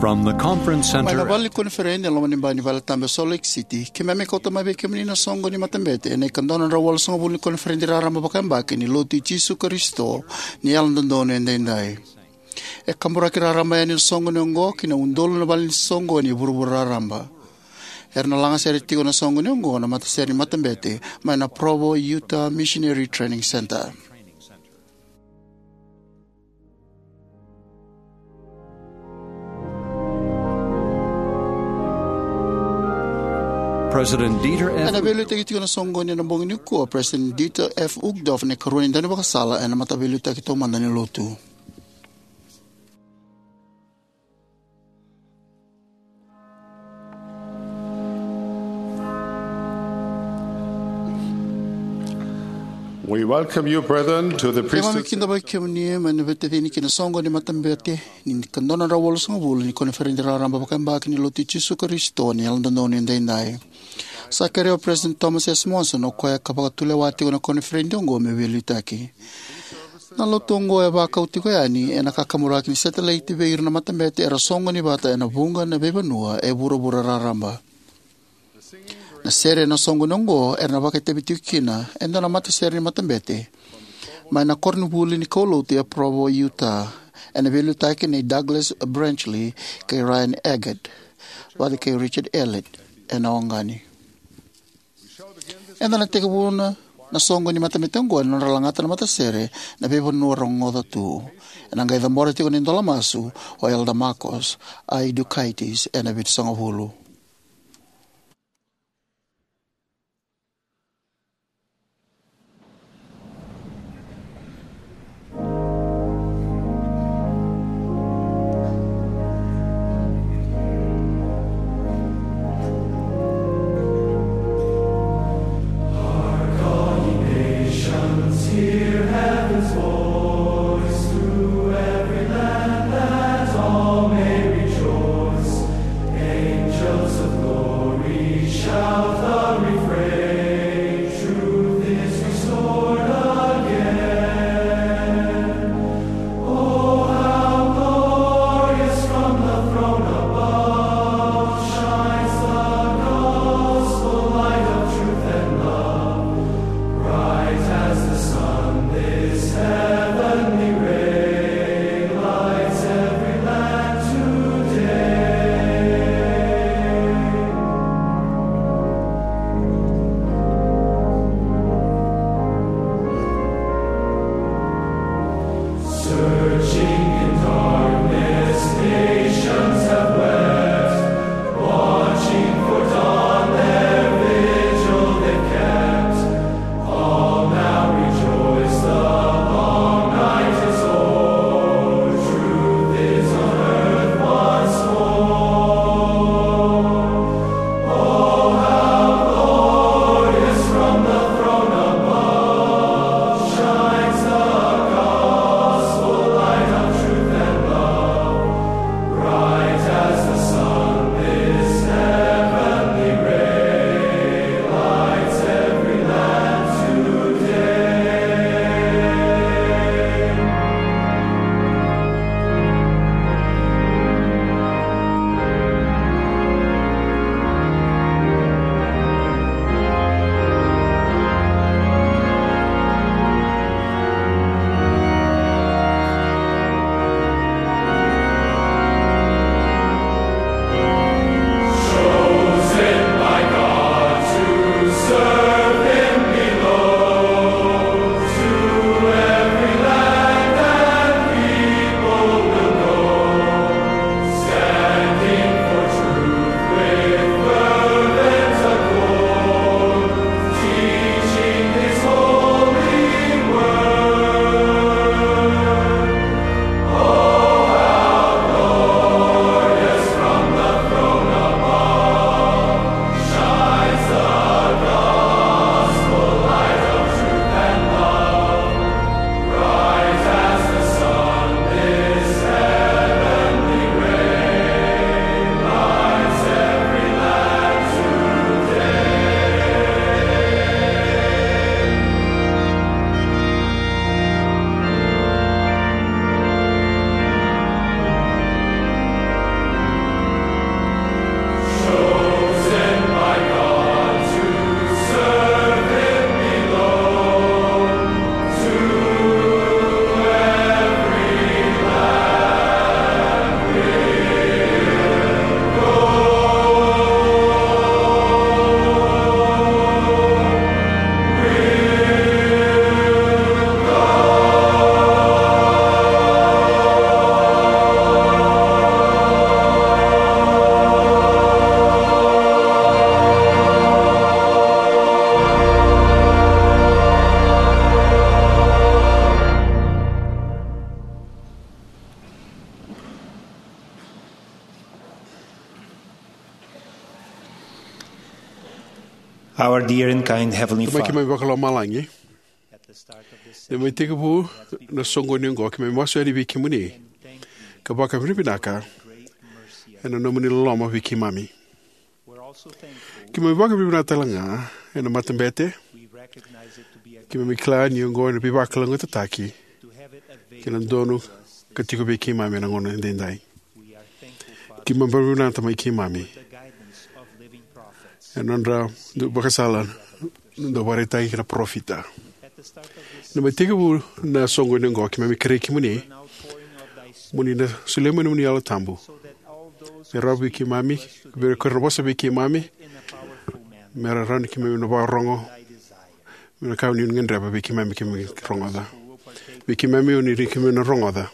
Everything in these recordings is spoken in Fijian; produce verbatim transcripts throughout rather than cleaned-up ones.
From the conference center. Mai na vale ni koniferedi e loma ni bai ni vale tabu e Salt Lake City, keimami kauta mai vei kemuni na soqo ni matabete ena ikadua na drau walusagavulu ni koniferedi raraba vakayabaki ni Lotu i Jisu Karisito ni Yalododonu Edaidai. E kaburaki raraba yani na soqoni oqo ki na udolu na vale ni soqoni e vuravura raraba. Era na lagasere tiko na soqoni oqo na matasere ni matabete mai na Provo Utah Missionary Training Center. President Dieter F. Ena veiliutaki tiko na soqoni ena bogi nikua o President Dieter F. Uchtdorf, na ikarua ni daunivakasala ena Mataveiliutaki Taumada ni Lotu. We welcome you, brethren, to the priesthood. Keimami kidavaki kemuni mai na veitacini ki na soqoni ni matabete ni ikadua na drau walusagavulu ni koniferedi raraba vakayabaki ni Lotu i Jisu Karisito ni Yalododonu Edaidai. Sa kerea o President Thomas S. Monson, o koya ka vakatulewa tiko na koniferedi oqo, me veiliutaki. Na lotu oqo e vakau tiko yani ena kakaburaki ni satellite vei ira na matabete era soqoni vata ena vuqa na veivanua e vuravura raraba. Na sere ena soqoni oqo era na vakaitavi tiko kina e dua na matasere ni matabete mai na koronivuli ni kaulotu e Provo, Utah, ena veiliutaki nei Douglas Brenchley kei Ryan Eggett, vata kei Richard Elliott ena oqani. Eda na tekivuna na soqoni ni matabete oqo ena nodra lagata na matasere na veivanua rogoca tu. Ena qai cabora tiko na idola masu o Elder Marcos I. Dukaitis ena vitusagavulu. Dear and kind Heavenly Tamai Father, keimami vakalomalagi, ni mai tekivu na soqoni oqo, keimami masu yani vei kemuni ka vakavinavinaka ena nomuni loloma vei keimami. Keimami vakavinavinaka tale ga ena matabete. Keimami kila ni oqo ena veivakalougatataki kei na donu ka tiko vei keimami ena gauna edaidai. Keimami vakavinavinaka, Tamai keimami, ena nodra vakasala na dau vakaraitaki kei na parofita. Ni mai tekivu na soqoni oqo, keimami kerei kemuni mo ni na solia mai nomuni Yalo Tabu me rawa vei keimami, vei ira ko ira na vosa vei keimami, me ra rawa ni keimami na vakarorogo, me na ka ni gadreva vei keimami, keimami rogoca. Vei keimami, o ni ri keimami na rogoca,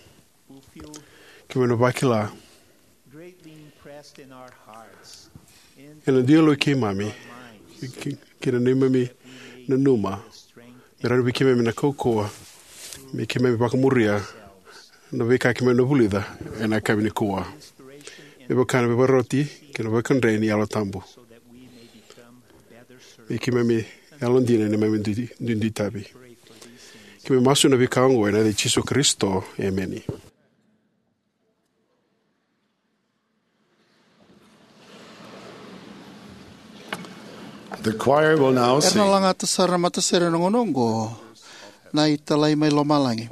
keimami na vakila ena dua yalo i keimami kei na neimami nanuma me rawa ni vei keimami na kaukauwa me keimami vakamuria na veika keimami na vulica ena yakavi nikua. Me vaka na veivakaroti kei na veikadre ni Yalo Tabu, me keimami yalodina ena neimami dui- duidui tavi. Keimami masu na veika oqo ena yaca i Jisu Karisito, emeni. The choir will now Era na sing. Lagata sara na matasere ena gauna oqo, Na iTalai mai Lomalagi.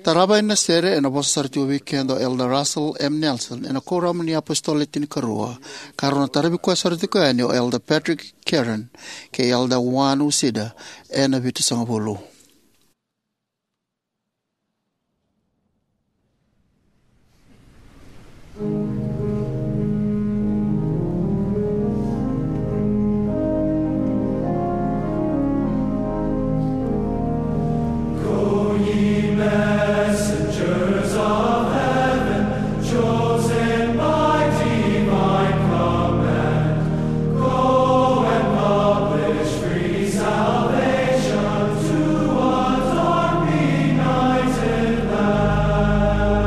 Tarava na sere ena vosa sara tiko vei keda o Elder Russell M. Nelson ena Kuoramu ni iApositolo Le Tinikarua, ka rau na taravi koya sara tiko yani o Elder Patrick Kieran kei Elder Juan Uceda ena Vitusagavulu. Go, ye messengers of heaven, chosen by divine command, go and publish free salvation to a dark benighted land.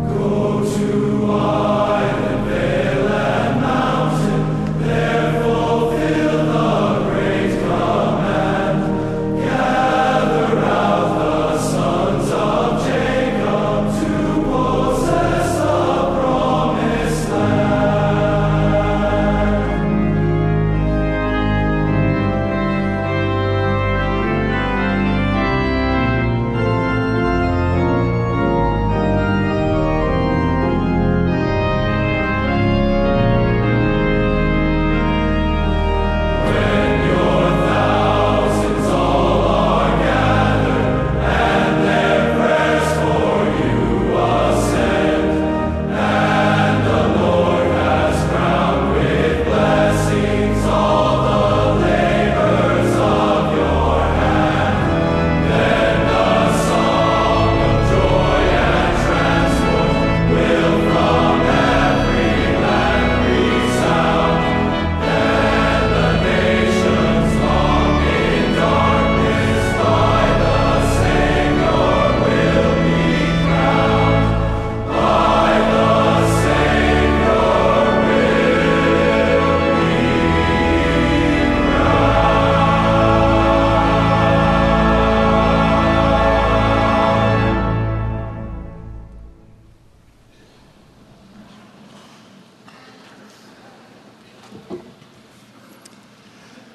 Go to island, vale, and mountain, there fulfill the great command. Gather out the sons of Jacob to possess the promised land.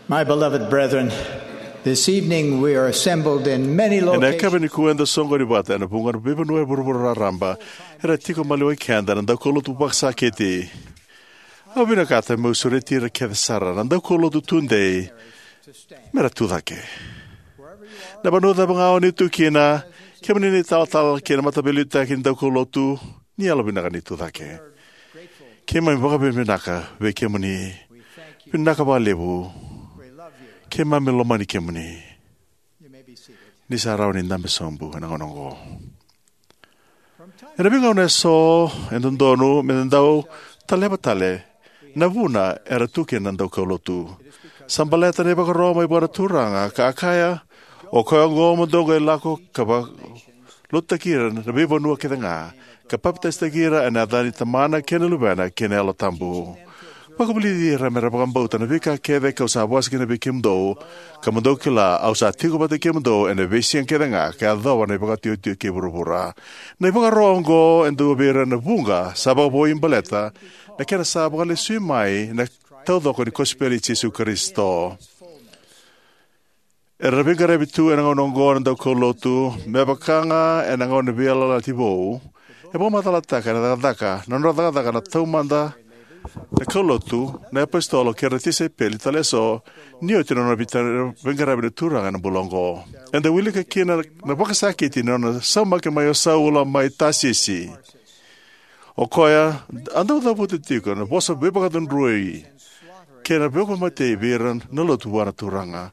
My beloved brethren, this evening we are assembled in many locations. Ena yakavi nikua eda soqoni vata ena vuqa na veivanua e vuravura raraba. Era tiko maliwai keda na daukaulotu vakasakiti. Au vinakata meu sureti ira kece sara na daukaulotu tudei mera tu cake. Na vanua cava ga o ni tu kina, kemuni na italatala kei na mataveiliutaki ni daukaulotu, ni yalovinaka ni tu cake. Keimami vakavinavinaka vei kemuni. Vinaka vakalevu. Keimami lomani kemuni. Ni sa rawa ni dabe sobu ena gauna oqo. Ena veigauna eso e dodonu meda dau taleva tale na vuna era tu kina na daukaulotu. Sa baleta na ivakaro mai vua na Turaga ka a kaya, "O koya oqo mo dou qai lako ka vakalotutaki ira na veivanua kece ga, ka papitaisotaki ira ena yaca ni Tamana kei na Luvena kei na Yalo Tabu. Vakavulici ira me ra vakabauta na veika kece kau sa vosa kina vei kemudou, ka mo dou kila au sa tiko vata kei kemudou ena veisiga kece ga ka yacova na ivakataotioti kei vuravura. Na ivakaro oqo e dua vei ira na vuqa sa vakavoui baleta na kena sa vakalesui mai na taucoko ni kosipeli i Jisu Karisito. Era veiqaravi tu ena gauna oqo na daukaulotu, me vaka ga ena gauna ni veiyalayalati vou. E vakamacalataka ena cakacaka, na nodra cakacaka na taumada na kaulotu, na iapositolo kei ira na tisaipeli tale eso, ni oti na nona veiqaravi na Turaga ena bula oqo. Eda wilika kina na vakasakiti ni nona saumaki mai o Saula mai Tasisi. O koya a dau cavuta tiko na vosa veivakacudrui kei na veivakamatei vei ira na lotu vua na Turaga,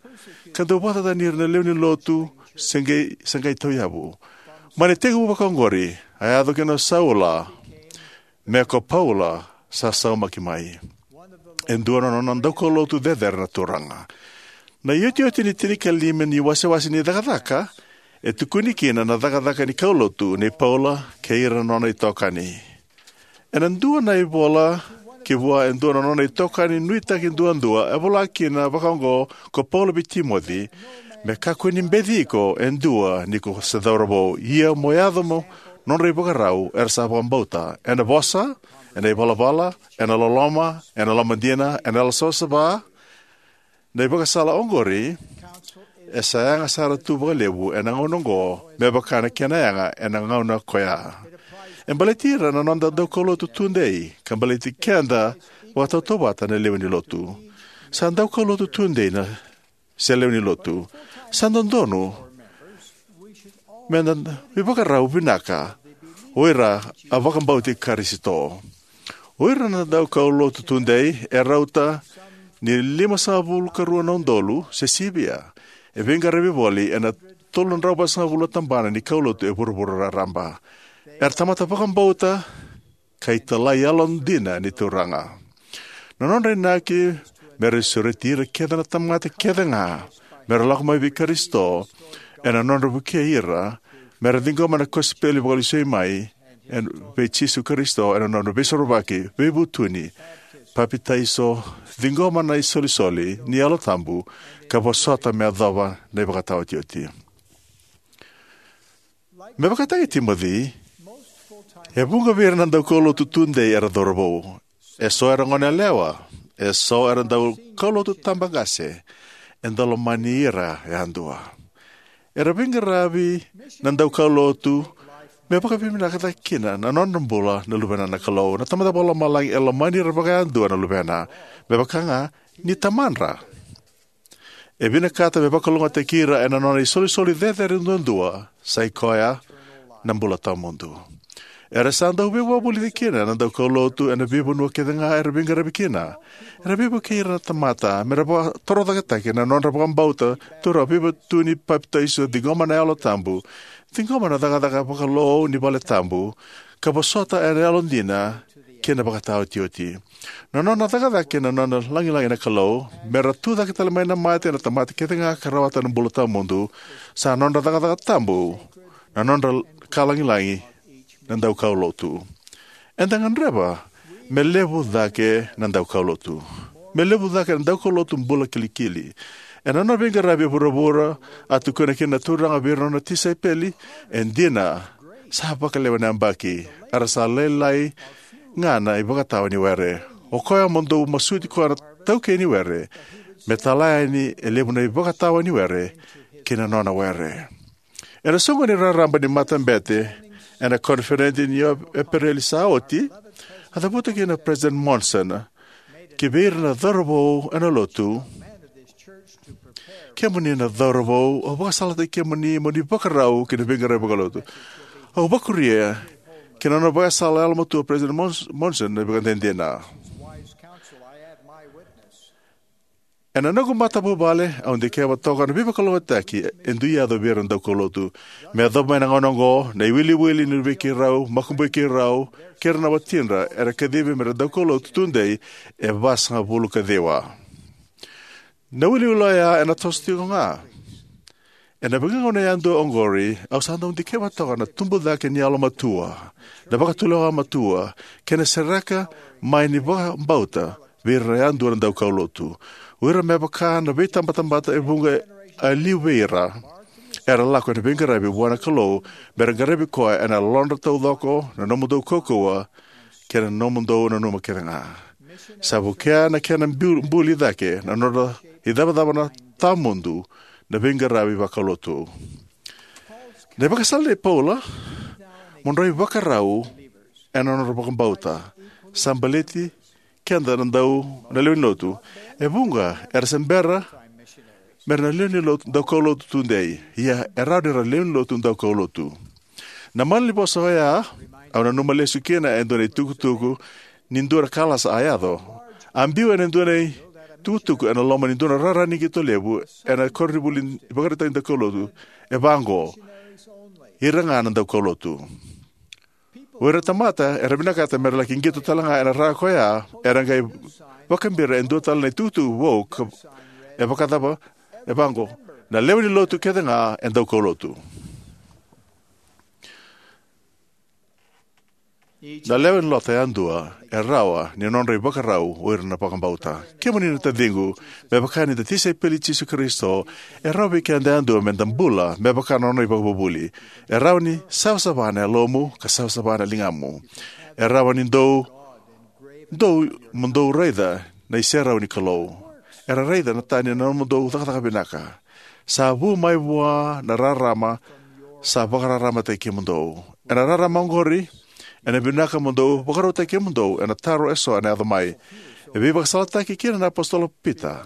ka dau vakatani ira na lewe ni lotu se qai, se qai tauyavu. Mai na itekivu vakaoqori, a yaco kina o Saula me ko Paula sa saumaki mai, e dua na nona daukaulotu cecere na Turaga. Na iotioti ni tinikalima ni wasewase ni Cakacaka e tukuni kina na cakacaka ni kaulotu nei Paula kei ira na nona itokani. Ena dua na ivola ki vua e dua na nona itokani nuitaki duadua, e vola kina vakaoqo ko Paula vei Timoci: Me kakua ni beci iko e dua ni ko se cauravou, ia mo yaco mo nodra ivakarau era sa vakabauta, ena vosa, ena ivalavala, ena loloma, ena lomadina, ena yalo savasava. Na ivakasala oqori e sa yaga sara tu vakalevu ena gauna oqo me vaka na kena yaga ena gauna koya. E baleti ira na noda daukaulotu tudei, ka baleti keda vakatautauvata na lewe ni lotu. Sa daukaulotu tudei na, se lewe ni lotu, sa dodonu me da ivakarau vinaka o ira a vakabauti Karisito. O ira na daukaulotu tudei e rauta ni limasagavulu ka rua na udolu se sivia e veiqaravi voli ena tolu na drau vasagavulu na tabana ni kaulotu e vuravura raraba. Era tamata vakabauta ka italai yalodina ni Turaga. Na nodra inaki me ra sureti ira kece na tamata kece ga me ra lako mai vei Karisito ena nodra vukei ira me ra ciqoma na kosipeli vakalesui mai vei Jisu Karisito ena nodra veisorovaki, veivutuni, papitaiso, ciqoma na isolisoli ni Yalo Tabu, ka vosota me yacova na ivakataotioti. Me vakataki Timoci, e vuqa vei ira na daukaulotu tudei era cauravou. Eso era goneyalewa, eso era daukaulotu tabaqase, eda lomani ira yadua. Era veiqaravi na daukaulotu me vakavinavinakataki kina na nodra bula na luvena na Kalou. Na Tamada Vakalomalagi e lomani ira vakayadua na luvena, me vaka ga ni tamadra. E vinakata me vakalougatataki ira ena nona isolisoli cecere duadua, sa i koya na bula tawamudu. Era sa dau veivakavulici kina na daukaulotu ena veivanua kece ga era veiqaravi kina. Era veivukei ira na tamata me ra vakatorocaketaki na nodra vakabauta, taura veivutuni, papitaiso, ciqoma na Yalo Tabu, ciqoma na cakacaka vakalou ni vale tabu, ka vosota ena yalodina kei na ivakataotioti. Na nona cakacaka kei na nona lagilagi na Kalou me ra tucake tale mai na mate na tamata kece ga ka rawata na bula tawamudu, sa nodra cakacaka tabu na nodra ka lagilagi na daukaulotu. Eda gadreva me levu cake na daukaulotu, me levu cake na daukaulotu bula kilikili. Ena nona veiqaravi e vuravura, a tukuna kina na Turaga vei ira na nona tisaipeli, e dina, sa vakalewe na yabaki, era sa lailai ga na ivakatawa ni were. O koya mo dou masuti koya na itaukei ni were, me tala yani e levu na ivakatawa ni were ki na nona were. Ena soqoni raraba ni matabete ena koniferedi ni Epereli sa oti, a cavuta kina o President Monson ki vei ira na cauravou ena lotu: Kemuni na cauravou, au vakasalataki kemuni mo ni vakarau ki na veiqaravi vakalotu. Au vakuria ki na nona vakasala yalomatua o President Mons-, Monson na ivakadinadina. Ena noqu matavuvale, au dikeva toka na veivakalougatataki e dui yaco vei ira na daukaulotu. Me yacova mai na gauna oqo, na iwiliwili ni luvei keirau, makubui keirau, kei ira na watidra era kacivi me ra daukaulotu tudei e vasagavulu ka ciwa. Na iwiliwili oya ena toso tiko ga. Ena veigauna yadua oqori, au sa dau dikeva toka na tubu cake ni yalomatua, na vakatulewa matua, kei na sereka mai ni vakabauta vei ira yadua na daukaulotu. O ira me vaka na veitabatamata e vuqa e liu vei ira era lako ena veiqaravi vua na Kalou, me ra qaravi koya ena yalodra taucoko, na nomudou kaukauwa, kei na nomudou nanuma kece ga. Sa vukea na kena bu-, buli cake na nodra icavacava na tawamudu na veiqaravi vakaulotu. Na ivakasala nei Paula, mo dou ivakarau ena nodra vakabauta, sa baleti keda na dau na lewe ni lotu. E vuqa era se bera mera na lewe ni lotu daukaulotu tudei, ia e rawa ni ra lewe ni lotu daukaulotu. Na malanivosa oya, au nanuma lesu kina e dua na itukutuku ni dua na kalasa a yaco. A biu ena dua na itukutuku ena loma ni dua na rara ni qito levu ena koronivuli ivakaraitaki daukaulotu, e vaqo: Ira ga na daukaulotu. O ira na tamata era vinakata mera laki qito tale ga ena rara koya, era qai vakabira e dua tale na itukutuku vou ka, e vakacava, e vaqo: Na lewe ni lotu kece ga e daukaulotu. Na lewe ni lotu yadua e rawa ni nodra ivakarau o ira na vakabauta. Kemuni na taciqu, me vaka ni da tisaipeli i Jisu Karisito, e rawa vei keda yadua me da bula me vaka na nona ivakavuvuli. E rawa ni savasava na yalomu ka savasava na ligamu. E rawa ni dou, dou, mo dou raica na iserau ni Kalou. Era raica na tani na nomudou cakacaka vinaka. Sa vu mai vua na rarama sa vakararamataki kemudou. Ena rarama oqori, ena vinaka mo dou vakarautaki kemudou ena taro eso ena yaco mai. E veivakasalataki kina na apositolo o Pita: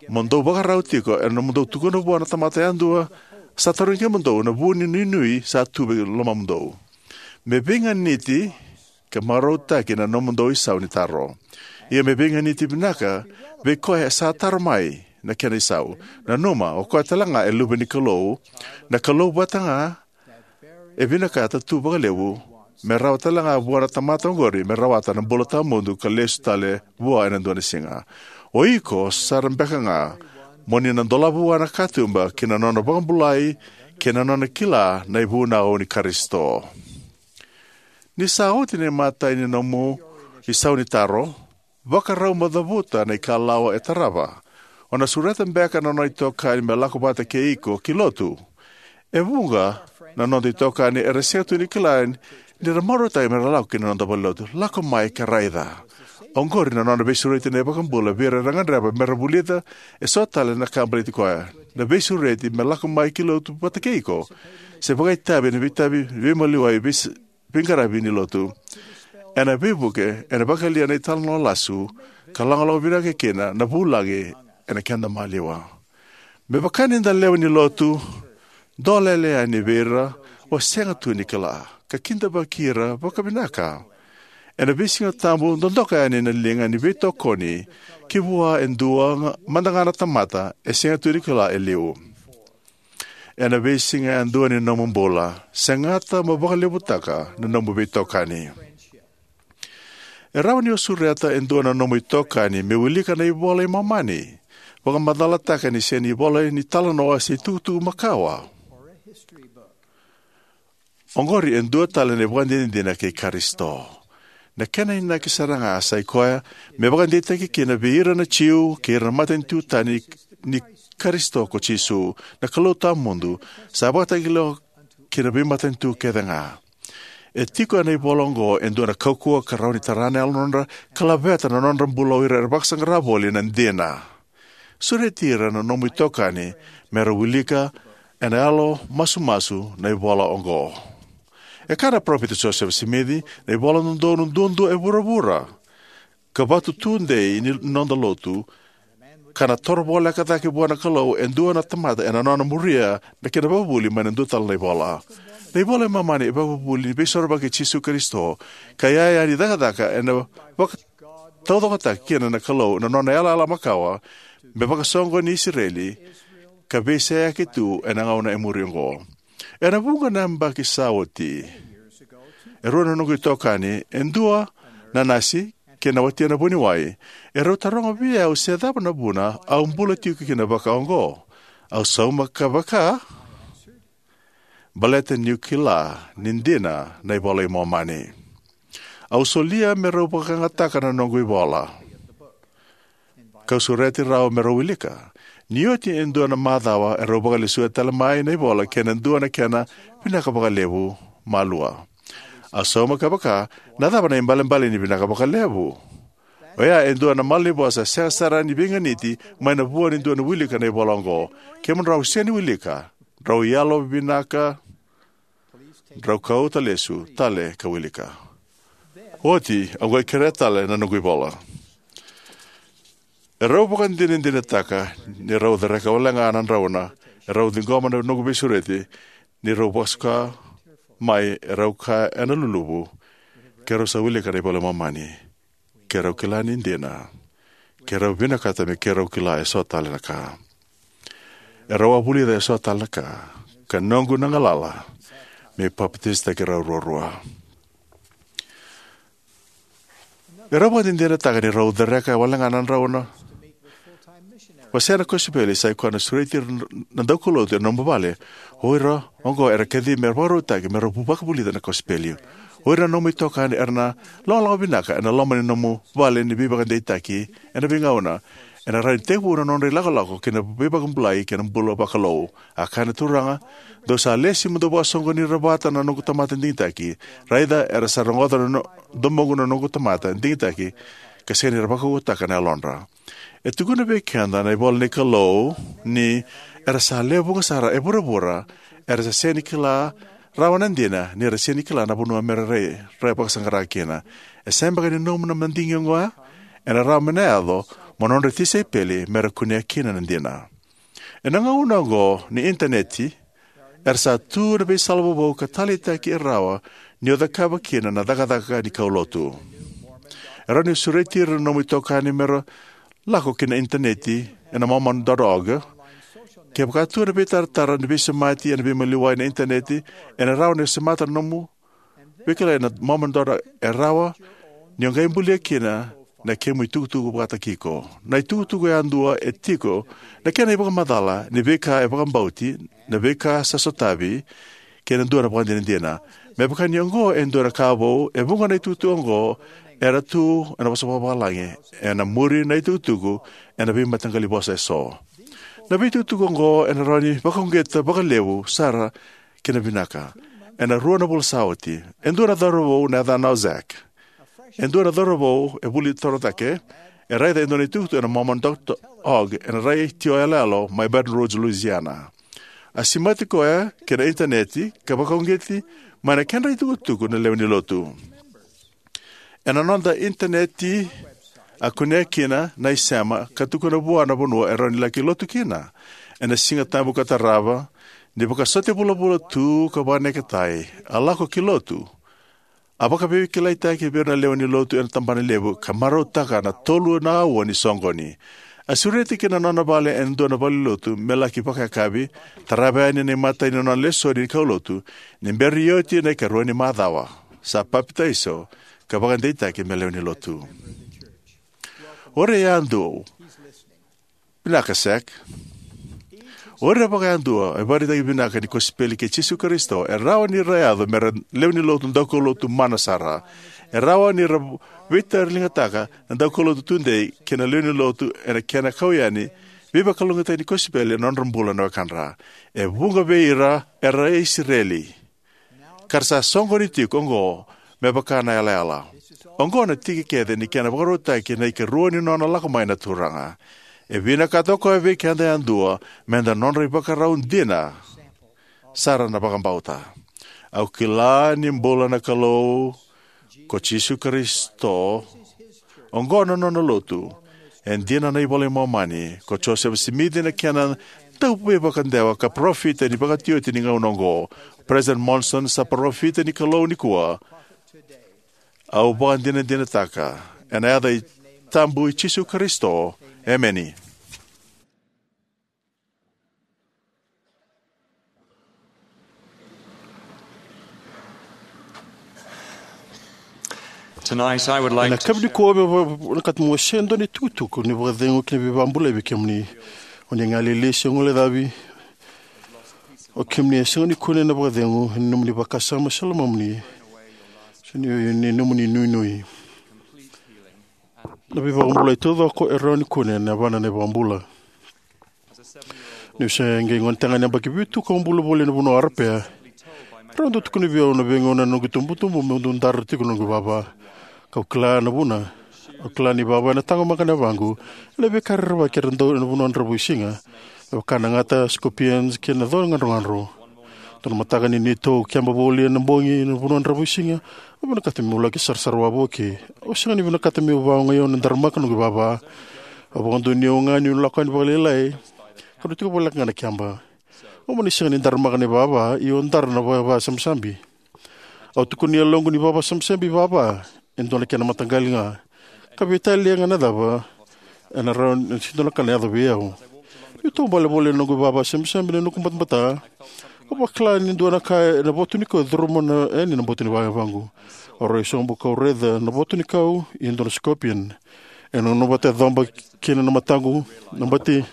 Mo dou vakarau tiko ena nomudou tukuna vua na tamata yadua sa tarogi kemudou na vu ni nuinui sa tu vei lomamudou. Me veiganiti ka marautaki na nomudou isau ni taro. Ia me veiganiti vinaka vei koya e sa taro mai na kena isau. Nanuma, o koya tale ga e luve ni Kalou, na Kalou vata ga e vinakata tu vakalevu me rawa tale ga vua na tamata oqori me rawata na bula tawamudu ka lesu tale vua ena dua na siga. O iko sara beka ga mo ni na dolava vua na katuba ki na nona vakabulai kei na nona kila na ivunau ni Karisito. Ni sa oti na imatai ni nomu isau ni taro, vakarau mo cavuta na ikalawa e tarava. O na sureta beka na nona itokani me lako vata kei iko ki lotu. E vuqa na noda itokani era sega tu ni kila ni ra marautaki me ra lako ki na noda valenilotu. Lako mai ka raica. Oqori na nona veisureti na iVakabula vei ira era gadreva me ra vulica eso tale na ka baleti koya. Na veisureti me lako mai ki lotu vata kei iko, se vakaitavi ena veitavi veimaliwai, veis-, veiqaravi ni lotu, ena veivuke, ena vakayalia na italanoa lasu, ka logaloga vinaka kina na vulagi ena keda maliwa. Me vaka ni da lewe ni lotu, dolele yani vei ira o sega tu ni kila, ka kidavaki ira vakavinaka. Ena veisiga tabu, dodoka yani na liga ni veitokoni ki vua e dua ga, mada ga na tamata e sega tu ni kila e liu. Ena veisiga yadua ni nomu bula, segata mo vakalevutaka na nomu veitokani. E rawa ni o sureta e dua na nomu itokani me wilika na iVola i Momani, vakamacalataka ni sega ni ivola ni talanoa se itukutuku makawa. Oqori e dua tale na ivakadinadina kei Karisito. Na kena inaki sara ga sa i koya me vakadeitaki kina vei ira na Jiu kei ira na matanitu tani ni Karisito ko Jisu, na Kalou tawamudu, sa vakatakila ki na veimatanitu kece ga. E tiko ena ivola oqo e dua na kaukauwa ka rawa ni tara na yalodra ka laveta na nodra bula o ira era vakasaqara voli na dina. Sureti ira na nomu itokani me ra wilika ena yalo masumasu na ivola oqo. E kaya na Parofita Josefa Simici, na ivola dodonu duadua e vuravura ka vatu tudei ni noda lotu, ka na toro voleka cake vua na Kalou e dua na tamata ena nona muria na kena vakavuvuli mai na dua tale na ivola. Na iVola i Momani e vakavuvuli ni Veisorovaki i Jisu Karisito, ka iyaya ni cakacaka ena vakataucokotaki kina na Kalou na nona yalayala makawa me vakasoqoni Isireli, ka veiseyaki tu ena gauna e muri oqo. Ena vuqa na yabaki sa oti, e rua na noqu itokani, e dua na nasi kei na watina vuniwai, erau taroga vei au se cava na vuna au bula tiko kina vakaoqo. Au sauma ka vaka, baleta niu kila ni dina na iVola i Momani. Au solia me rau vakayagataka na noqu ivola, kau sureti rau me rau wilika. Ni oti e dua na macawa, e rau vakalesuya tale mai na ivola kei na dua na kena vinaka vakalevu malua. Au sauma ka vaka, na cava na ibalebale ni vinaka vakalevu? Oya e dua na malanivosa sega sara ni veiganiti mai na vua ni dua na wilika na ivola oqo. Kemudrau sega ni wilika, drau yalo vinaka, drau kauta lesu tale ka wilika. Oti au qai kerea tale na noqu ivola. E rau vakadinadinataka ni rau cereka wale ga na drauna e rau ciqoma na noqu veisureti, ni rau vakasuka mai e rau ka ena luluvu, ke rau sa wilika na iVola i Momani. Ke rau kila ni dina, ke rau vinakata me ke rau kila e so tale na ka. E rau a vulica e so tale na ka, ka noqu na galala me papatisataki rau ruarua. E rau vakadinadinataka ni rau cereka wale ga na drauna. Wasea na kosipeli sa i koya na sureti ira na daukaulotu ena nomu vale. O ira oqo era kaci me vakarautaki me rau vakavulica na kosipeli. O ira na nomu itokani era na logaloga vinaka ena loma ni nomu vale ni veivakadeitaki ena veigauna. Ena rawa ni tekivu na nodra ilakolako ki na veivakabulai kei na bula vakalou. A kaya na Turaga, dou sa lesi mo dou vakasoqoni ira vata na noqu tamata digitaki. Raica era sa rogoca na no, domoqu na noqu tamata digitaki, ka sega ni ra vakaukauwataka na yalodra. E tukuna vei keda na ivola ni Kalou ni era sa lewe vuqa sara e vuravura era sa sega ni kila rawa na dina, ni ra sega ni kila na vanua me ra rai, ra vakasaqara kina. E sega beka ni nomu na madigi oqo, ena rawa me na yaco mo nodra tisaipeli me ra kunea kina na dina. Ena gauna oqo ni initaneti, era sa tu na veisala vovou ka taleitaki e rawa ni o cakava kina na cakacaka ni kaulotu. E rawa ni sureti ira na nomu itokani me ra lako ki na initaneti ena mormon dot org. Kevaka tu na veitaratara ni veisemati ena veimaliwai na initaneti, ena rawa ni semata na nomu veikilai na mormon dot org. E rawa ni o qai bulia kina na kemu itukutuku vakataki iko. Na itukutuku yadua e tiko na kena ivakamacala ni veika e vakabauti, na veika sa sotavi, kei na dua na vakadinadina. Me vaka ni oqo e dua na ka vou, e vuqa na itukutuku oqo era tu ena vosa vakavalagi, ena muri na itukutuku ena veimataqali vosa e so. Na veitukutuku oqo ena rawa ni vakauqeta vakalevu sara kei na vinaka. Ena rua na vula sa oti, e dua na cauravou na yacana o Zach. E dua na cauravou e vuli toro cake, e raica e dua na itukutuku ena mormon dot org ena retio yaloyalo mai Baton Rouge, Louisiana. A semati koya ki na initaneti ka vakauqeti mai na kedra itukutuku na lewe ni lotu. Ena noda initaneti a kunea kina na isema ka tukuna vua na vanua e rawa ni laki lotu kina. Ena Siga Tabu ka tarava, ni vakasote vulavula tu ka vakaneketai, a lako ki lotu. A vakaveikilaitaki vei ira na lewe ni lotu ena tabana levu ka marautaka na tolu na aua ni soqoni. A sureti ki na nona vale ena dua na valenilotu me laki vakayakavi, tarava yani na imatai ni nona lesoni ni kaulotu ni bera ni oti na ikarua ni macawa. Sa papitaiso ka vakadeitaki me lewe ni lotu. O ira yadua, vinaka Zach. O ira vakayadua e vakaraitaki vinaka ni kosipeli kei Jisu Karisito, e rawa ni ra yaco me ra lewe ni lotu daukaulotu mana sara. E rawa ni ra veitauriligataka na daukaulotu tudei kei na lewe ni lotu ena kena kau yani veivakalougatataki ni kosipeli ena nodra bula na wekadra. E vuqa vei ira era Isireli ka ra sa soqoni tiko oqo me vaka na yalayala. Oqo na tiki kece ni kena vakarautaki na ikarua ni nona lako mai na Turaga. E vinakata o koya vei keda yadua me da nodra ivakarau dina sara na vakabauta. Au kila ni bula na Kalou ko Jisu Karisito. Oqo na nona lotu. E dina na iVola i Momani, ko Josefa Simici na kena dauveivakadewa ka parofita ni vakatioti ni gauna oqo. President Monson sa parofita ni Kalou nikua. Au vakadinadinataka ena yaca i tabu i Jisu Karisito. Emeni. Tonight, I would like Ena to yakavi nikua, au vinakata meu wasea e dua na itukutuku ni vakacegu kei na veivakabulai vei kemuni. O ni galili se guilecavi, o kemuni e sega ni kune na vakacegu ena nomuni vakasama se lomamuni, se ni, ni nomuni nuinui. Na veivakabulai taucoko e rawa ni kune ena yavana na iVakabula. Niu se qai gonetagane yabaki vitu ka bula voli ena vanua o Arapea, rau dau tukuna vei au na veigauna na noqu itubutubu meu dau dara tiko na noqu ivava. Kau kila na vuna. Au kila ni vava ena taqomaka na yavaqu ena veika rerevaki era dau ena vanua dravuisiga, me vaka na gata, scorpions, kei na cau gadrogadro. Dua na mataka ni neitou keba voli ena bogi ena vanua dravuisiga, au vinakata meu laki sarasara wavoki. Au sega ni vinakata meu vakaogai au na daramaka noqu ivava. Au vakadonuya au ga niu lako yani vakalailai, kau na tiko voleka ga na keba. Au mani sega ni daramaka na ivava, ia au dara na vava sabisabi. Au tukuna e yaloqu ni vava sabisabi ivava, e dua na kena mataqali ga. Ka veitalia ga na cava, ena rawa ni se dua na ka na yaco vei au. Niu taubale voli ena noqu ivava sabisabi na noqu batabata, au vakila ni dua na ka ena voto ni kau e curuma yani na boto ni vayavaqu. Au rai sobu kau raica na voto ni kau, ia e dua na scorpion. E nanuma vata e coba kina na mataqu, na bati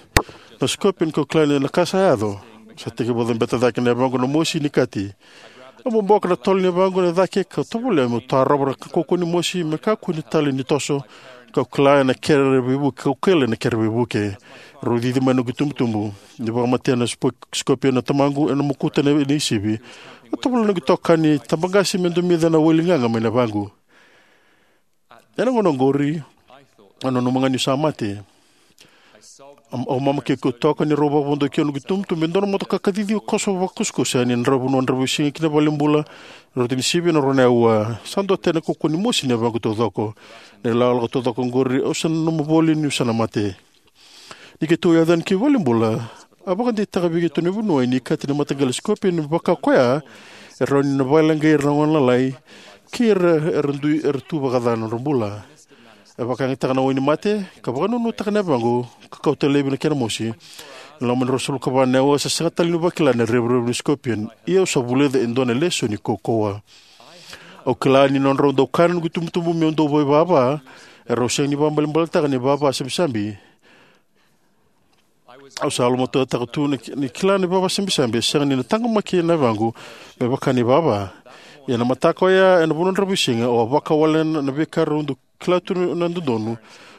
na scorpion kau kila ni na ka sa yaco. Sa tekivu cabeta cake na yavaqu na mosi ni kati. Au boboka na tolo ni yavaqu ena cake kau tovolea meu tarova na kaukauwa ni mosi me kakua ni tale ni toso. Kau kila ena kere veivuke, kau kila ena kere veivuke. Rau cici mai na noqu itubutubu. Ni vakamatea na spo-, scorpion na tamaqu ena mokuta na, na isivi, au tovolea na noqu itokani tabaqase me domica na wai ligaga mai na yavaqu. Ena gauna oqori, au nanuma ga niu sa mate. Au, au mama kei kau toka ni rau vakavodoki au noqu itubutubu e dua na motoka kacici koso vakakusakusa yani na vanua dravuisiga ki na valenibula. Rau tini sivi ena rua na aua. Sa duatani na kaukauwa ni mosi ni yavaqu taucoko. Na ilakolako taucoko oqori au sa nanuma voli niu sa na mate. Ni keitou yaco yani ki valenibula, a vakadeitaka vei keitou na vuniwai ni kati ni mataqali scorpion vaka koya e rawa ni na vakaleqai ira na gone lalai kei ira era dui, era tu vakaca na nodra bula. E vakayagataka na wai ni mate, ka vakanunutaka na yavaqu, ka kauta laivi na kena mosi. Ena loma ni ruasagavulu ka va na aua sa sega tale niu vakila na revurevu ni scorpion, ia au sa vulica e dua na lesoni kaukauwa. Au kila ni nodrau dau kaya na noqu itubutubu meu dau vakaivava, erau sega ni vakaibalebaletaka na ivava sabisabi. Au sa lomatuataka tu na ki-, ni kila na ivava sabisabi e sega ni na taqomaki na yavaqu me vaka na ivava. Ia na mataka oya ena vanua dravuisiga, au a vakawalena na veika rau dau kila tu na dodonu.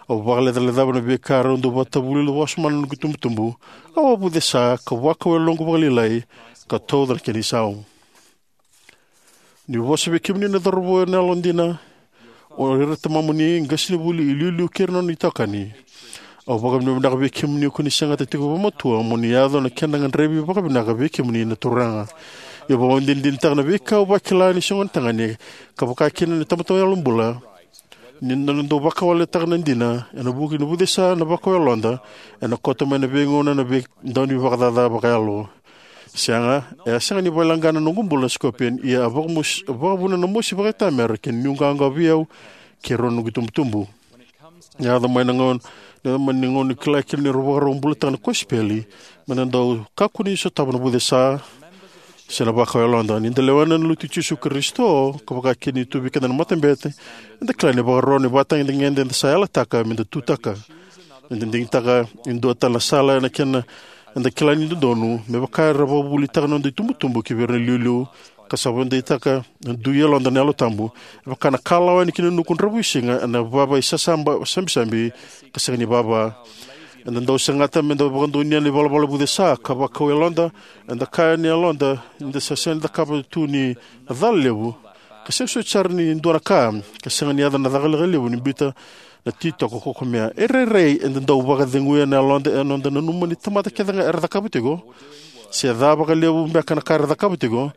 Au vakalecalecava na veika rau dau vakatavulica wasoma na noqu itubutubu. Au a vucesa ka vakau yaloqu vakalailai ka tauca na kena isau. Niu vosa vei kemuni na cauravou ena yalodina, o ira tamamuni, qasenivuli, iliuliu kei ira na nona itokani. Au vakavinavinaka vei kemuni ko ni segata tiko vakamatua mo ni yaco na kena gadrevi vakavinaka vei kemuni na Turaga. Ia au vakadinadinataka na veika au vakila ni se gonetagane, ka vaka kina na tamata yalobula. Ni na dau vakawaletaka na dina, ena vuku ni vucesa na vakau yaloda, ena koto mai na veigauna na veidaunivakacaca vakayalo. Sega, e a sega ni vakaleqa na noqu bula na sikopioni, ia a vakamosi, a vakavuna na mosi vakaitamera kei na nuiqawaqawa vei au kei rau na noqu itubutubu. Ni yaco mai na gauna, ni yaco mai na gauna ni kila kina ni rau vakarau bulataka na kosipeli, me da dau kakua ni sotava na vucesa se na vakau yaloda. Ni da lewena na Lotu i Jisu Karisito, ka vaka kina ni tu vei keda na matabete, eda kila ni vakarau na ivakatagedegede eda sa yalataka me da tutaka. Eda digitaka e dua tale na sala ena kena eda kila ni dodonu, me vaka era vakavuvulitaka na noda itubutubu ki vei ira na iliuliu, ka sa vakadeitaka na dui yaloda na Yalo Tabu, e vaka na kalawa yani ki na nuku dravuisiga ena vava isasaba sabisabi ka sega ni vava. Eda dau segata me da vakadonuya na ivalavala vucesa ka vakau yaloda, eda kaya ni yaloda ni da sa sega ni cakava tu ni na cala levu, ka sega soti sara ni dua na ka, ka sega ni yaco na caka lekaleka levu ni biuta na titoko kokomea. E rairai eda dau vakaceguya na yaloda ena noda nanuma ni tamata kece ga era cakava tiko, se ca vakalevu beka na ka era cakava tiko,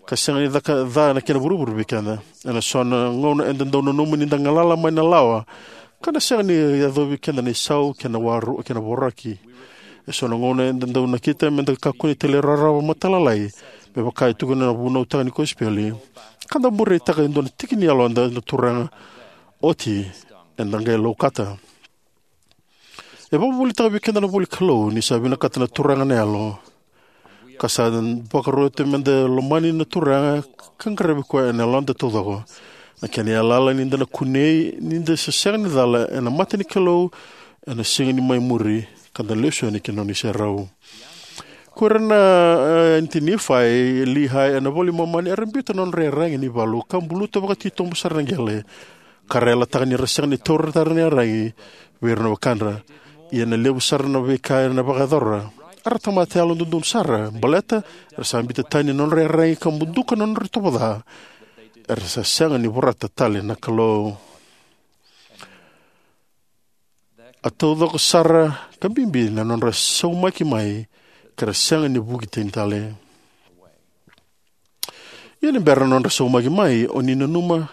ka sega ni caka ca na kena vuravura vei keda. Ena so na gauna eda dau nanuma ni da galala mai na lawa, ka na sega ni yacovi keda na isau kei na waru kei na voroki. E so na gauna eda dau nakita me da kakua ni talairawarawa matalalai, me vaka e tukuna na vunautaka ni kosipeli, ka da bureitaka e dua na tiki ni yaloda na Turaga, oti eda qai laukata. E vakavuvulitaka vei keda na ivolanikalou ni sa vinakata na Turaga na yalo, ka sa vakaroti me da lomani na Turaga ka qaravi koya ena yaloda taucoko. Na kena yalayala ni da na kunei ni da sa sega ni cala ena mata ni Kalou ena siga ni mai muri, ka da na lesu yani ki na nona iserau. Ko ira na, e, Nifai, Liai, ena iVola i Momani, era biuta na nodra iyaragi ni valu ka buluta vakatitobu sara na qele, ka ra yalataka ni ra sega ni taura tale na iyaragi vei ira na wekadra. Ia na levu sara na veika era vakayacora, era tamata yalododonu sara, baleta era sa biuta tani na nodra iyaragi ka buduka na nodra itovo ca, era sa sega ni vorata tale na Kalou. A taucoko sara ka bibi na nodra saumaki mai, ka ra sega ni vuki tani tale. Ia ni bera na nodra saumaki mai, o ni nanuma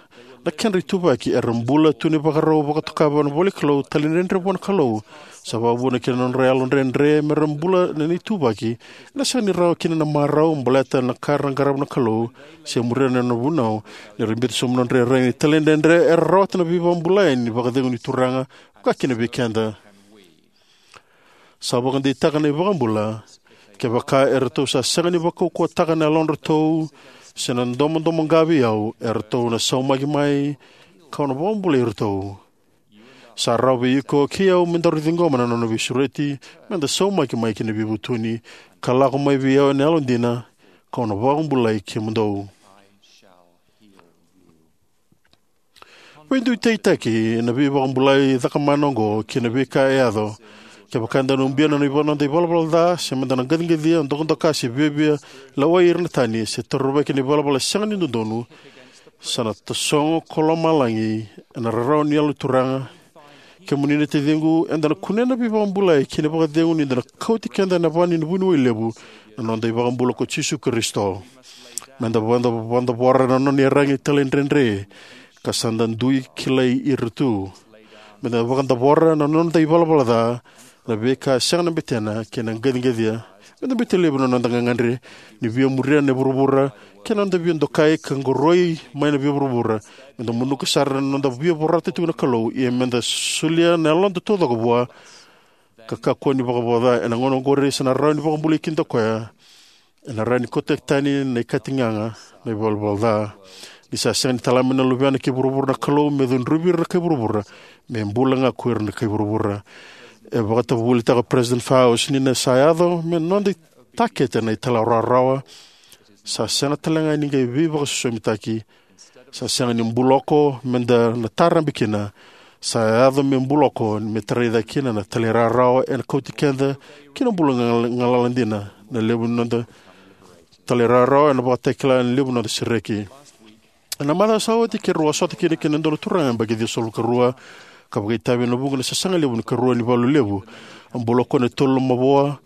na kedra ituvaki, era bula tu na ivakarau vakatoka na ivolanikalou, talaidredre vua na Kalou. Sa vakavuna kina na nodra yalodredre me ra bula na ituvaki, ena sega ni rawa kina na marau, baleta na ka era qarava na Kalou, se muria na nona vunau. Ni ra biuta sobu na nodra iyaragi ni talaidredre, era rawata na veivakabulai ni vakacegu ni Turaga, vaka kina vei keda. Sa vakadeitaka na iVakabula, kevaka eratou sa sega ni vakaukauwataka na yalodratou se na domodomoqa vei au, eratou na saumaki mai, kau na vakabulai iratou. Sa rawa vei iko kei au me daru ciqoma na nona veisureti, me da saumaki mai ki na veivutuni, ka lako mai vei au ena yalodina, kau na vakabulai kemudou. Veidutaitaki na veivakabulai cakamana oqo kei na veika e yaco. Kevaka eda na ubia na noda ivalavala ca, se meda na qaciqacia, dokadoka, se viavia lewai ira na tani, se taruvaki na ivalavala sega ni dodonu, sa na tasogo ko lomalagi ena rarawa ni Yalo ni Turaga. Kemuni na taciqu, eda na kunea na veivakabulai kei na vakacegu ni da na kauti keda ena va ni vuniwai levu, na noda iVakabula ko Jisu Karisito. Meda vada, vadavora na nona iyaragi talaidredre, ka sa da dui kilai ira tu. Meda vakadavora na noda ivalavala ca, na veika sega na betena, kei na qaciqacia. Meda biuta laivi na noda gagadre ni via muria na vuravura, kei na noda via dokai ka qoroi mai na via vuravura. Meda muduka sara na noda via vorata tiko na Kalou, ia meda solia na yaloda taucoko vua, ka kakua ni vakavoca. Ena gauna oqori sa na rawa ni vakabulai keda o koya. Ena rawa ni kauta tani na ikatigaga na ivalavala ca. Ni sa sega ni tala mai na Luvena ki vuravura na Kalou me cudruvi ira na kai vuravura, me bula ga ko ira na kai vuravura. E vakatavuvulitaka o President Faust ni na sa yaco me noda itakete na italairawarawa, sa sega tale ga ni qai veivakasosomitaki, sa sega ni buloko meda na tarabe kina, sa yaco me buloko me tarai cake kina na talairawarawa ena kauti keda ki na bula gal-, galala dina. Na levu ni noda talairawarawa ena vakatakila na levu ni noda sereki. Ena macawa sa oti keirau a sota kina kei na dua na turaga yabaki ciwasagavulu ka rua, ka vakaitavi ena vuqa na sasaga levu ni karua ni valu levu. A bula o koya ena tolu na mavoa.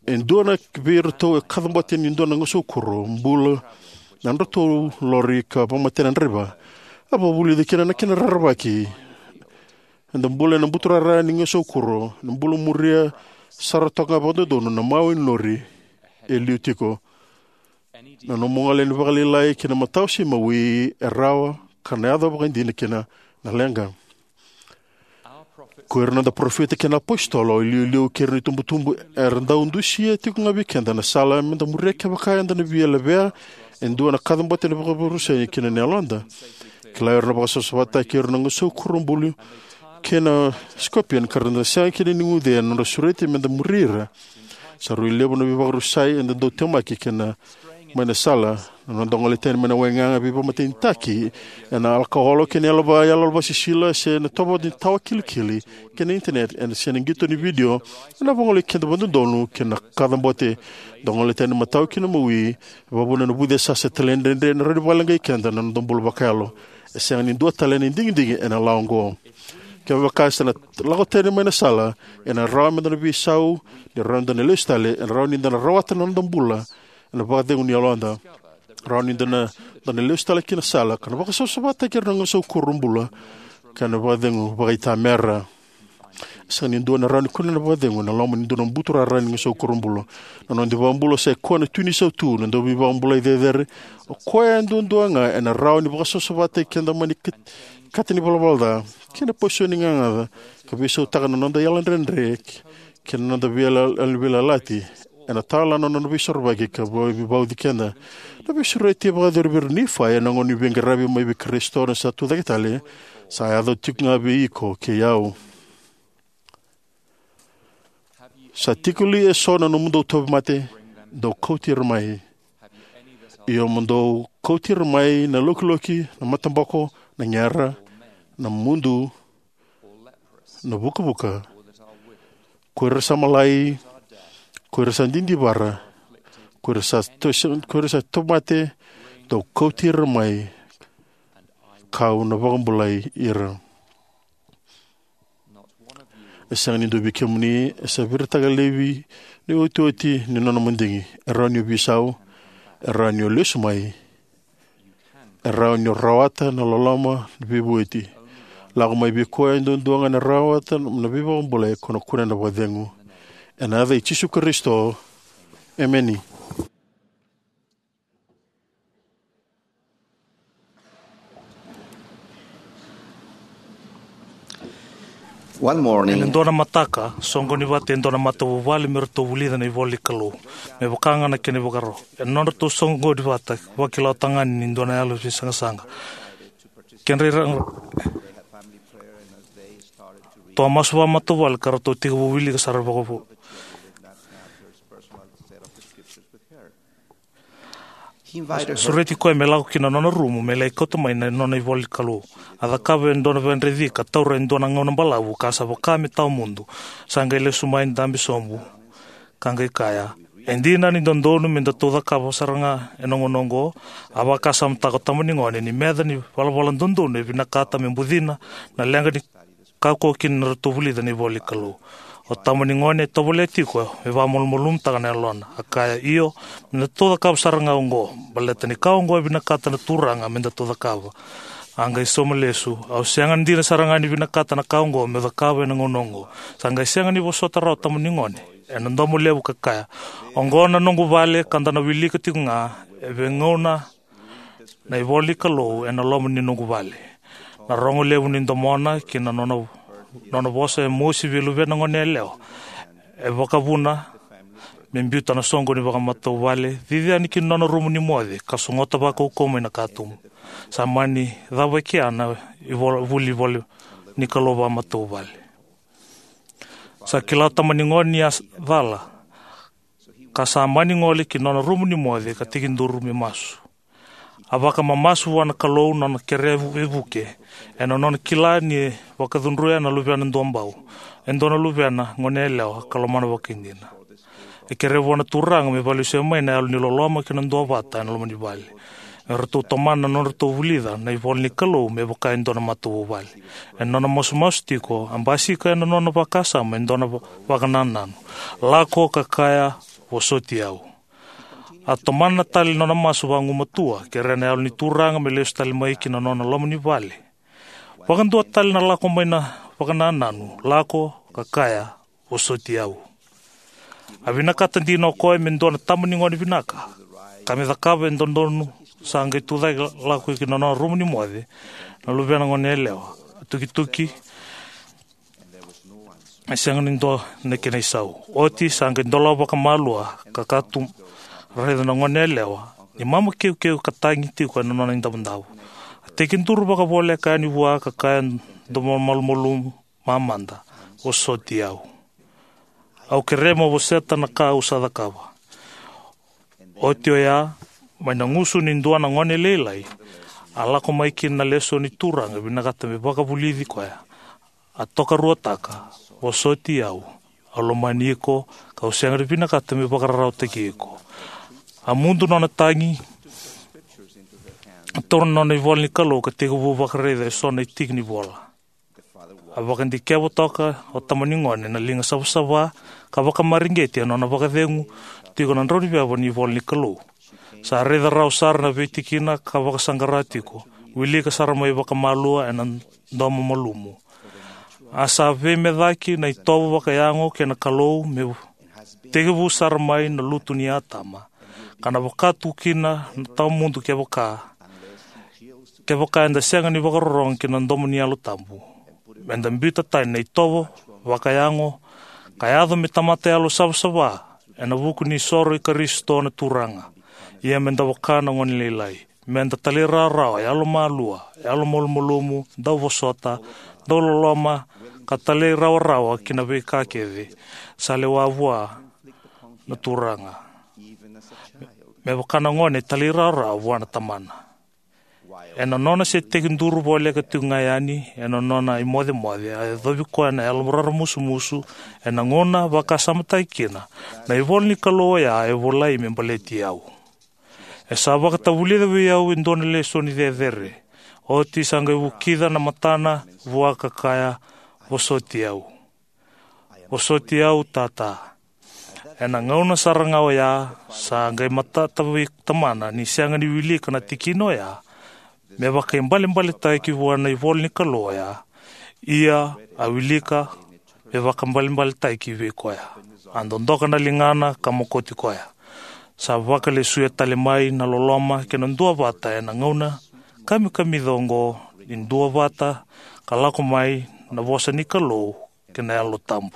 E dua na vei iratou e kacabote ni dua na gasaukuro bula na nodratou lori ka vakamatei na draiva. A vakavulica kina na kena rerevaki. Eda bula ena buturara ni gasaukuro, na bula muria sara toka ga vakadodonu na mawe ni lori e liu tiko. Na nomu gole ni vakalailai ki na matau se mawi e rawa ka na yaco vakaidina kina na leqa. Ko ira na noda parofita kei na apositolo, iliuliu kei ira na itubutubu, era dau dusia tiko ga vei keda na sala meda muria kevaka eda na via levea e dua na kacabote ni vakavorosai kina na yaloda. Kila o ira na vakasavasavataki o ira na gasaukuro bula kei na scorpion, ka ra na sega kina ni guce ena nodra sureti meda muri ira. Sa rui levu na veivakarusai eda dau temaki kina mai na sala, na noda gole tani mai na waigaga, veivakamatenitaki ena alakaolo kei na yalo va-, yalo vasisila, se na tovo ni tawa kilikili kei na internet, ena se na qito ni vidio, ena vagolei keda vakadodonu kei na kacabote. Da gole tani matau ki na mawi, e vakavuna na vucesa se talaidredre ena rawa ni vakaleqai keda na noda bula vakayalo. E sega ni dua tale na digidigi ena lawa oqo. Kevaka sa na lako tani mai na sala, ena rawa meda na veisau, ni rawa ni da na lesu tale, ena rawa ni da na rawata na noda bula ena vakacegu ni yaloda. Rawa ni da na, da na lesu tale ki na sala ka na vakasavasavataki ira na gasaukuro bula, ka na vakacegu vakaitamera. E sega ni dua na rawa ni kunea na vakacegu ena loma ni dua na buturara ni gasaukuro bula. Na noda iVakabula sa i koya na Tui ni Sautu, na Dauveivakabulai cecere. O koya duadua ga ena rawa ni vakasavasavataki keda mai na kat-, kata ni valavala ca kei na pasu ni gagaca, ka veisautaka na noda yalodredre kei na noda veila-, veiyalayalati. Ena tala na nona veisorovaki ka vei-, vauci keda. Na veisureti e vakayacori vei ira na Nifai ena gauna ni veiqaravi mai vei Karisito na sa tucake tale, sa yaco tiko ga vei iko kei au. Sa tiko li eso na nomudou tauvimate? Dou kauti ira mai. Io, mo dou kauti ira mai na lokiloki, na mataboko, na gera, na mudu, na vukavuka, ko ira sa malai, ko ira sa didivara, ko ira sa to-, ko ira sa tauvimate, dou kauti ira mai, ka'u na vakabulai ira. E sega ni dua vei kemuni e sa viritaka laivi na iotioti ni nona madigi. E rawa ni o veisau, e rawa ni o lesu mai, e rawa ni o rawata na loloma ni veivueti. Lako mai vei koya e duadua ga na rawata na veivakabulai, ko na kunea na vakacegu. Ena yaca i Jisu Karisito, emeni. One morning, ena dua na mataka, soqoni vata e dua na matavuvale me ratou vulica na ivola ni Kalou, me vaka ga na kena ivakarau. Ena nodratou soqoni vata, vakila o tagane ni dua na yalo ni veisaqasaqa. Kedra ira-, toa masu vakamatavuvale ka ratou tekivu wilika sara vakavo. Sureti koya me lako ki na nona rumu me lai kauta mai na nona ivola ni Kalou. A cakava e dua na veidredre ka taura e dua na gauna balavu ka sa vaka me tawa mudu. Sa qai lesu mai, dabe sobu, ka qai kaya, "E dina ni dodonu me datou cakava sara ga ena gauna oqo." A vakasamataka o tama ni gone ni meca ni valavala dodonu e vinakata me bucina na leqa ni kaukauwa kina na ratou vulica na ivola ni Kalou. O tama ni gone e tovolea tiko me vakamalumalumutaka na yalona. A kaya, "Io, me datou cakava sara ga oqo, baleta ni ka oqo e vinakata na Turaga me datou cakava." A qai sauma lesu, "Au sega dina sara ga ni vinakata na ka oqo meu cakava ena gauna oqo." Sa qai sega ni vosota rawa o tama ni gone ena domo levu ka kaya, "Oqo na noqu vale ka da na wilika tiko ga e veigauna na ivola ni Kalou ena loma ni noqu vale." Na rogo levu ni domona kei na nona, nona vosa e mosi vei luvena gone yalewa e vakavuna me biuta na soqoni vakamatavuvale, cici yani ki na nona rumu ni moce, ka sogota vakaukauwa mai na katuba. Sa mani cava e kea na ivola, vuli ivola ni Kalou vakamatavuvale. Sa kila o tama ni gone ni a cala, ka sa mani gole ki na nona rumu ni moce ka tekiduru me masu. A vakamamasu vua na Kalou na nona kerea veivuke, ena nona kila ni vakacudruya na luvena duabau, e dua na luvena gone yalewa ka lomana vakaidina. E kerea vua na Turaga me vakalesuya mai na yalo ni loloma kei na duavata ena loma ni vale. Me ratou tomana na nodratou vulica na ivola ni Kalou me vaka e dua na matavuvale. Ena nona masumasu tiko, a basika ena nona vakasama e dua na va-, vakanananu. "Lako ka kaya, 'Vosoti au.'" A tomana tale na nona masu vagumatua, kerea na yalo ni Turaga me lesu tale mai ki na nona loma ni vale. Vakadua tale na lako mai na vakanananu, "Lako ka kaya, 'Vosoti au.'" A vinakata dina o koya me dua na tama ni gone vinaka, ka me cakava e dodonu. Sa qai tucake lako ki na nona rumu ni moce na luvena gone yalewa. A tukituki, e sega ni dua na kena isau. Oti sa qai dolava vakamalua ka kaya tu, raica na gone yalewa ni mama keukeu ka tagi tiko ena nona idavodavo. A tekiduru vakavoleka yani vua ka kaya, dou malumalumu mamada, "Vosoti au. Au kerea mo vosota na ka au sa cakava." Oti oya, mai na gusu ni dua na gone lailai, a lako mai kina na lesoni ni Turaga, vinakata me vakavulici koya. A tokaruataka, "Vosoti au. Au lomani iko, kau sega ni vinakata me vakararawataki iko." A mudu nona tagi, a taura na nona ivola ni Kalou ka tekivu vakaraica eso na itiki ni vola. A vakadikeva toka o tama ni gone na liga savasava, ka vakamareqeti ena nona vakacegu tiko na drauniveva ni ivola ni Kalou. Sa raica rawa sara na veitikina ka vakasaqara tiko, wilika sara mai vakamalua ena domo malumu. A sa veimecaki na itovo vakayago kei na Kalou me tekivu sara mai na lutu nei Atama, ka na vaka tu kina na tawa mudu kevaka, kevaka eda sega ni vakarorogo ki na domo ni Yalo Tabu. Meda biuta tani na itovo vakayago, ka yaco me tamata yalo savasava, ena vuku ni soro i Karisito na Turaga. Ia meda vaka na gone lailai. Meda talairawarawa, yalomalua, yalomalumalumu, dauvosota, dauloloma, ka talairawarawa ki na veika kece sa lewa vua na Turaga, me vaka na gone e talairawarawa vua na tamana. Ena nona se tekiduru voleka tiko ga yani ena nona imocemoce, a yacovi koya na yalo raramusumusu ena gauna vakasamataki kina na ivola ni Kalou oya e volai me baleti au. E sa vakatavulica vei au e dua na lesoni cecere. Oti sa qai vukica na matana vua ka kaya, "Vosoti au. Vosoti au, tata." Ena gauna sara ga oya, sa qai matata vei tamana ni sega ni wilika na tikina oya me vakaibalebaletaki vua na ivola ni Kalou oya. Ia a wilika me vakaibalebaletaki vei koya. A dodoka na ligana ka mokoti koya. Sa vakalesuya tale mai na loloma kei na duavata ena gauna kamikamica oqo ni duavata ka lako mai na vosa ni Kalou kei na Yalo Tabu.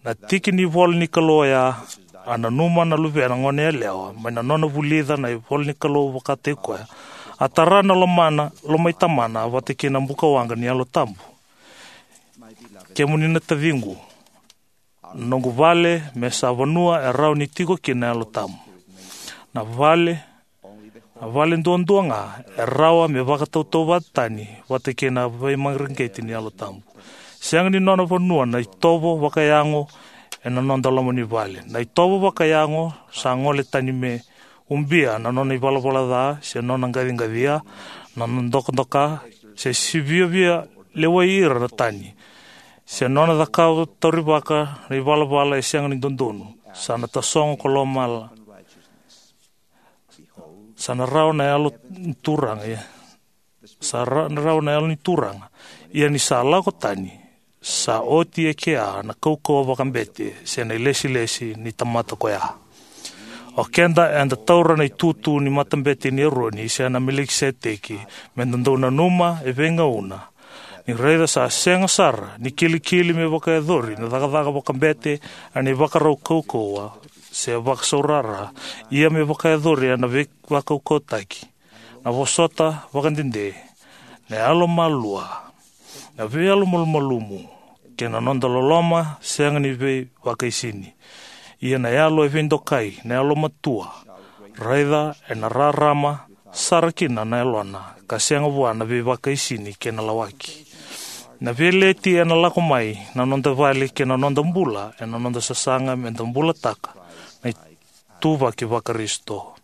Na tiki ni ivola ni Kalou oya, a nanuma na luvena goneyalewa mai na nona vulica na ivola ni Kalou vakataki koya. A tara na lomana, lomai tamana vata kei na bukawaqa ni Yalo Tabu. Kemuni na taciqu, na noqu vale me sa vanua e rawa ni tiko kina na Yalo Tabu. Na vale, na vale duadua ga e rawa me vakatautauvata tani vata kei na veimareqeti ni Yalo Tabu. Sega ni nona vanua na itovo vakayago ena noda loma ni vale. Na itovo vakayago sa gole tani me ubia na nona ivalavala ca, se nona qaciqacia, na nona dokadoka, se sivia via lewai ira na tani, se nona cakava taurivaka na ivalavala e sega ni dodonu. Sa na tasogo ko lomala. Sa na rawa na yalo ni Turaga, ia. Sa ra-, na rawa na yalo ni Turaga. Ia ni sa lako tani, sa oti e kea na kaukauwa vakabete, se na ilesilesi ni tamata koya. O keda eda taura na itutu ni matabete ni Eroni, se na Melikiseteki, meda dau nanuma e veigauna. Ni raica sa sega sara ni kilikili me vakayacori na cakacaka vakabete, a ni vakarau kaukauwa, se vakasaurara, ia me vakayacori ena veivakaukauwataki, na vosota vakadede, na yalomalua, na veiyalomalumalumu, kei na noda loloma sega ni veivakaisini. Ia na yalo e veidokai, na yalomatua, raica ena rarama sara kina na yalona, ka sega vua na veivakaisini kei na lawaki. Na veileti ena lako mai na noda vale kei na noda bula, ena noda sasaga meda bulataka na ituvaki vaKarisito.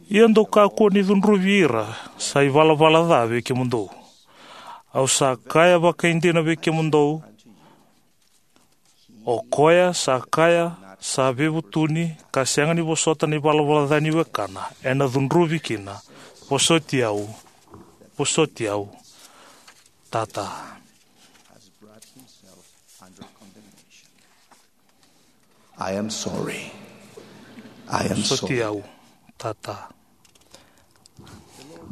Ia dou kakua ni cudruvi ira sa ivalavala ca vei kemudou. Au sa kaya vakaidina vei kemudou, o koya sa kaya sa veivutuni ka sega ni vosota na ivalavala ca ni wekana, ena cudruvi kina. Vosoti au, vosoti au, tata. I am sorry. I am Vosoti sorry. Au, tata.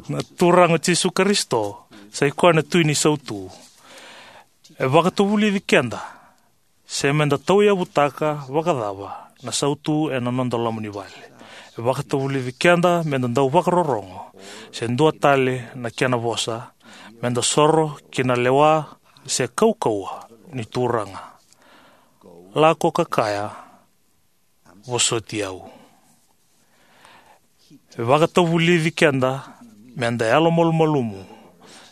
Na Turaga o Jisu Karisito sa i koya na Tui ni sautu. E vakatavulici keda se meda tauyavutaka vakacava na sautu ena noda loma ni vale. E vakatavulici keda meda dau vakarorogo, se dua tale na kena vosa, meda soro ki na lewa se kaukauwa ni Turaga. Lako ka kaya, "Vosoti au." E vakatavulici keda meda yalomalumalumu,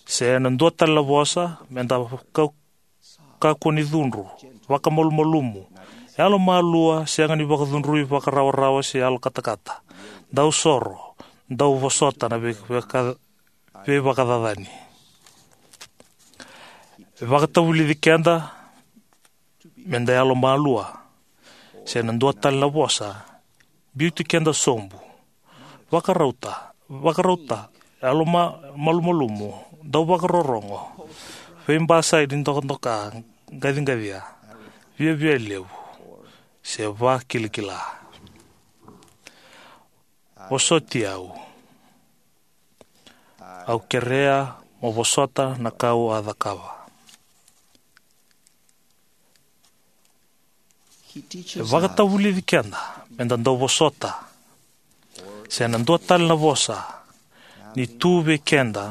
se na dua tale na vosa, meda kau-, kakua ni cudru, vakamalumalumu, yalomalua, sega ni vakacudrui, vakarawarawa se yalo katakata, dau soro, dau vosota na vei-, veika-, veivakacacani. E vakatavulici keda meda yalomalua, se na dua tale na vosa, biuti keda sobu. Vakarauta, vakarauta, yaloma-, malumalumu, dau vakarorogo, veibasai ni dokadoka, qaciqacia, viavia levu, se vakilakila. Vosoti au. Au kerea mo vosota na ka au a cakava. E vakatavulici keda meda dau vosota, se na dua tale na vosa, ni tu vei keda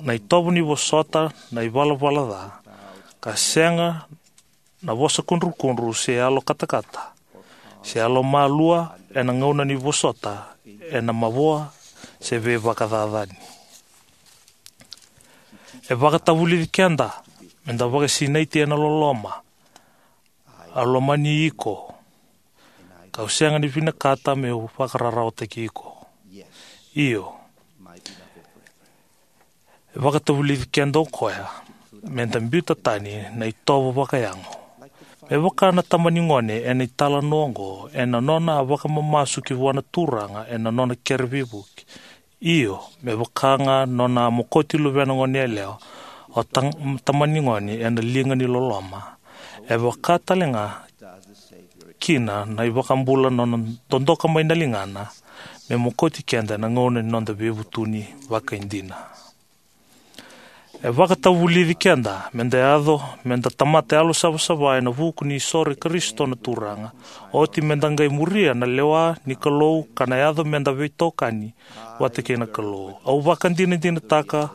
na itovo ni vosota na ivalavala ca, ka sega na vosa kudrukudru se yalo katakata se yalo malua ena gauna ni vosota ena mavoa se veivakacacani. E vakatavulici keda me da vakasinaiti ena loloma. Au lomani iko, kau sega ni vinakata meu vakararawataki iko. Io, e vakatavulici keda o koya me da biuta tani na itovo vakayago. Me vaka na tama ni gone ena italanoa oqo ena nona a vakamamasu ki vua na Turaga ena nona kere veivuke. Io, me vaka ga nona a mokoti luvena gone yalewa o ta-, tama ni gone ena liga ni loloma. E vaka tale ga kina na iVakabula nona dodoka mai na ligana me mokoti keda ena gauna ni noda veivutuni vakaidina. E vakatavulici keda me da yaco me da tamata yalo savasava ena vuku ni soro i Karisito na Turaga, oti me da qai muria na lewa ni Kalou ka na yaco me da veitokani vata kei na Kalou. Au vakadinadinataka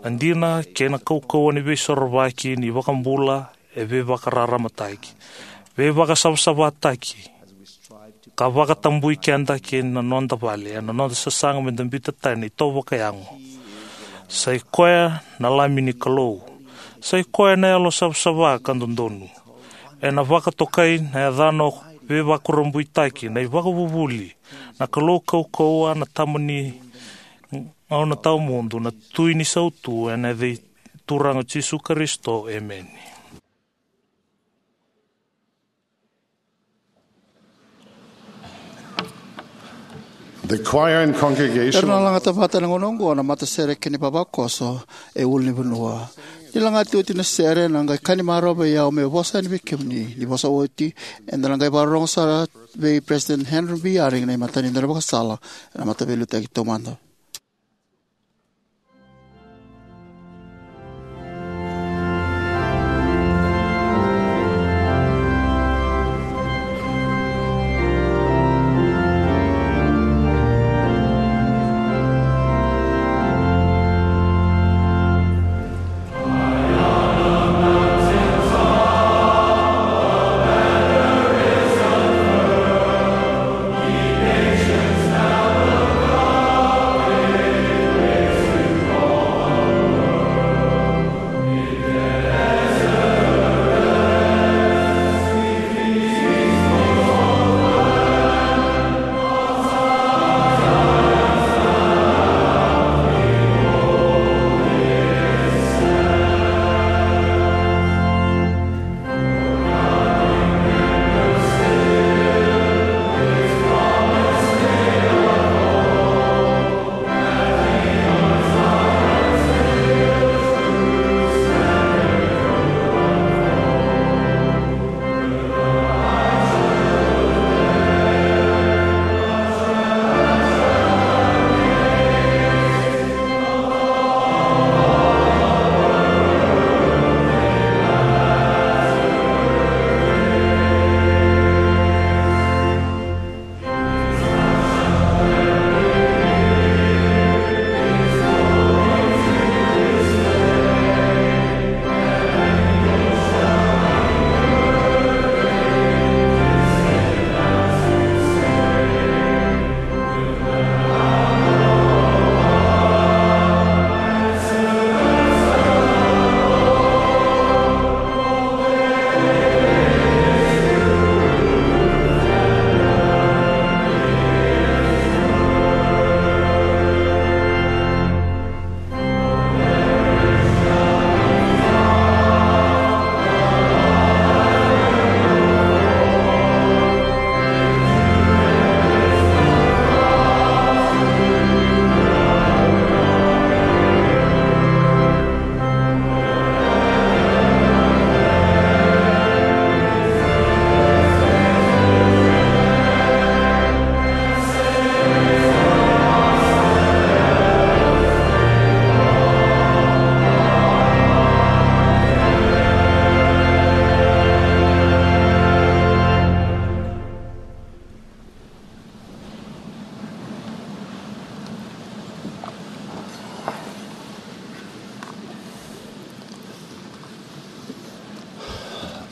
na dina kei na kaukauwa ni veisorovaki ni iVakabula e veivakararamataki, veivakasavasavataki, ka vakatabui keda kei na noda vale ena noda sasaga me da biuta tani na itovo vakayago. Sa i koya na Lami ni Kalou. Sa i koya na yalo savasava ka dodonu. Ena vakatokai na yacana o Veivakurabuitaki, na iVakavuvuli, na Kalou kaukauwa, na Tama ni gauna tawamudu, na Tui ni sautu, ena yaca i Turaga o Jisu Karisito. Emeni. The choir and congregation. Era na lagata vata ena gauna oqo na matasere kei na ivavakoso e ulunivanua. Ni lagati oti na sere, na qai kani marau vei au meu vosa yani vei kemuni. Ni vosa oti, eda na qai vakarorogo sara vei President Henry B. Eyring na imatai ni daunivakasala ena Mataveiliutaki Taumada.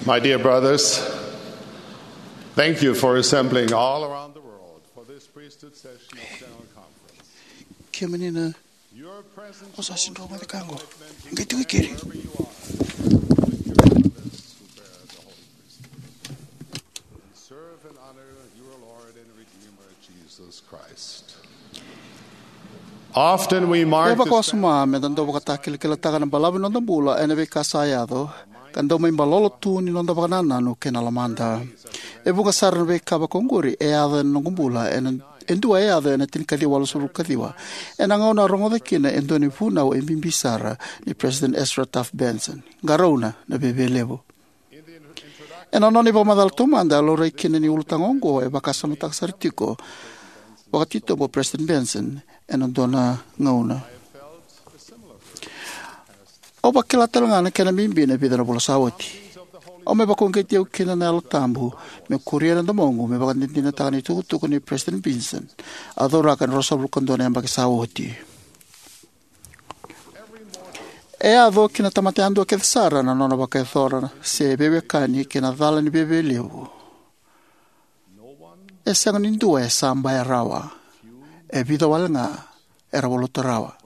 My dear brothers, thank you for assembling all around the world for this priesthood session of General Conference. Kemuni na Your presence osa is sindro mada ka qo. Qai tu i keri. Wherever you are, serve and honor your Lord and Redeemer, Jesus Christ. Often we mark E vakawasoma me da dau vakatakilakilataka na balavu ni noda bula ena veika sa yaco, ka dau mai balolo tu ni noda vakanananu kei na lomada. E vuqa sara na veika vakaoqori e yaco ena noqu bula, ena, e dua e yaco ena tinikaciwa walusagavulu kaciwa. Ena gauna a rogoca kina e dua na vunau e bibi sara ni President Ezra Taft Benson. Qarauna na viavialevu. Ena nona ivakamacala taumada, a laurai kina ni ulutaga oqo e vakasamataka sara tiko vakatitobu o President Benson ena dua na gauna. Au vakila tale ga na kena bibi na vica na vula sa oti. Au mai vakauqeti au kina na Yalo Tabu me kuria na domoqu me vakadinadinataka na itukutuku ni President Benson a cauraka ena ruasagavulu ka dua na yabaki sa oti. E yaco ki na tamata yadua kece sara na nona vakayacora se veiwekani kei na cala ni viavialevu. E sega ni dua e sa baya rawa. E vica wale ga era valuta rawa.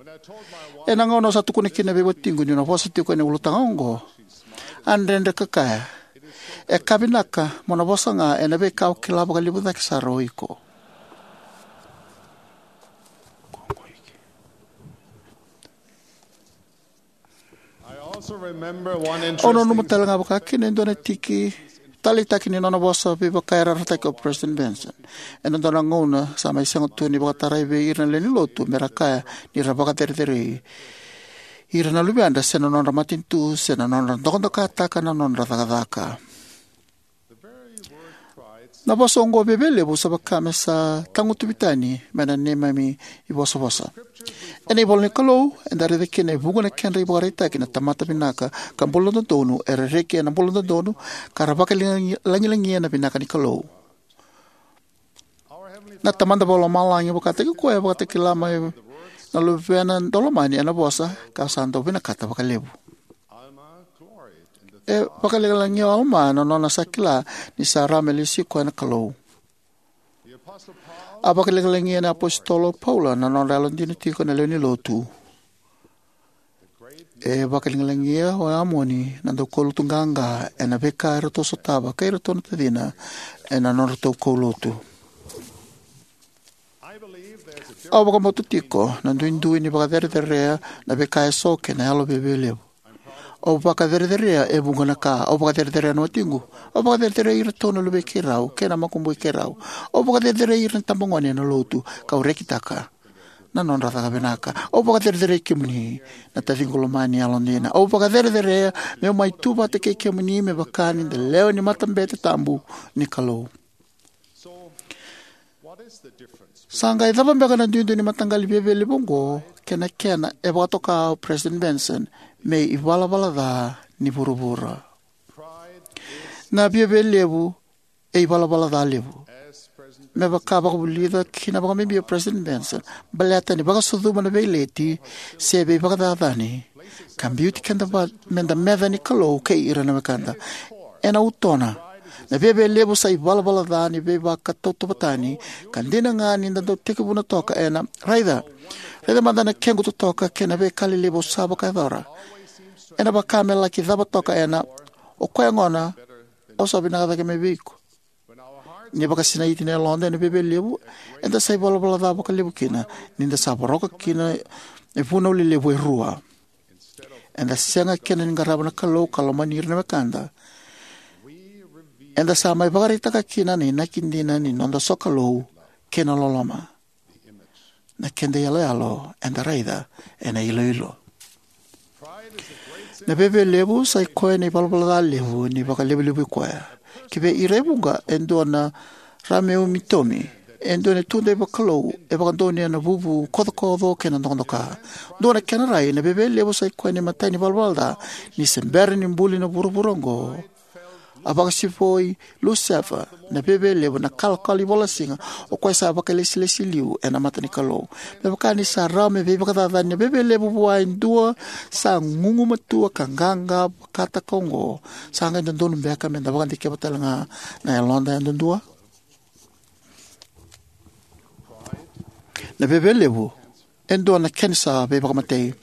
Ena gauna au sa tukuna kina vei watiqu niu na vosa tiko ena ulutaga oqo, a dredre ka kaya, "E ka vinaka mo na vosa ga ena veika o kila vakalevu cake sara o iko." I also remember one Au nanuma interesting tale ga vakakina e dua na tiki taleitaki ni nona vosa veivakayarayarataki o President Benson. Ena dua na gauna sa mai sega tu ni vakatarai vei ira na lewe ni lotu me ra kaya ni ra vakacerecerei ira na luvedra se na nodra matanitu se na nodra dokadokataka na nodra cakacaka. Na vosa oqo viavialevu sa vaka me sa tagutuvi tani mai na neimami ivosavosa. Ena ivola ni Kalou, eda raica kina e vuqa na kedra ivakaraitaki na tamata vinaka ka bula dodonu, era reki ena bula dodonu, ka ra vakalagilagia na vinaka ni Kalou. Na Tamada Vakalomalagi vakataki koya e vakatakila mai na Luvena Daulomani ena vosa, ka sa dau vinakata vakalevu. E vakalagilagia o Alama na nona sa kila ni sa rawa me lesi koya na Kalou. A vakalagilagia na iapositolo o Paula na nodra yalodina tiko na lewe ni lotu. E vakalagilagia o Amoni na daukaulotu qaqa ena veika eratou sotava kei iratou na tacina ena nodratou kaulotu. Au vakabauta tiko na duidui ni vakacerecerea na veika eso kei na yalo viavialevu. Au vakacerecerea e vuqa na ka. Au vakacerecerea na watiqu. Au vakacerecerea iratou na luvei keirau kei na makubui keirau. Au vakacerecerea ira na itabagone ena lotu, kau rekitaka na nodra caka vinaka. Au vakacerecerei kemuni, na taciqu lomani yalodina. Au vakacerecerea meu mai tu vata kei kemuni me vaka ni da lewe ni matabete tabu ni Kalou. Sa qai cava beka na duidui ni mataqali viavialevu oqo kei na kena e vakatoka o President Benson me ivalavala ca ni vuravura? Na viavialevu e ivalavala ca levu. Me vaka vakavulica kina vakabibi o President Benson, baleta ni vakasucuma na veileti se veivakacacani, ka biuti keda va me da meca ni Kalou kei ira na wekada. Ena utona, na viavialevu sa ivalavala ca ni veivakatautauvatani, ka dina ga ni da dau tekivuna toka ena, "Raica, raica mada na kequ totoka kei na veika lelevu au sa vakayacora." Ena vaka me laki cava toka ena, "O koya gona, au sa vinaka cake mai vei iko." Ni vakasinaiti na yaloda ena viavialevu, eda sa ivalavala ca vakalevu kina, ni da sa voroka kina e vunau lelevu e rua. Eda sega kina ni qarava na Kalou ka lomani ira na wekada. Eda sa mai vakaraitaka kina na inaki dina ni noda sokalou kei na loloma. Na keda iyaloyalo eda raica ena iloilo. Na viavialevu sa i koya na ivalavala ca levu ni vakalevulevu i koya. Ki vei ira e vuqa, e dua na rameumitomi, e dua na tudei vakalou e vakadonuya na vuvu kocokoco kei na dokadoka. Dua na kena rai, na viavialevu sa i koya na imatai ni valavala ca ni se bera ni buli na vuravura oqo. A vakasivoi Lusefa na veve levu, na kalokalo ni vola siga, o koya sa vakailesilesi liu ena mata ni Kalou. Me vaka ni sa rawa me veivakacacani na veve levu vua e dua sa gugumatua ka qaqa vakataka oqo, sa qai dodonu beka me da vakadikeva tale ga na yaloda yadudua? Na veve levu e dua na kenisa veivakamatei.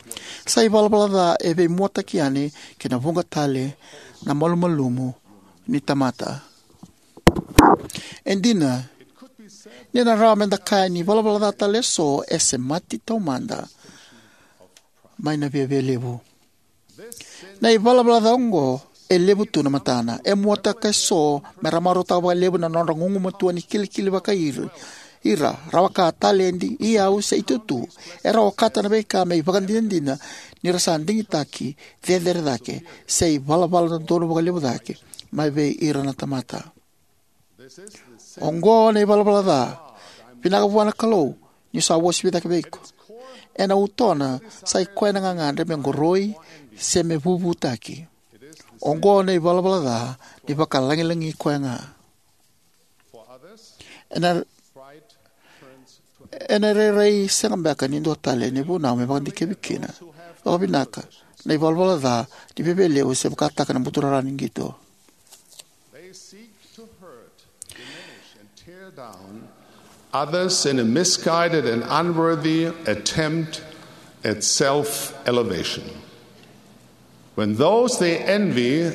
Sa ivalavala ca e veimuataki yani ki na vuqa tale na malumalumu ni tamata. E dina, ni na rawa me da kaya ni valavala ca tale eso e semati taumada mai na veve levu. Na ivalavala ca oqo e levu tu na matana. E muataka eso me ra marautaka vakalevu na nodra gugumatua ni kilikili vakaira, ira, rawaka, taledi, iyau, se itutu. Era okata na veika me ivakadinadina ni ra sa digitaki cecere cake, se ivalavala dodonu vakalevu cake mai vei ira na tamata. Oqo na ivalavala ca vinaka vua na Kalou, niu sa uasivi cake vei iko. Ena utona, sa i koya na gagadre me qoroi se me vuvutaki. Oqo na ivalavala ca ni vakalagilagi koya ga. Ena, ena rairai sega beka ni dua tale ni vunau me vakadikevi kina vakavinaka na ivalavala ca ni veve levu se vakataka na buturara ni qito. They seek to hurt, diminish, and tear down others in a misguided and unworthy attempt at self-elevation. When those they envy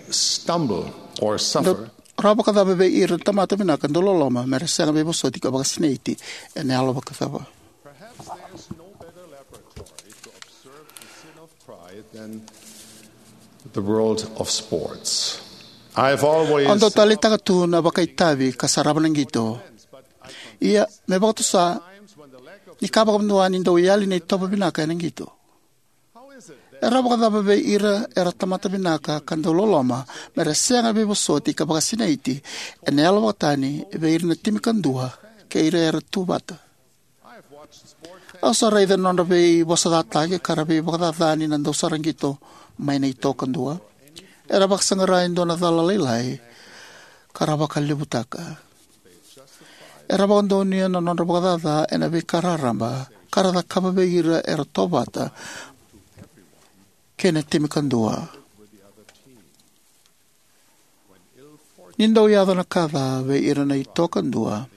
stumble or suffer, ra vakacava vei ira na tamata vinaka dau loloma me ra sega veivosoti ka vakasinaiti ena yalo vakacava? Perhaps there's no better laboratory to observe the sin of pride than the world of sports. I've always... Au dau taleitaka tu na vakaitavi ka sarava na qito. Ia, me vakatusa, ni ka vakadua ni dau yali na itovo vinaka ena qito. Era vakacava vei ira era tamata vinaka ka dau loloma me ra sega veivosoti ka vakasinaiti ena yalo vakatani vei ira na timi kadua kei ira era tu vata? Au sa raica na nodra veivosacataki ka ra veivakacacani na dausaraqito mai na ito kadua. Era vakasaqara e dua na cala lailai ka ra vakalevutaka. Era vakadonuya na nodra vakacaca ena veika raraba ka ra cakava vei ira era tovata kei na timi kadua. Ni dau yaco na ka ca vei ira na ito kadua,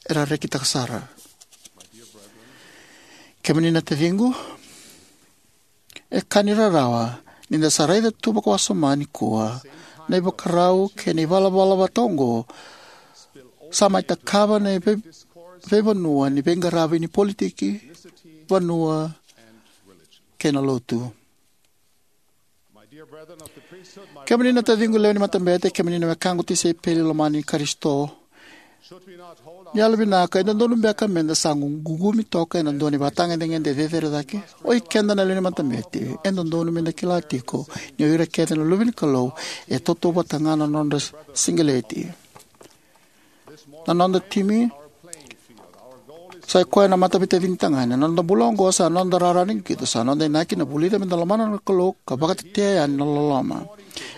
era rekitaka sara. Kemuni na taciqu, e ka ni rarawa ni da sa raica tu vakawasoma nikua na ivakarau kei na ivalavala vata oqo sa mai takava na vei-, veivanua ni veiqaravi ni politiki, vanua, kei na lotu. Kemuni na taciqu lewe ni matabete, kemuni na wekaqu tisaipeli lomani i Karisito, ni yalovinaka, e dodonu beka me da sa gu-, guqumi toka ena dua na ivakatagedegede cecere cake? Oi keda na lewe ni matabete, e dodonu me da kila tiko ni o ira kece na luve ni Kalou e tautauvata ga na nodra siqeleti. Na noda timi sa i koya na mataveitacini tagane. Na noda bula oqo sa noda rara ni qito, sa noda inaki na vulica me da lomana na Kalou ka vakatetea yani na loloma.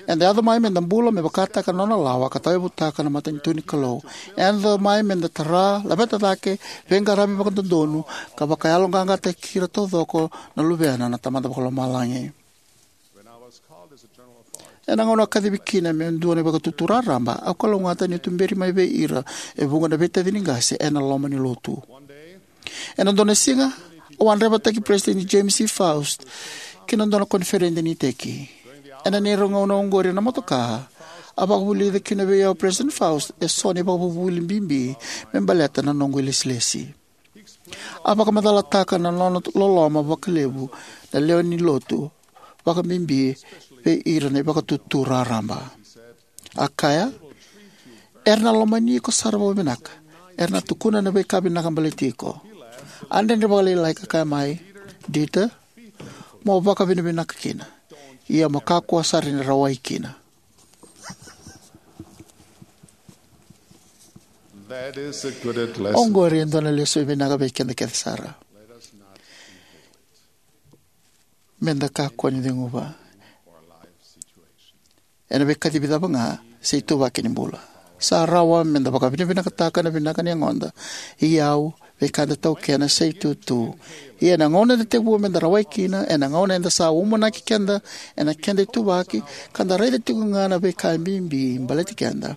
Eda yaco mai me da bula me vakataka na nona lawa ka tauyavutaka na matanitu ni Kalou. Eda yaco mai me da tara, laveta cake, veiqaravi vakadodonu ka vakayaloqaqataki ira taucoko na luvena na Tamada Vakalomalagi. Ena gauna au kacivi kina meu dua na ivakatutu raraba, au kalougata niu tuberi mai vei ira e vuqa na veitacini qase ena loma ni lotu. Ena dua na siga, au a draivataki Peresitedi James E. Faust ki na dua na koniferedi ni iteki. Ena neirau gauna oqori ena motoka, a vakavulica kina vei au o Peresitedi Faust eso na ivakavuvuli bibi me baleta na noqu ilesilesi. A vakamacalataka na nona loloma vakalevu na lewe ni lotu, vakabibi vei ira na ivakatutu raraba. A kaya, "Era na lomani iko sara vakavinaka. Era na tukuna na veika vinaka baleti iko." A dredre vakalailai ka kaya mai, "Dieter, mo vakavinavinaka kina. Ia mo kakua sara ni rawai kina." That is a good lesson. Oqori e dua na lesu vinaka vei keda kece sara. Let us not inherit. Me da kakua ni ceguva. Or life situation. ena veikacivi cava ga, se ituvaki ni bula. Sa rawa me da vakavinavinakataka na vinaka ni yagoda, iyau, veika eda taukena, se itutu. Ia ena gauna eda tekivu me da rawai kina, ena gauna eda sa umanaki keda ena keda ituvaki, ka da raica tiko ga na veika e bibi baleti keda,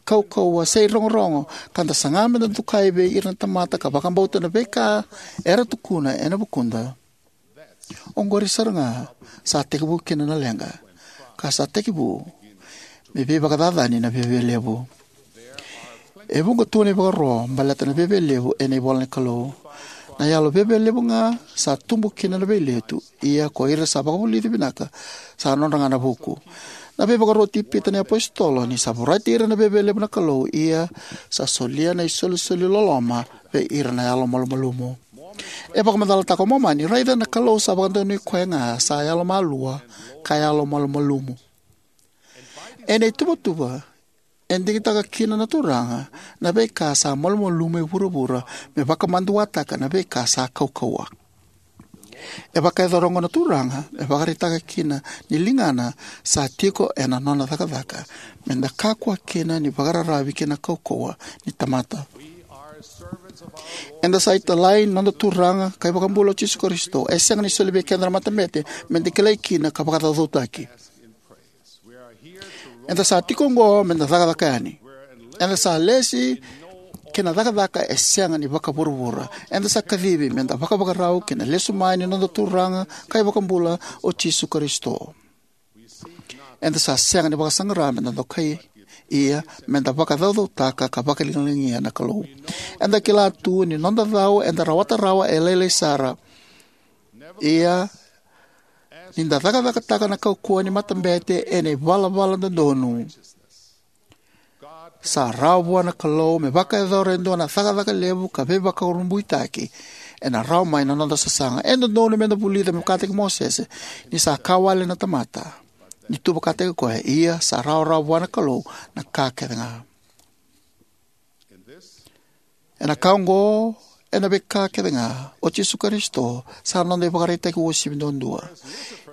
kaukauwa se irogorogo, ka da saga me da dokai vei ira na tamata ka vakabauta na veika era tukuna ena vukuda. Oqori sara ga sa tekivu kina na leqa, ka sa tekivu me veivakacacani na viavialevu. E vuqa tu na ivakaro baleta na viavialevu ena ivola ni Kalou. Na yalo viavialevu ga sa tubu kina na veiletu, ia ko ira sa vakavulici vinaka sa nodra ga na vuku. Na veivakaro i Pita na iapositolo ni sa vorati ira na viavialevu na Kalou, ia sa solia na isolisoli loloma vei ira na yalo malumalumu. E vakamacalataka o Momani, raica na Kalou sa vakadonui koya ga sa yalomalua ka yalomalumalumu. Ena ituvatuva, e digitaka kina na Turaga na veika sa malumalumu e vuravura me vakamaduataka na veika sa kaukauwa. E vakayacora oqo na Turaga me vakaraitaka kina ni ligana sa tiko ena nona cakacaka, me da kakua kina ni vakararavi ki na kaukauwa ni tamata. Eda sa italai ni noda Turaga ka iVakabula o Jisu Karisito. E sega ni soli vei keda na matabete me da kilai kina ka vakacaucautaki. Eda sa tiko oqo me da cakacaka yani. Eda sa lesi ki na cakacaka e sega ni vakavuravura. Eda sa kacivi me da vakavakarau ki na lesu mai ni noda Turaga ka iVakabula o Jisu Karisito. Eda sa sega ni vakasaqara me da dokai, ia me da vakacaucautaka ka vakaligaligania na Kalou. Eda kila tu ni noda cau eda rawata rawa e lailai sara. Ia ni da cakacakataka na kaukauwa ni matabete ena ivalavala dodonu, sa rawa vua na Kalou me vakayacora e dua na cakacaka levu ka veivakurabuitaki ena rawa mai na noda sasaga. E dodonu me da vulica me vakataki Mosese ni sa ka wale na tamata ni tu vakataki koya, ia sa rawarawa vua na Kalou na ka kece ga. Ena ka oqo, ena veika kece ga, o Jisu Karisito sa noda ivakaraitaki uasivi duadua.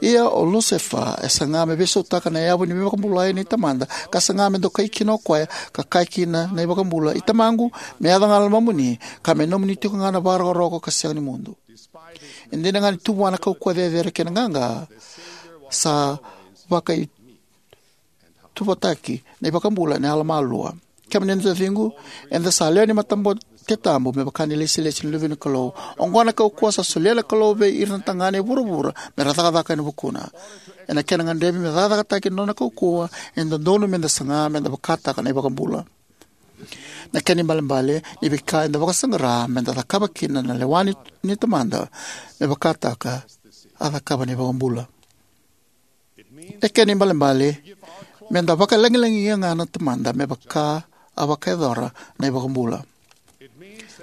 Ia o Lusefa e saga me veisautaka na yavu ni veivakabulai nei Tamada, ka saga me dokai kina o koya, ka kaya kina na iVakabula, "I Tamaqu, me yaco ga na lomamuni, ka me nomuni tiko ga na vakarokoroko ka sega ni mudu." E dina ga ni tu vua na kaukauwa cecere kei na qaqa, sa vakaituvataki na iVakabula ena yalomalua. Kemuni na taciqu, eda sa lewe ni matabete tabu me vaka na ilesilesi ni luve ni Kalou. Oqo na kaukauwa sa solia na Kalou vei ira na tagane e vuravura me ra cakacaka ena vukuna. Ena kena gadrevi me cakacakataki na nona kaukauwa, e dodonu me da saga me da vakataka na iVakabula. Na kena ibalebale ni veika eda vakasaqara me da cakava kina na lewa ni, ni Tamada, me vakataka a cakava na iVakabula. E kena ibalebale me da vakalagilagia ga na Tamada me vaka a vakayacora na iVakabula.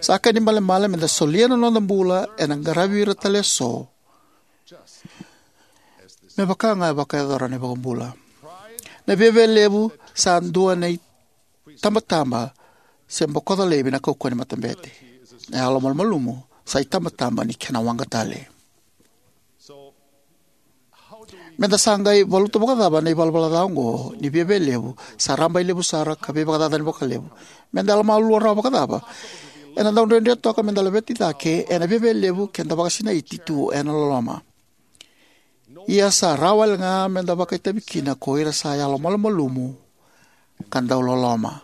Sa kena ibalebale me da solia na noda bula ena qaravi ira tale eso, me vaka ga e vakayacora na iVakabula. Na viavialevu sa dua na itabataba se bokoca laivi na kaukauwa ni matabete. Na yalomalumalumu sa itabataba ni kena waqa tale. Me da sa qai valuta vakacava na ivalavala ca oqo ni viavialevu sa rabailevu sara ka veivakacacani vakalevu? Me da yalomalua rawa vakacava? Ena dau dredre toka me da laveti cake ena viavialevu ke da vakasinaiti tu ena loloma. Ia sa rawa wale ga me da vakaitavi kina ko ira sa yalomalumalumu ka dau loloma.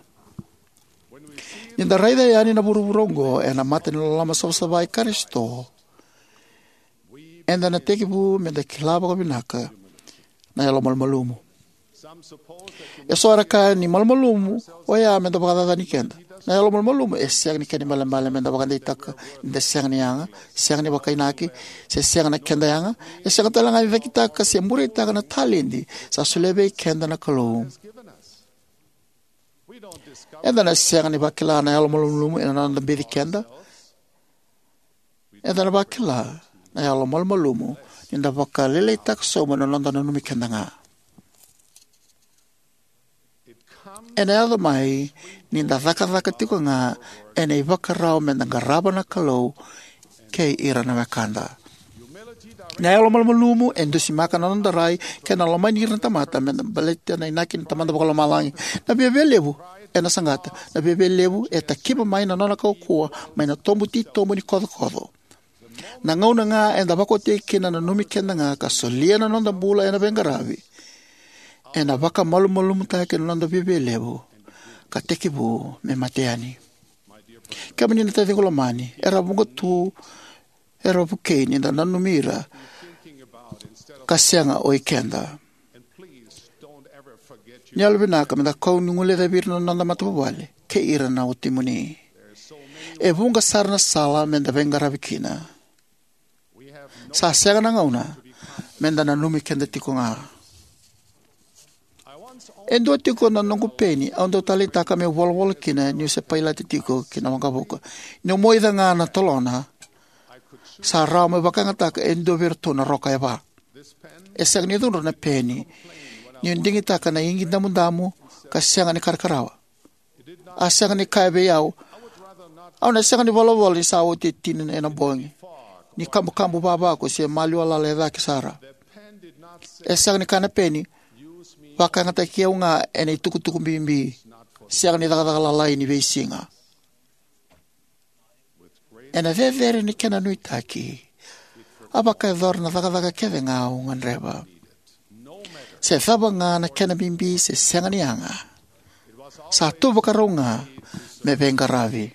Ni da raica yani na vuravura oqo ena mata ni loloma savasava i Karisito, eda na tekivu me da kila vakavinaka na yalomalumalumu. Eso era kaya ni malumalumu oya me da vakacacani keda. Na yalomalumalumu e sega ni kena ibalebale me da vakadeitaka ni da sega ni yaga, sega ni vakainaki, se sega na keda yaga. E sega tale ga ni cakitaka se bureitaka na taledi sa solia vei keda na Kalou. Eda na sega ni vakila na yalomalumalumu ena noda bici keda. Eda na vakila na yalomalumalumu ni da vakalailaitaka sobu na noda nanumi keda ga. Ena yaco mai ni da cakacaka tiko ga ena ivakarau me da qarava na Kalou kei ira na wekada. Na yalomalumalumu e dusimaka na noda rai kei na lomani ira na tamata me baleta na inaki ni Tamada Vakalomalagi. Na viavialevu ena saqata. Na viavialevu e takiva mai na nona kaukauwa mai na tobu titobu ni kocokoco. Na gauna ga eda vakaoti kina na nanumi keda ga ka solia na noda bula ena veiqaravi, ena vakamalumalumutaki na noda viavialevu ka tekivu me mate yani. Kemuni na taciqu lomani, era vuqa tu era vukei ni da nanumi ira ka sega o ikeda. Ni yalovinaka me da kau ni guilecavi ira na noda matavuvale kei ira na watimuni. E vuqa sara na sala me da veiqaravi kina. Sa sega na gauna me da nanumi keda tiko ga. E dua tiko na noqu peni au dau taleitaka meu volavola kina niu se pailate tiko ki na waqavuka. Niu moica ga na tolona, sa rawa meu vakayagataka e dua vei iratou na roka e va. E sega ni cudru na peni niu digitaka na igi damudamu ka sega ni karakarawa. A sega ni kaya vei au, au na sega ni volavola ni sa oti e tini ena bogi, ni kabukabu vavaku se maliwa lala e cake sara. E sega ni kaya na peni, vakayagataki au ga ena itukutuku bibi, sega ni cakacaka lalai ni veisiga. Ena cecere ni kena nuitaki, a vakayacora na cakacaka kece ga au gadreva. Se cava ga na kena bibi se sega ni yaga, sa tu vakarau ga me veiqaravi.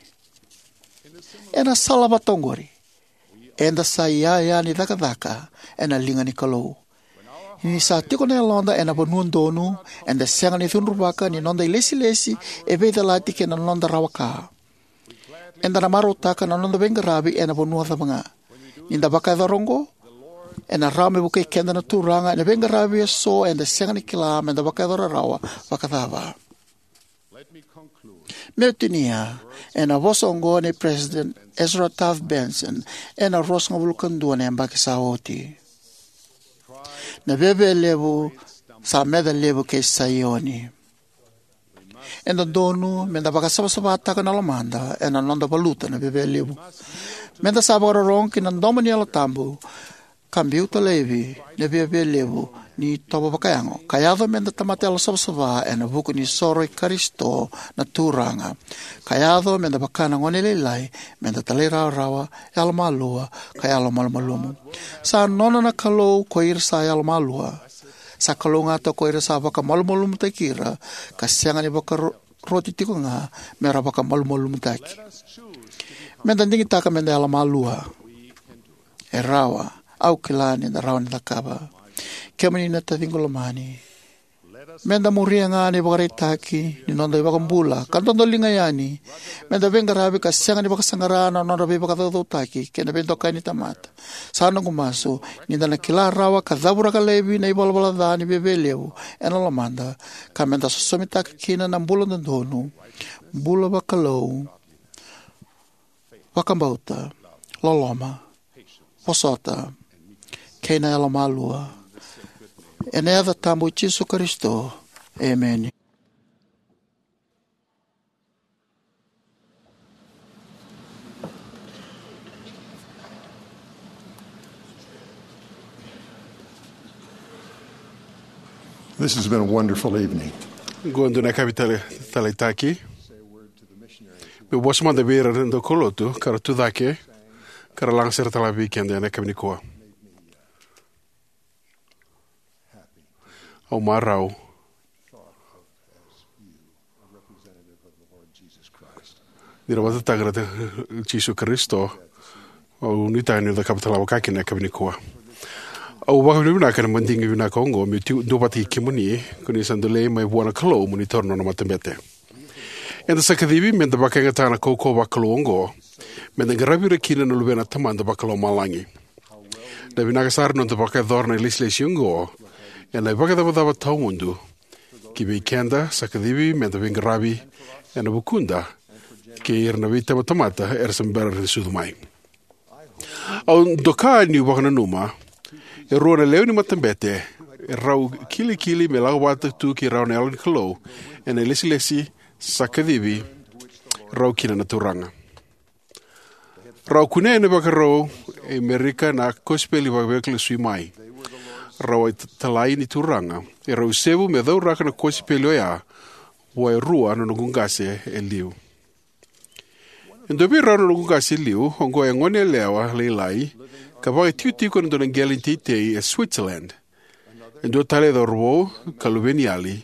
Ena sala vata oqori, eda sa iyaya ni cakacaka ena liga ni Kalou. Ni sa tiko na yaloda ena vanua donu, eda sega ni cudruvaka ni noda ilesilesi e veicalati kei na noda rawa ka. Eda na marautaka na noda veiqaravi ena vanua cava ga. Ni da vakayacora oqo, ena rawa me vukei keda na Turaga ena veiqaravi eso eda sega ni kila me da vakayacora rawa vakacava. Meu tinia ena vosa oqo nei President Ezra Taft Benson ena ruasagavulu ka dua na yabaki sa oti. Na viavialevu sa meca levu kei Saioni. E dodonu me da vakasavasavataka na lomada ena noda valuta na viavialevu. Me da sa vakarorogo ki na domo ni Yalo Tabu ka biuta laivi na viavialevu ni itovo vakayago, ka yaco me da tamata yalosavasava ena vuku ni soro i Karisito na Turaga, ka yaco me da vaka na gone lailai, me da talairawarawa, yalomalua, ka yalomalumalumu. Sa nona na Kalou ko ira sa yalomalua. Sa kalougata ko ira sa vakamalumalumutaki ira, ka sega ni vakaroti tiko ga me ra vakamalumalumutaki. Me da digitaka me da yalomalua. E rawa, au kila ni da rawa ni cakava. Kemuni na taciqu lomani, me da muria ga na ivakaraitaki ni noda iVakabula ka dodoliga yani. Me da veiqaravi ka sega ni vakasaqara na nodra veivakacaucautaki kei na veidokai ni tamata. Sa noqu masu ni da na kila rawa ka cavuraka laivi na ivalavala ca ni viavialevu ena lomada, ka me da sosomitaka kina na bula dodonu, bula vakalou, vakabauta, loloma, vosota, kei na yalomalua. Ena yaca tabu i Jisu Karisito, emeni. This has been a wonderful evening. Qo e dua na yakavi tale, taleitaki. Meu vosa mada vei ira na daukaulotu ka ra tu cake, ka ra lagasere tale vei keda ena yakavi nikua. Au marau ni ra vakatataka na Jisu Karisito. Au nuitaka niu cakava tale vaka kina ena yakavi nikua. Au vakavinavinaka ena madigi vinaka oqo meu tu, duavata kei kemuni, ko ni sa dolei mai vua na Kalou mo ni taura na nona matabete. Eda sa kacivi me da vakayagataka na kaukauwa vakalou oqo, me da qaravi ira kina na luvena na Tamada Vakalomalagi. Na vinaka sara na noda vakayacora na ilesilesi oqo ena ivakacavacava tawamudu. Ki vei keda sa kacivi me da veiqaravi ena vukuda kei ira na veitabatamata era sa bera ni sucu mai. Au doka niu vakananuma e rua na lewe ni matabete e rau kilikili me lako vata tu kei rau na Yalo ni Kalou ena ilesilesi sa kacivi rau kina na Turaga. Rau kunea na ivakarau e Amerika na kosipeli vakalesuimai. Rau a italai ni Turaga. Erau isevu me cauraka na kosipeli oya vua e rua na noqu qase e liu. E dua vei rau na noqu qase e liu oqo e goneyalewa lailai ka vakaitikotiko ena dua na qele ni teitei e Switzerland. E dua tale e cauravou ka luveniyali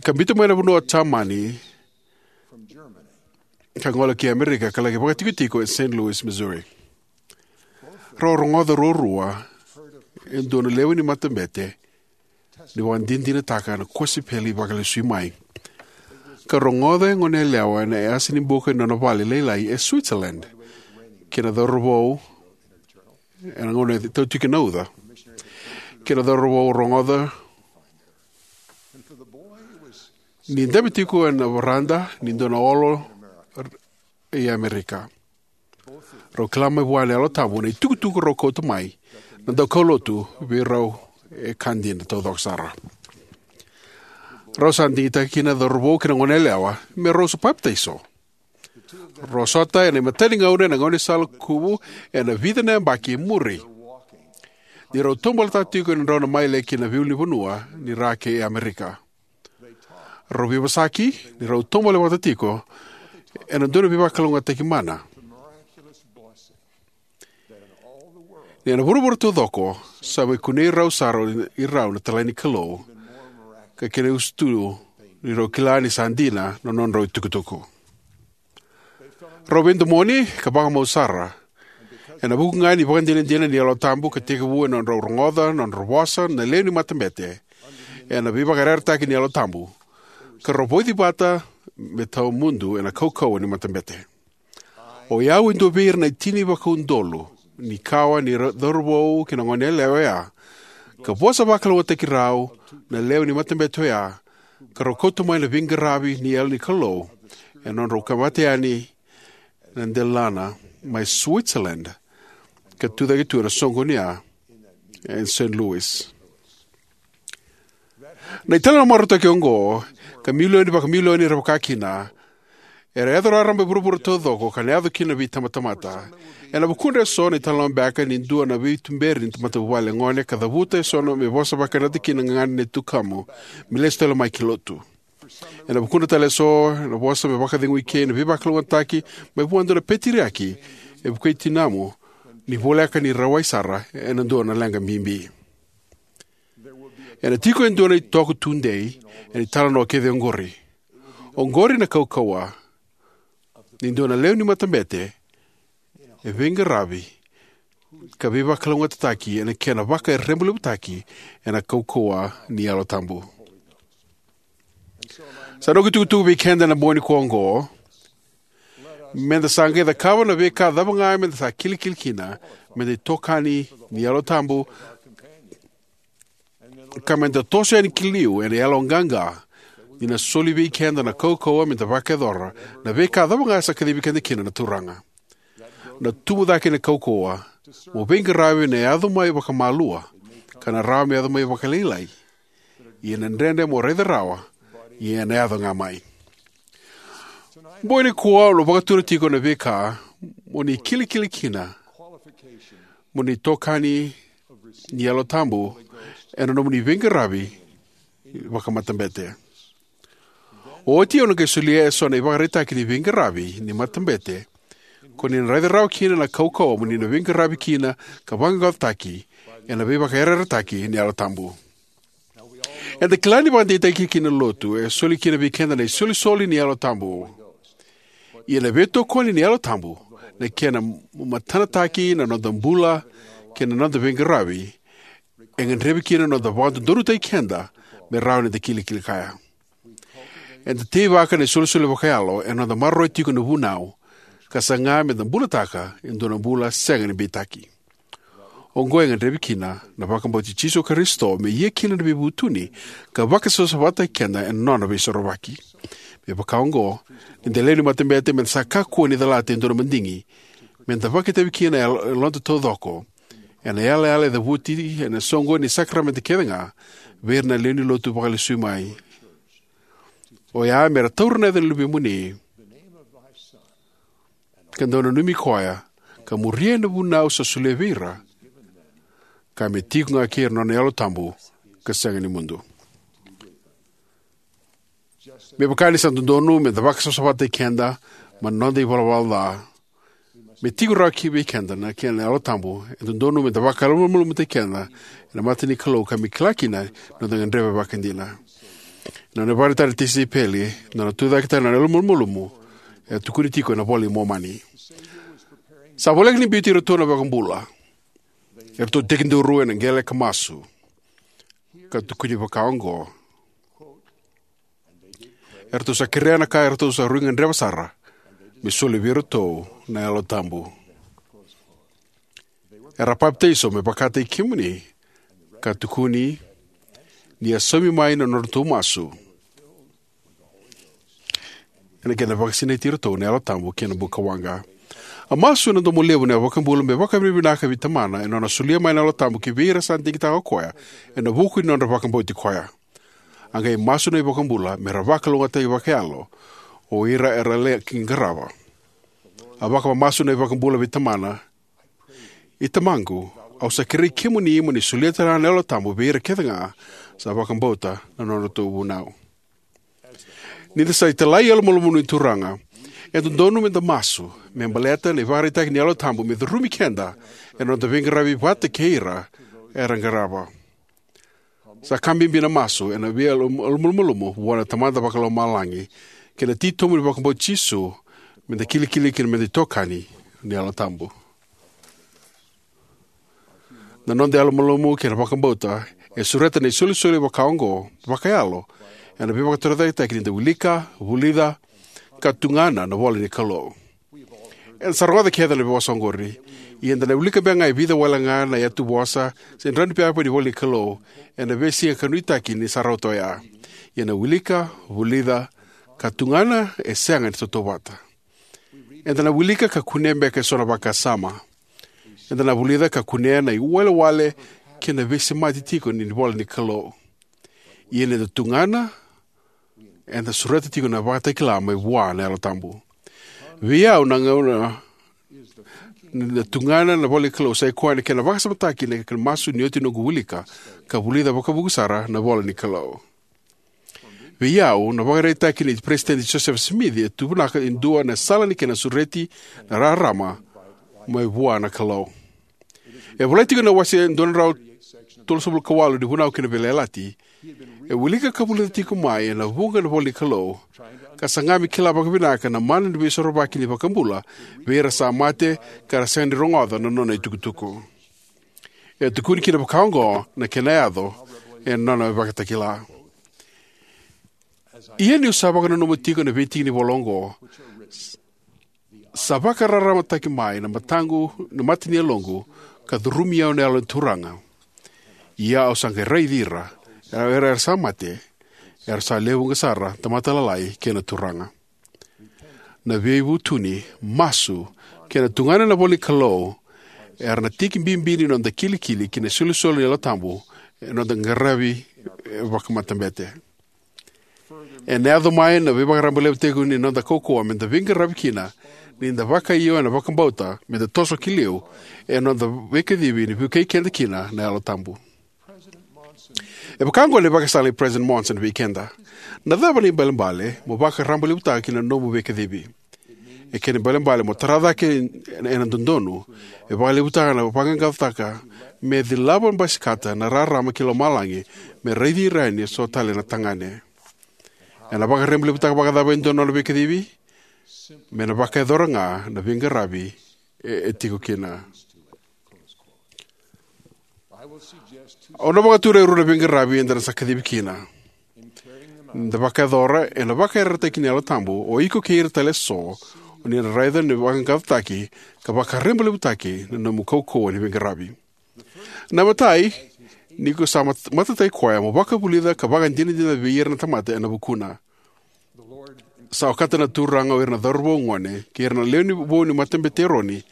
ka biuta mai na vanua o Jamani ka gole ki Amerika ka laki vakaitikotiko e Saint Louis, Missouri. Rau a rogoca ruarua e dua na lewe ni matabete ni vakadinadinataka na kosipeli vakalesuimai. Ka rogoca e goneyalewa ena yasa ni buka ni nona vale lailai e Switzerland, kei na cauravou ena gauna e tautiki na uca, kei na cauravou rogoca ni dabe tiko ena varada ni dua na olo e Amerika. Rau kila mai vua na Yalo Tabu na itukutuku rau kauta mai na daukaulotu vei rau e ka dina taucoko sara. Rau sa digitaka kina na cauravou kei na goneyalewa me rau sa papitaiso. Rau sota ena imatai ni gauna ena gaunisala kuvu ena vica na yabaki e muri ni rau taubalataka tiko na nodrau maile ki na veiulunivanua ni ra kei Amerika. Rau veivosaki ni rau taubale vata tiko ena dua na veivakalougatataki mana. Ni ena vuravura taucoko sa mai kunei rau sara o irau na italai ni Kalou, ka kena iusutu ni rau kila ni sa dina na nodrau itukutuku. Rau veidomoni ka vakamau sara ena vuku ga ni ivakadinadina ni Yalo Tabu ka tekivu ena nodrau rogoca na nodra vosa na lewe ni matabete ena veivakayarayarataki ni Yalo Tabu, ka rau vauci vata me tawamudu ena kaukauwa ni matabete. O yau e dua vei ira na tini vakaudolu ni kawa ni ra- cauravou kei na goneyalewa oya, ka vosa vakalougatataki rau na lewe ni matabete oya, ka rau kauta mai na veiqaravi ni Yalo ni Kalou ena nodrau kavata yani na delana mai Switzerland ka tucake tu ena soqoni ya e Saint Louis. Na italanoa marautaki oqo, ka milioni vakamilioni era vakakina, era yaco raraba e vuravura taucoko ka na yaco kina na veitabatamata. Ena vukudra eso na italanoa beka ni dua na veituberi ni matavuvale gone ka cavuta eso me vosa vakayadrati kina na gagadre nei tukamu me lesu tale mai ki lotu. Ena vukudra tale eso na vosa me vakacegui kei na veivakalougatataki mai vua e dua na peteriaki e vukei tinamu ni voleka ni rawai sara ena dua na leqa bibi. Ena tiko e dua na itoko tudei ena italanoa kece oqori. Oqori na kaukauwa ni dua na lewe ni matabete e veiqaravi ka veivakalougatataki ena kena vakarebolevutaki ena kaukauwa ni Yalo Tabu. Sa noqu itukutuku vei keda ena bogi nikua oqo, meda sa qai cakava na veika cava ga meda sa kilikili kina, meda itokani ni Yalo Tabu, ka meda toso yani ki liu ena yaloqaqa ni na soli vei keda na kaukauwa meda vakayacora na veika cava ga sa kacivi keda kina na Turaga. Na tubu cake ni kaukauwa mo veiqaravi ena yaco mai vakamalua, ka na rawa me yaco mai vakalailai. Ia na dredre mo raica rawa, ia ena yaco ga mai. Bogi nikua au na vakatura tiko na veika mo ni kilikili kina mo ni itokani ni Yalo Tabu ena nomuni veiqaravi vakamatabete. Oti au na qai solia eso na ivakaraitaki ni veiqaravi ni matabete ko ni na raica rawa kina na kaukauwa mo ni na veiqaravi kina ka vaqaqacotaki ena veivakayarayarataki ni Yalo Tabu. Eda kila ni vakadeitaki kina na lotu e soli kina vei keda na isolisoli ni Yalo Tabu. Ia na veitokoni ni Yalo Tabu, na kena matanataki na noda bula kei na noda veiqaravi, e gadrevi kina na noda vakadodonutaki keda me rawa ni da kilikili kaya. Eda teivaka na isolisoli vakayalo ena noda maroroya tiko na vunau ka saga meda bulataka e dua na bula sega ni beitaki. Oqo e gadrevi kina na vakabauti Jisu Karisito me ia kina na veivutuni ka vakasavasavataki keda ena nona veisorovaki. Me vaka oqo, ni da lewe ni matabete meda sa kakua ni calata e dua na madigi meda vakaitavi kina e yaloda taucoko ena yalayala e cavuti ena soqoni ni sakaramede kece ga vei ira na lewe ni lotu vakalesui mai. Oya mera taura na yaca ni Luvemuni ka dau nanumi koya ka muria na vunau sa solia vei ira, ka me tiko ga kei ira na nona Yalo Tabu ka sega ni mudu. Me vaka ni sa dodonu me da vakasavasavataki keda mai na noda ivalavala ca, me tiko rawa ki vei keda na kena Yalo Tabu, e dodonu me da vakayalomalumalumutaki keda ena mata ni Kalou ka me kila kina na noda gadreva vakaidina. Na nona ivakaraitaki na tisaipeli, na nona tucake tale na yalomalumalumu, e tukuni tiko ena iVola i Momani. Sa voleka ni biuti iratou na iVakabula. Eratou tekiduru ena qele ka masu, ka tukuni vakaoqo: Eratou sa kerea na ka eratou sa rui gadreva sara, me solia vei iratou na Yalo Tabu. Era a papitaiso me vakataki kemuni, ka tukuni ni a saumi mai na nodratou masu, ena kena vakasinaiti iratou na Yalo Tabu kei na bukawaqa. A masu ena domo levu na iVakabula me vakavinavinaka vei Tamana ena nona solia mai na Yalo Tabu ki vei ira sa digitaka o koya ena vuku ni nodra vakabauti koya. A qai masu na iVakabula me ra vakalougatataki vakayalo o ira era laki qarava. A vakamamasu na iVakabula vei Tamana: I Tamaqu, au sa kerei kemuni mo ni solia tale ga na Yalo Tabu vei ira kece ga sa vakabauta na nodratou vunau. Ni da sa italai yalomalumalumu ni Turaga, e dodonu me da masu me baleta na ivakaraitaki ni Yalo Tabu me curumi keda ena noda veiqaravi vata kei ira era qarava. Sa ka bibi na masu ena veiyalomalumalumu vua na Tamada Vakalomalagi kei na titobu ni vakabauti Jisu, me da kilikili kina me da itokani ni Yalo Tabu. Na noda yalomalumalumu kei na vakabauta e sureta na isolisoli vakaoqo vakayalo ena veivakatorocaketaki ni da wilika, vulica, ka tugana na ivola ni Kalou. Eda sa rogoca kece na veivosa oqori: Ia eda na wilika beka ga e vica wale ga na iyatuvosa se drau ni pepa ni ivola ni Kalou ena veisiga ka nuitaki ni sa rauta oya. Ia na wilika, vulica, ka tugana e sega ni tautauvata. Eda na wilika ka kunea beka eso na vakasama. Eda na vulica ka kunea na iwalewale kei na veisemati tiko ni ivola ni Kalou. Ia ni da tugana, eda sureta tiko na vakatakila mai vua na Yalo Tabu. Vei au, na gauna ni da tugana na ivola ni Kalou sa ikoya na kena vakasamataki na kena masu ni oti noqu wilika ka vulica vakavuku sara na ivola ni Kalou. Vei au, na ivakaraitaki nei Peresitedi Josefa Simici e tu vinaka e dua na sala ni kena sureti na rarama mai vua na Kalou. E volai tiko ena wase dua na drau tolusagavulu ka walu ni Vunau kei na Veiyalayalati, e wilika ka vulica tiko mai ena vuqa na ivola ni Kalou, ka saga me kila vakavinaka na mana ni Veisorovaki ni iVakabula vei ira sa mate ka ra sega ni rogoca na nona itukutuku. E tukuni kina vakaoqo na kena yaco ena nona ivakatakila: Ia niu sa vakananuma tiko na veitiki ni ivola oqo, sa vakararamataki mai na mataqu, na mata ni yaloqu, ka curumi au na Yalo ni Turaga. Ia au sa qai raici ira, era, era sa mate, era sa lewe vuqa sara, tamata lalai kei na turaga. Na veivutuni, masu, kei na tugana na ivola ni Kalou era na tiki bibi ni noda kilikili ki na isolisoli ni Yalo Tabu ena noda qaravi, e, vakamatabete. Ena yaco mai na veivakarabailevutaki ni noda kaukauwa me da veiqaravi kina, ni da vakaio ena vakabauta me da toso ki liu ena noda veikacivi ni vukei keda kina na Yalo Tabu. E vaka oqo na ivakasala nei President Monson vei keda: Na cava na ibalebale mo vakarabailevutaka ki na nomu veikacivi? E kena ibalebale mo tara cake ena dodonu. E vakalevutaka na vaqaqacotaka me cilava basikata na rarama ki lomalagi me raici ira yani eso tale na tagane. Ena vakarabailevutaka vakacava e dua na nona veikacivi? Me na vakayacora ga na veiqaravi e, e tiko kina. Au na vakatura e rua na veiqaravi eda na sa kacivi kina. Ni da vakayacora, ena vakayarayarataki ni Yalo Tabu o iko kei ira tale eso o ni na raica ni vaqaqacotaki ka vakarabailevutaki na nomu kaukauwa ni veiqaravi. Na imatai, ni ko sa mat-, matataki koya, mo vakavulica ka vakadinadina vei ira na tamata ena vukuna. Sa okata na Turaga o ira na cauravou gone kei ira na lewe ni vou ni Matabete i Eroni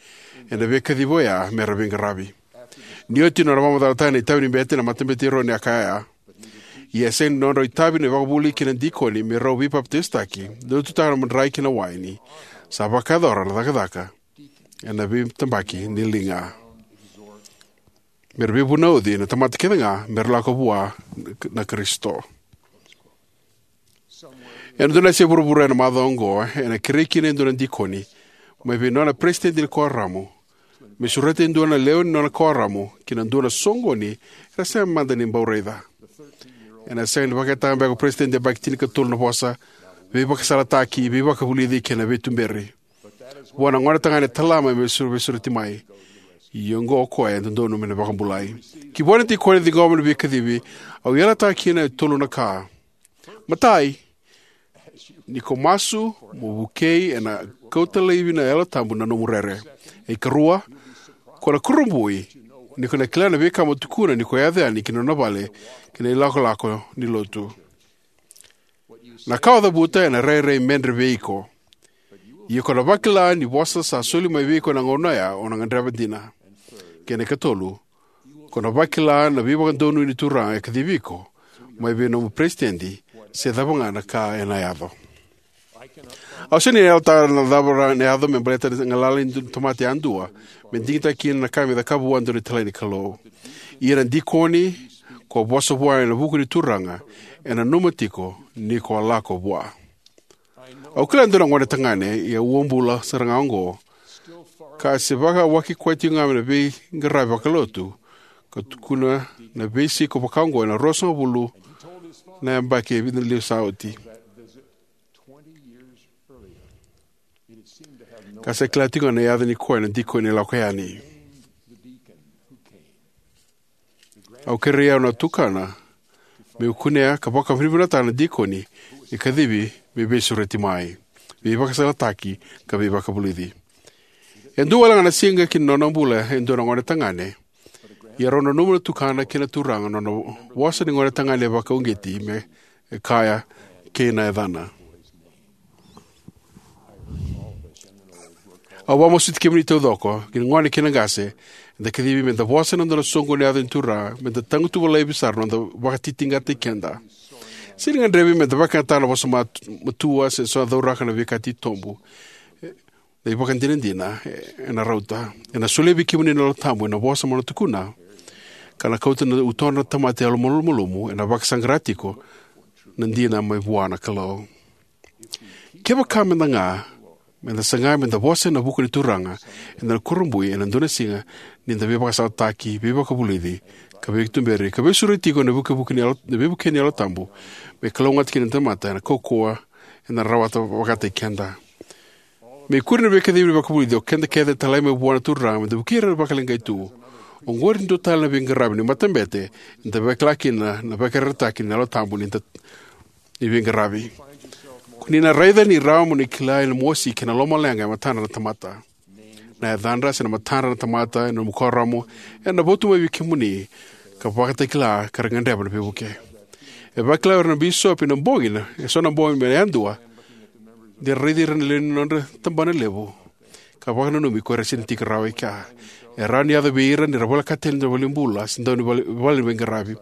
ena veikacivi oya me ra veiqaravi. Ni oti nona vakamacalataka na itavi ni bete na Matabete i Eroni, a kaya: Ia e sega ni nodrau itavi na ivakavuvuli kei na dikoni me rau veipapitaisotaki, dau tutaka na madrai kei na waini. Sa vakayacora na cakacaka ena veitabaki ni liga, me ra veivunauci na tamata kece ga me ra lako vua na Karisito. Ena dua na yasa e vuravura ena macawa oqo, ena kerei kina e dua na dikoni mai vei nona peresitedi ni kuoramu me sureta e dua na lewe ni nona kuoramu kei na dua na soqoni era sega mada ni bau raica. Ena sega ni vakayagataka beka o peresitedi yabaki tinikatolu na vosa veivakasalataki, veivakavulici kei na veituberi vua na gonetagane e talama me veisureti mai. Ia oqo o koya e dodonu me na vakabulai. Ki vua na dikoni e ciqoma na veikacivi, au yalataka kina e tolu na ka. Matai, ni ko masu mo vukei, ena kauta laivi na Yalo Tabu na nomu rere. E karua, ko na kurabui ni ko na kila na veika mo tukuna ni ko yaco yani ki na nona vale ki na ilakolako ni lotu. Na ka o cavuta ena rairai medre vei iko. Ia ko na vakila ni vosa sa soli mai vei iko ena gauna oya o na gadreva dina. Kei na katolu, ko na vakila na veivakadonui ni Turaga e kacivi iko mai vei nomu peresitedi, se cava ga na ka ena yaco. Au sega ni yalataka na cava na yaco me baleta na galala ni tamata yadua me digitaki kina na ka me cakava vua e dua na italai ni Kalou. Ia na dikoni ko vosa vua ena vuku ni Turaga e nanuma tiko ni ko a lako vua. Au kila e dua na gonetagane, ia uabula sara ga oqo, ka se vakawaki koya tiko ga mai na veiqaravi vakalotu, ka tukuna na veisiko vakaoqo ena ruasagavulu na yabaki e vica na levu sa oti. Ka sa kila tiko ga na yaca ni koya na dikoni e lako yani. Au kerei au na tukana meu kunea ka vakavinavinakataka na dikoni ni kacivi me veisureti mai, veivakasalataki, ka veivakavulici. E dua wale ga na siga ki na nona bula e dua na gonetagane, ia rau nanuma na tukana kei na turaga na nona vosa ni gonetagane vakauqeti me kaya, kei na yacana. Au vakamasuti kemuni taucoko, kei na gone kei na qase, eda kacivi meda vosa ena dua na soqoni ni yaca ni Turaga, meda tagutuva laivi sara na noda vakatitiqataki keda. Sega ni gadrevi meda vakayagataka na vosa mat-, matua se so na cauraka na veika titobu. Na ivakadinadina ena rauta. Ena solia vei kemuni na Yalo Tabu ena vosa mo na tukuna, ka na kauta na utodra na tamata yalomalumalumu ena vakasaqara tiko na dina mai vua na Kalou. Kevaka meda ga, meda saga meda vosa ena vuku ni Turaga, eda na kurabui ena dua na siga ni da veivakasalataki, veivakavulici, ka veituberi, ka veisureti tiko ena vukevuke ni Yalo, na veivuke ni Yalo Tabu me kalougata kina na tamata ena kaukauwa eda na rawata vakataki keda. Me ikuri na veikacivi ni vakavulici, o keda kece e talai mai vua na Turaga meda vukei ira vakaleqai tu. Oqori e dua tale na veiqaravi ni matabete eda vakila kina na veivakayarayarataki ni Yalo Tabu ni da ni veiqaravi. Ko ni na raica ni rawa mo ni kila na mosi kei na lomaleqa e matadra na tamata. Na yacadra se na matadra na tamata ena nomu kuoramu ena votu mai vei kemuni ka vakatakila ka ra gadreva na veivuke. E vakila o ira na bisopi na bogi na, e so na bogi me yadua, de ra raici ira na lewe ni nodra tabana levu ka vakananumi ko ira e sega ni tiko rawa e kea. E rawa ni yaco vei ira ni ra volekata tale na valenibula se dau ni vale, vale ni veiqaravi.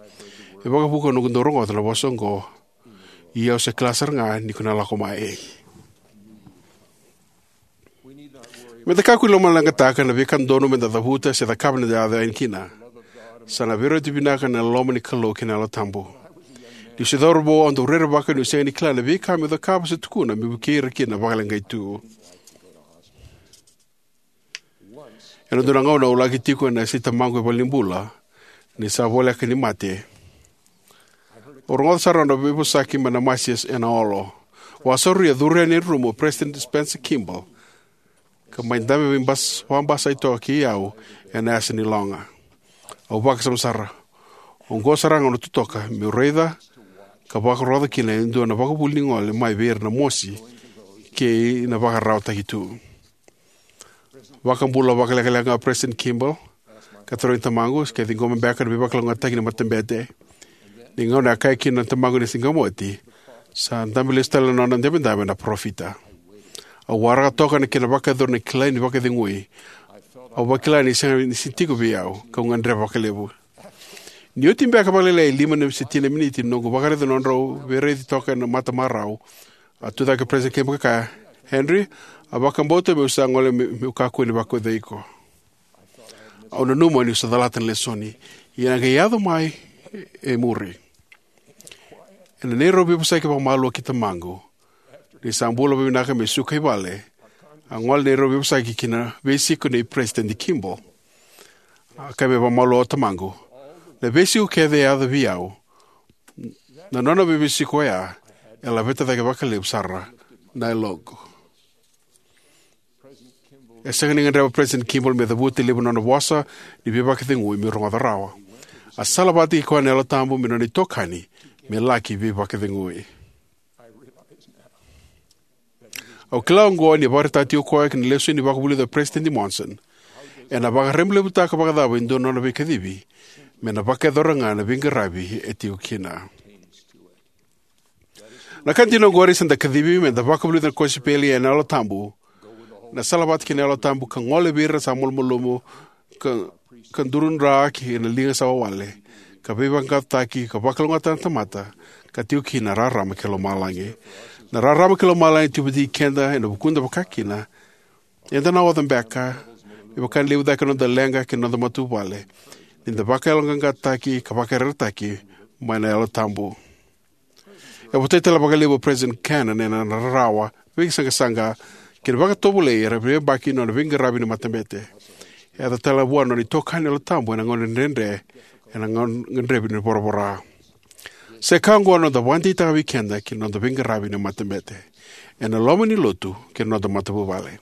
E vakavuqa noqu dau rogoca na vosa oqo. Ia au se kila sara ga ni ko na lako mai. Meda kakua ni lomaleqataka na veika dodonu meda cavuta se cakava ni da yaco yani kina. Sa na veirauti vinaka na loma ni Kalou kei na Yalo Tabu. Niu se cauravou au dau rerevaka niu sega ni kila na veika meu cakava se tukuna meu vukei ira kina vakaleqai tu. Ena dua na gauna au laki tiko ena yasai tamaqu e valenibula ni sa voleka ni mate. Au rogoca sara na nodra veivosaki mai na masi ena olo. Au a sauri, a curu yani e rumu o President Spencer Kimball ka mai dabe veibas-, vakabasai toka kei au ena yasa ni loga. Au vakasama sara. Oqo sara ga na gauna totoka meu raica ka vakarogoca kina e dua na vakavuvuli ni gole mai vei ira na mosi kei na vakararawataki tu. Vakabula vakalekaleka ga o President Kimball, ka tarogi tamaqu ke ciqoma beka na veivakalougatataki ni matabete. Ni gauna e kaya kina na tamaqu ni sa ciqoma oti, sa dabe lesu tale na nona idabedabe na parofita. Au waraka toka na kena vakayacori na kilai ni vakacegui. Au vakila ni sega ni tiko vei au, kau gadreva vakalevu. Ni oti beka vakalailai e lima se tini na miniti ni noqu vakaraica na nodrau veiraici toka ena matamarau, a tucake o President Kimball ka kaya, "Henry, A vakabauta meu sa gole me, meu kakua ni vakaucai iko. Au nanuma niu sa calata na lesoni. Ia na qai yaco mai e muri. Ena neirau veivosaki vakamalua ki tamaqu. Ni sa bula vakavinaka me suka i vale. A gole neirau veivosaki ki na veisiko nei President Kimball. A kaya me vakamalua o tamaqu. Na veisiko kece e yaco vei au. Na nona veiveisiko oya. E laveta cake vakalevu sara. Na yaloqu. E sega ni gadreva President Kimball me cavuta e levu na nona vosa ni veivakacegui me rogoca rawa. A salavata kei koya na Yalo Tabu me nona itokani me laki veivakacegui. Au kila oqo ni vakaraitaka tiko o koya ki na lesoni ni vakavulica o President Monson. Ena vakarabailevutaka vakacava e dua na nona veikacivi me na vakayacora ga na veiqaravi e tiko kina. Na ka dina oqori sa da kacivi me da vakavulica na kosipeli ena Yalo Tabu. Na salavata kei na Yalo Tabu ka gole vei ira sa malumalumu ka, ka durudra ki na liga sa wawale. Ka veivaqaqacotaki ka vakalougatataka na tamata ka tiko kina na rarama kei lomalagi. Na rarama kei lomalagi tiko vata kei keda ena vukuda vakakina. Eda na oca beka me vaka ni levu cake na noda leqa kei na noda matavuvale. Ni da vakayaloqaqataki ka vakayarayarataki mai na Yalo Tabu. E votai tale vakalevu o President Cannon ena rarawa, veisaqasaqa kei na vakatovolei era veiyabaki na nona veiqaravi ni matabete. E yaco tale vua na nona itokani Yalo Tabu ena gauna dredre ena gauna gadrevi ni voravora. Sa ka oqo na noda vakadeitaka vei keda kei na noda veiqaravi ni matabete ena loma ni lotu kei na noda matavuvale.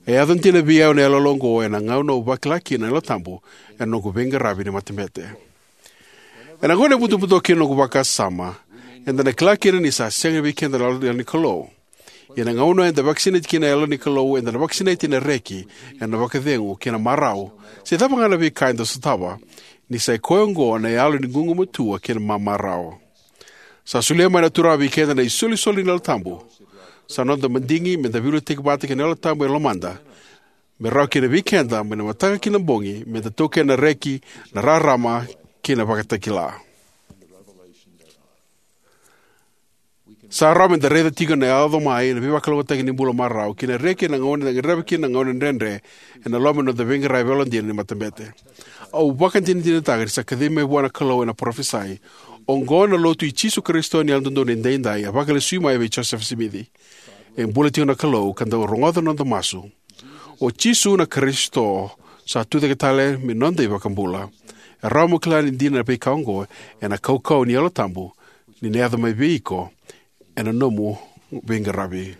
E yaco dina vei au na iyaloyalo oqo ena gauna au vakila kina na Yalo Tabu ena noqu veiqaravi ni matabete. Ena gauna e butobuto kina noqu vakasama, eda na kila kina ni sa sega vei keda na Yalo ni Kalou. Ia na gauna eda vakasinaiti kina na Yalo ni Kalou, eda na vakasinaiti ena reki, ena vakacegu kei na marau. Se cava ga na veika eda sotava, ni sa i koya oqo na yalo ni gugumatua kei na mamarau. Sa solia mai na Turaga vei keda na isolisoli ni Yalo Tabu. Sa noda madigi me da veiliutaki vata kei na Yalo Tabu e lomada. Me rawa kina vei keda mai na mataka ki na bogi me da taukena na reki, na rarama kei na vakatakila. Sa rawa me da raica tiko na yaco mai na veivakalougatataki ni bula marau kei na reki ena gauna eda gadreva kina na gauna dredre ena loma ni noda veiqaravi yalodina ni matabete. Au vakadinadinataka ni sa kacivi mai vua na Kalou ena parofisai. Oqo na lotu i Jisu Karisito ni Yalododonu Edaidai a vakalesui mai vei Josefa Simici. E bula tiko na Kalou ka dau rogoca na noda masu. O Jisu na Karisito sa tucake tale me noda iVakabula. E rawa mo kila ni dina na veika oqo ena kaukauwa ni Yalo Tabu ni na yaco mai vei iko ena nomu veiqaravi.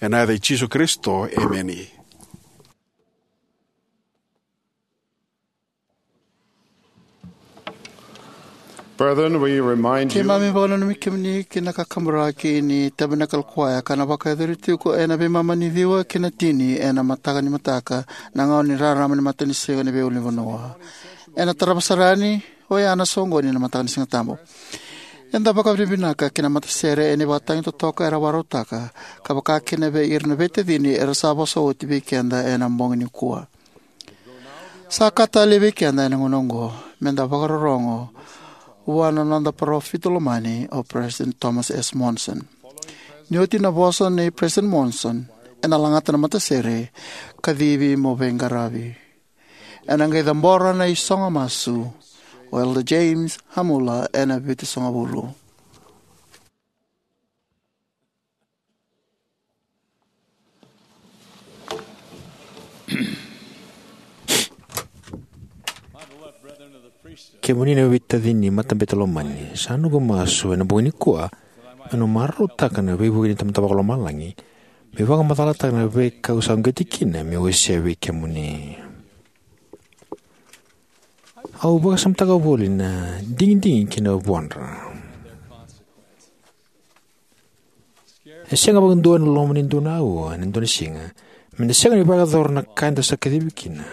Ena yaca i Jisu Karisito, emeni. Brethren, we remind you Keimami vakananumi kemuni ki na kakaburaki ni Tabernacle Choir ka na vakayacori tiko ena veimama ni ciwa ki na tini ena mataka ni mataka, na gauna ni rarama ni matanisiga ni veiulunivanua. Ena tarava sara yani oya na soqoni ena mataka ni Sigatabu. Eda vakavinavinaka ki na matasere ena ivakatagi totoka era vakarautaka, ka vaka kina vei ira na veitacini era sa vosa oti vei keda ena bogi nikua. Sa ka talei vei keda ena gauna oqo me da vakarorogo vua na noda parofita lomani o President Thomas S. Monson. Ni oti na vosa nei President Monson, ena lagata na matasere, Kacivi mo Veiqaravi. Ena qai cabora na isogo masu o Elder James Hamula ena vitusagavulu. Kemuni na veitacini ni matabete lomani, sa noqu masu ena bogi nikua meu na marautaka na veivuke ni Tamada Vakalomalagi, meu vakamacalataka na veika au sa uqeti kina meu wasea vei kemuni. Au vakasamataka voli na digidigi kei na vuadra. E sega vakadua ena loma ni dua na aua ena dua na siga me da sega ni vakayacora na ka eda sa kacivi kina,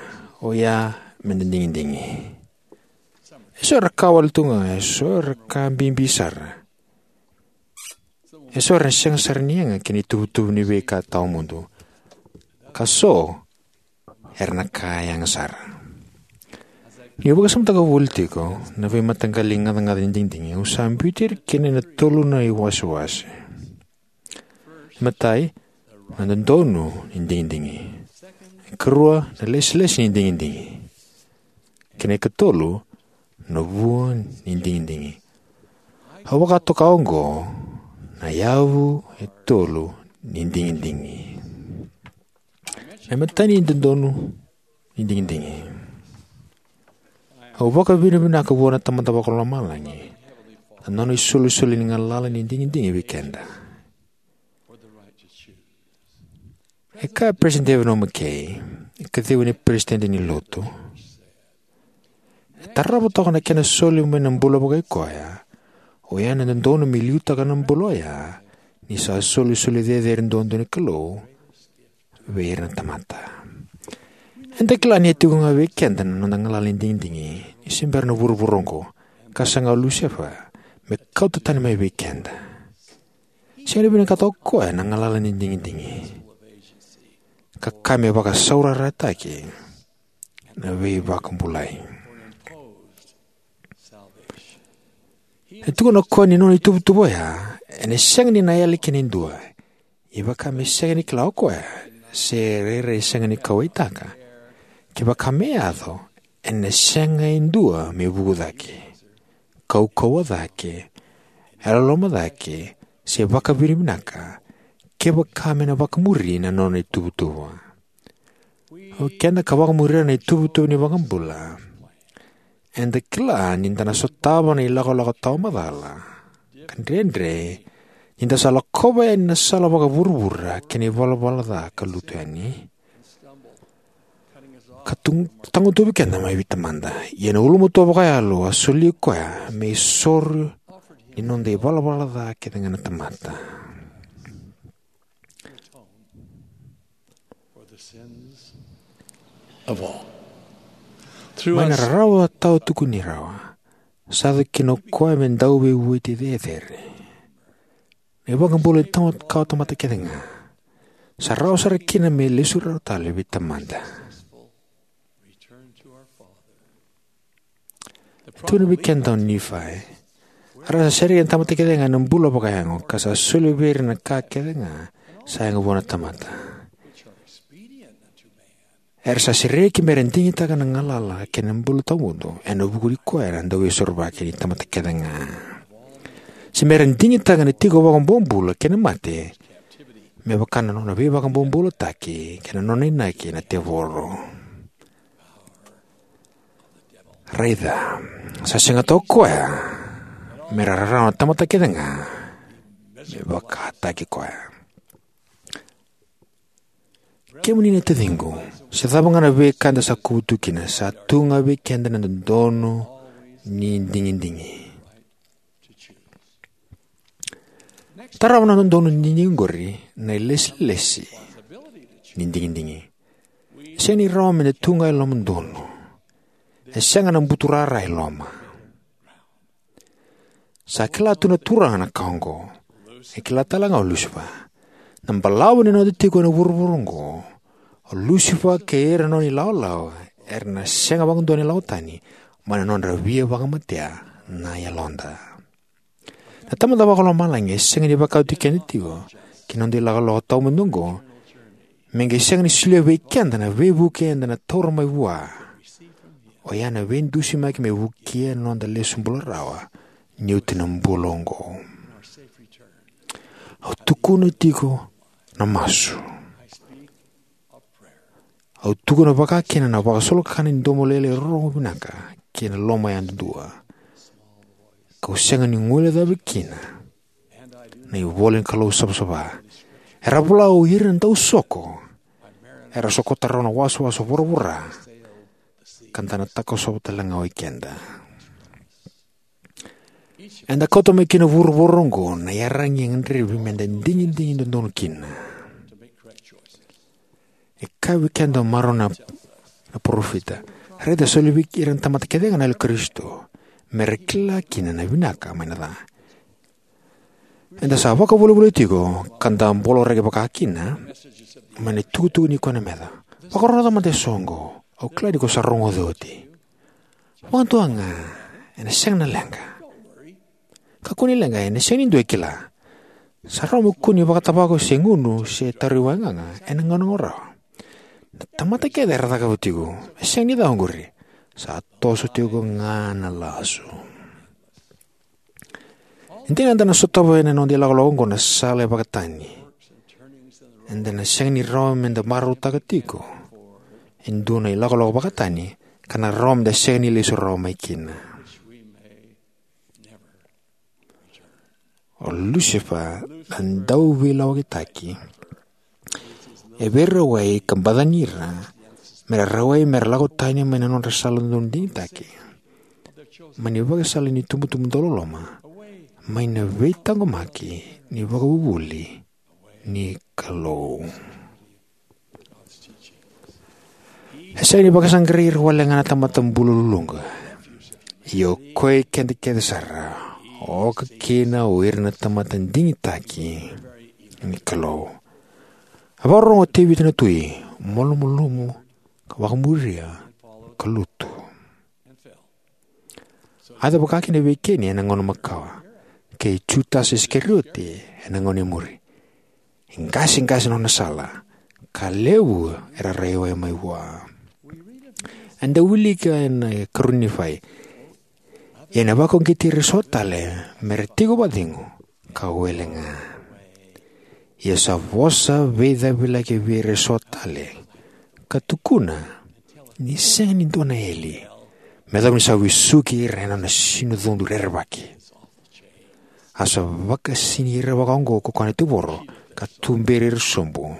oya me da digidigi. Eso era ka wale tu ga, eso era ka bibi sara. Eso era na sega sara ni yaga ki na ituvatuva ni veika tawamudu. Ka so era na ka yaga sara. Niu vakasamataka voli tiko na veimataqali gacagaca ni digidigi au sa biuti ira kina ena tolu na iwasewase. Matai, na dodonu ni digidigi. Karua, na lesilesi ni digidigi. Kei na ikatolu, na vua ni digidigi. Au vakatoka oqo na yavu e tolu ni digidigi. Na imatai ni dodonu ni digidigi. Au vakavinavinaka vua na Tamada Vakalomalagi na nona isolisoli ni galala ni digidigi vei keda. E kaya Peresitedi David O. McKay, e kacivi ni peresitedi ni Lotu, e tarava toka na kena soli mai na bula vakaikoya, oya na dodonu me liutaka na bula oya ni sa solisoli cecere duadua ni Kalou vei ira na tamata. Eda kila ni e tiko ga vei keda na noda galala ni digidigi ni se bera na vuravura oqo, ka saga o Lusifa me kauta tani mai vei keda. Sega ni vinakata o koya na galala ni digidigi, ka ka me vakasaurarataki na veivakabulai. E tukuna o koya ni nona ituvatuva oya ena sega ni na yali kina e dua, ia vaka me sega ni kila o koya, se rairai sega ni kauwaitaka, kevaka me yaco, ena sega e dua me vuku cake, kaukauwa cake, yalololoma cake, se vakavinavinaka, kevaka me na vakamuri na nona ituvatuva. O keda ka vakamuri ira na ituvatuva ni vakabula, eda kila ni da na sotava na ilakolako tawa macala ka dredre, ni da sa lakova yani na sala vakavuravura kei na ivalavala ca ka lutu yani, ka tu- tagutuvi keda mai vei Tamada. Ia na ulumatua vakayalo a soli koya me isoro ni noda ivalavala ca kece ga na tamata. Mai na rarawa tawa tukuni rawa, sa yaco kina o koya me dauveivueti cecere. Na ivakabula ni tawa kawa tamata kece ga, sa rawa sara kina me lesu rawa tale vei Tamada. Tukuna vei keda o Nifai, era sa sereki na tamata kece ga ena bula vakayago, ka sa soli vei ira na ka kece ga sa yaga vua na tamata. Era sa sereki mera digitaka na galala kei na bula tawamudu ena vuku ni koya na Dauveisorovaki ni tamata kece ga. Se mera digitaka na tiko vakabobula kei na mate, me vaka na nona veivakabobulataki kei na nona inaki na tevoro. Raica, sa sega tu o koya mera rarawa na tamata kece ga me vakataki koya. Kemuni na taciqu, se cava ga na veika eda sa kuvu tu kina, sa tu ga vei keda na dodonu ni digidigi. Tarava na dodonu ni digidigi oqori na ilesilesi ni digidigi. E sega ni rawa meda tu ga e loma donu. E sega na buturara e loma. Sa kila tu na Turaga na ka oqo. E kila tale ga o Lusifa. Na balavu ni noda tiko ena vuravura oqo, o Lusifa kei ira na nona ilawalawa era na sega vakadua ni lako tani mai na nodra via vakamatea na yaloda. Na Tamada Vakalomalagi e sega ni vakauti keda tiko ki na noda ilakolako tawamudu oqo, me qai sega ni solia vei keda na veivuke eda na taura mai vua, oya na veidusimaki me vukea na noda lesu bula rawa ni oti na bula oqo. Au tukuna tiko na masu. Au tukuna vakakina na vakasolokakana ni domo lailai rorogo vinaka kei na loma yadudua. Kau sega ni guilecavi kina na ivola ni Kalou savasava. Era vola o ira na dausoko. Era sokota rawa na wasawasa voravora ka da na takosova tale ga o ikeda. Eda kauta mai kina vuravura oqo na iyaragi e gadrevi meda digidigi dodonu kina. E kaya vei keda o Marona na parofita, raica, soli vei ira na tamata kece ga na yalo i Karisito, mera kila kina na vinaka mai na ca. Eda sa vakavolivoliti iko ka da boloraki vakakina mai na itukutuku ni kua na meca. Vakarorogo mada eso oqo, au kila ni ko sa rogoci oti. Vakadua ga, ena sega na leqa. Kakua ni leqa, ena sega ni dua e kila. Sa rawa mo kua ni vakatavako se gunu se tauri waigaga ena gauna oqo rawa. Na tamata kece era cakava tiko, e sega ni ca oqori. Sa toso tiko ga na lasu. E dina eda na sotava ena noda ilakolako oqo na sala e vakatani. Eda na sega ni rawa meda marautaka tiko e dua na ilakolako vakatani ka na rawa meda sega ni lesu rawa mai kina. O Lusifa na dauveilawakitaki e veirawai ka bacani ira mera rawai mera lako tani mai na nodra sala dodonu digitaki. Mai na ivakasala ni tubutubu dauloloma, mai na veitaqomaki ni vakavuvuli ni Kalou. E sega ni vakasaqarai ira wale ga na tamata bula luluqa. Ia o koya keda kece sara, oka kina o ira na tamata digitaki ni Kalou. A vakarorogo o Tevita na tui, malumalumu, ka vakamuria, ka lutu. A yaco vakakina vei Keni ena gauna makawa, kei Jutasa Isikarioti ena gauna e muri. E qaseqase na nona sala, ka levu era rawai mai vua. Eda wilika ena ikarua ni Nifai, ia ena vakauqeti ira eso tale mera tiko vakacegu ka wele ga. Ia sa vosa veicavilaki vei ira eso tale, ka tukuna ni sega ni dua na eli, me yacova ni sa vesuki ira ena nona sinucodu rerevaki. A sa vakasini ira vakaoqo ko koya na tevoro, ka tuberi ira sobu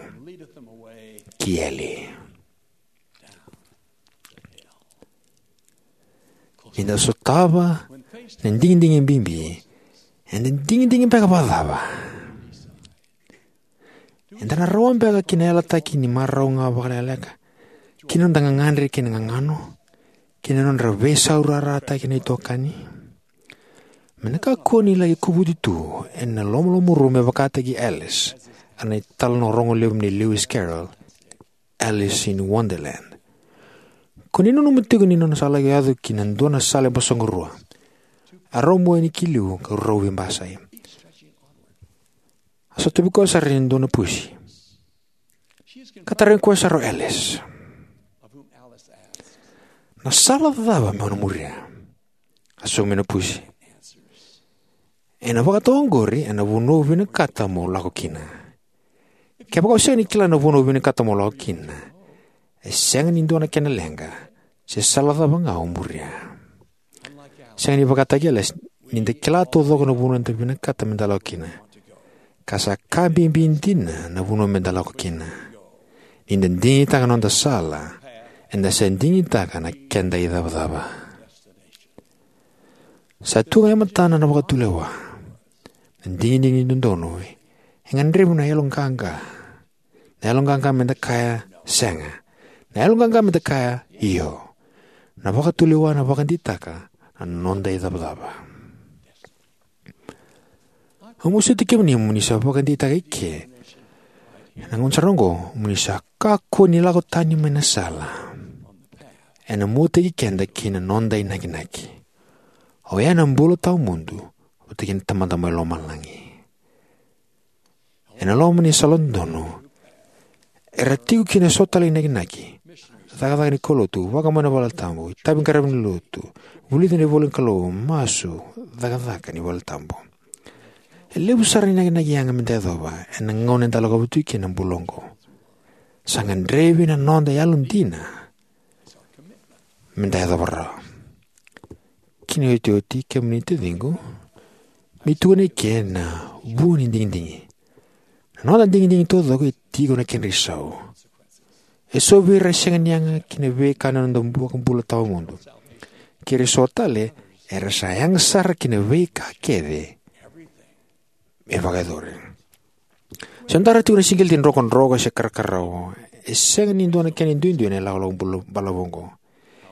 ki eli. Ni da sotava na digidigi bibi, eda digidigi beka vakacava? Eda na rawa beka ki na yalataki ni marau ga vakalekaleka, ki na noda gagadre kei na gagano, ki na nodra veisaurarataki na itokani? Me na kakua ni laki kovuti tu ena lomalomamuru me vakataki Alice, a na italanoa rogo levu nei Lewis Carroll, Alice in Wonderland. Ko ni nanuma tiko ni nona sa laki yaco ki na dua na sala e basoqarua. A rau mua yani ki liu ka rau veibasai. A sotavi koya sara e dua na pusi. Ka tarogi koya sara o Alice, "Na sala cava meu na muria?" A sauma mai na pusi, "Ena vakatau oqori ena vanua au vinakata mo lako kina. Kevaka o sega ni kila na vanua au vinakata mo lako kina, e sega ni dua na kena leqa se sala cava ga o muria." Sega ni vakataki Alice, ni da kila taucoko na vanua eda vinakata meda lako kina, ka sa ka bibi dina na vanua meda lako kina. Ni da digitaka na noda sala, eda sa digitaka na keda icavacava. Sa tu ga e matana na vakatulewa. Na digidigi dodonu e gadrevi na yaloqaqa. Na yaloqaqa meda kaya sega. Na yaloqaqa meda kaya io. Na vakatulewa na vakadeitaka na noda icavacava. Au masuti kemuni mo ni sa vakadeitaka eke ena gauna sara oqo mo ni sa kakua ni lako tani mai na sala. Ena muataki keda ki na noda inakinaki, oya na bula tawamudu vata kei na Tamada mai lomalagi. Ena loma ni sala dodonu era tiko kina eso tale inakinaki: cakacaka ni kaulotu, vakamau ena valetabu, itavi qaravi ni lotu, vulica na ivolanikalou, masu, cakacaka ni valetabu. E levu sara na inakinaki yaga meda yacova ena gauna eda lakova tiko kina na bula oqo. Sa gadrevi na noda yalodina meda yacova rawa. Ki na iotioti, kemuni taciqu, me tukuni eke na vua ni digidigi. Na noda digidigi taucoko e tiko na kedra isau. Eso vei ira e sega ni yaga ki na veika na noda vakabula tawamudu. Kei ira eso tale era sa yaga sara ki na veika kece me vakayacori. Se dara tiko na siqeleti drokadroka se karakarau, e sega ni dua na kena duidui na ilakolako bula balavu oqo.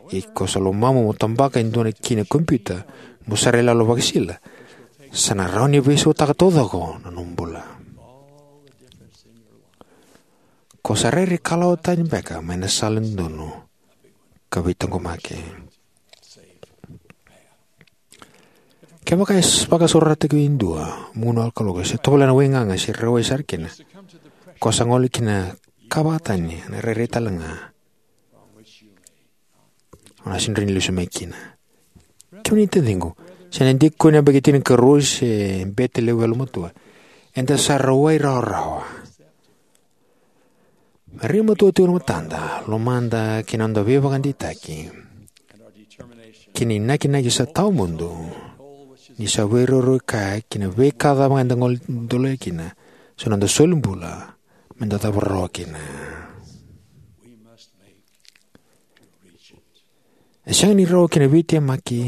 Ia ko sa lomamu mo tabaka e dua na ki na kompiuta mo sa ra iyaloyalo vakasisila, sa na rawa ni veisautaka taucoko na nomu bula. Ko sa rairai kalawa tani beka mai na sala dodonu ka veitaqomaki. Kevaka e s-, vakasaurarataki e dua mo na kaloko, se tovolea na waigaga, se rawai sara kina, ko sa gole ki na ka vakatani, na rairai tale ga o na sega ni lesu mai kina. Kemuni taciqu, se na dikoni yabaki tinikarua se bete levu yalomatua, eda sa rawai rawarawa. Me rai matua tiko na matada, lomada kei na noda veivakadeitaki kei na inakinaki sa tawamudu ni sa veiraurau kaya ki na veika cava ga eda gole dolea kina, sa noda solibula me da cava rawa kina. E sega ni rawa ki na veitemaki,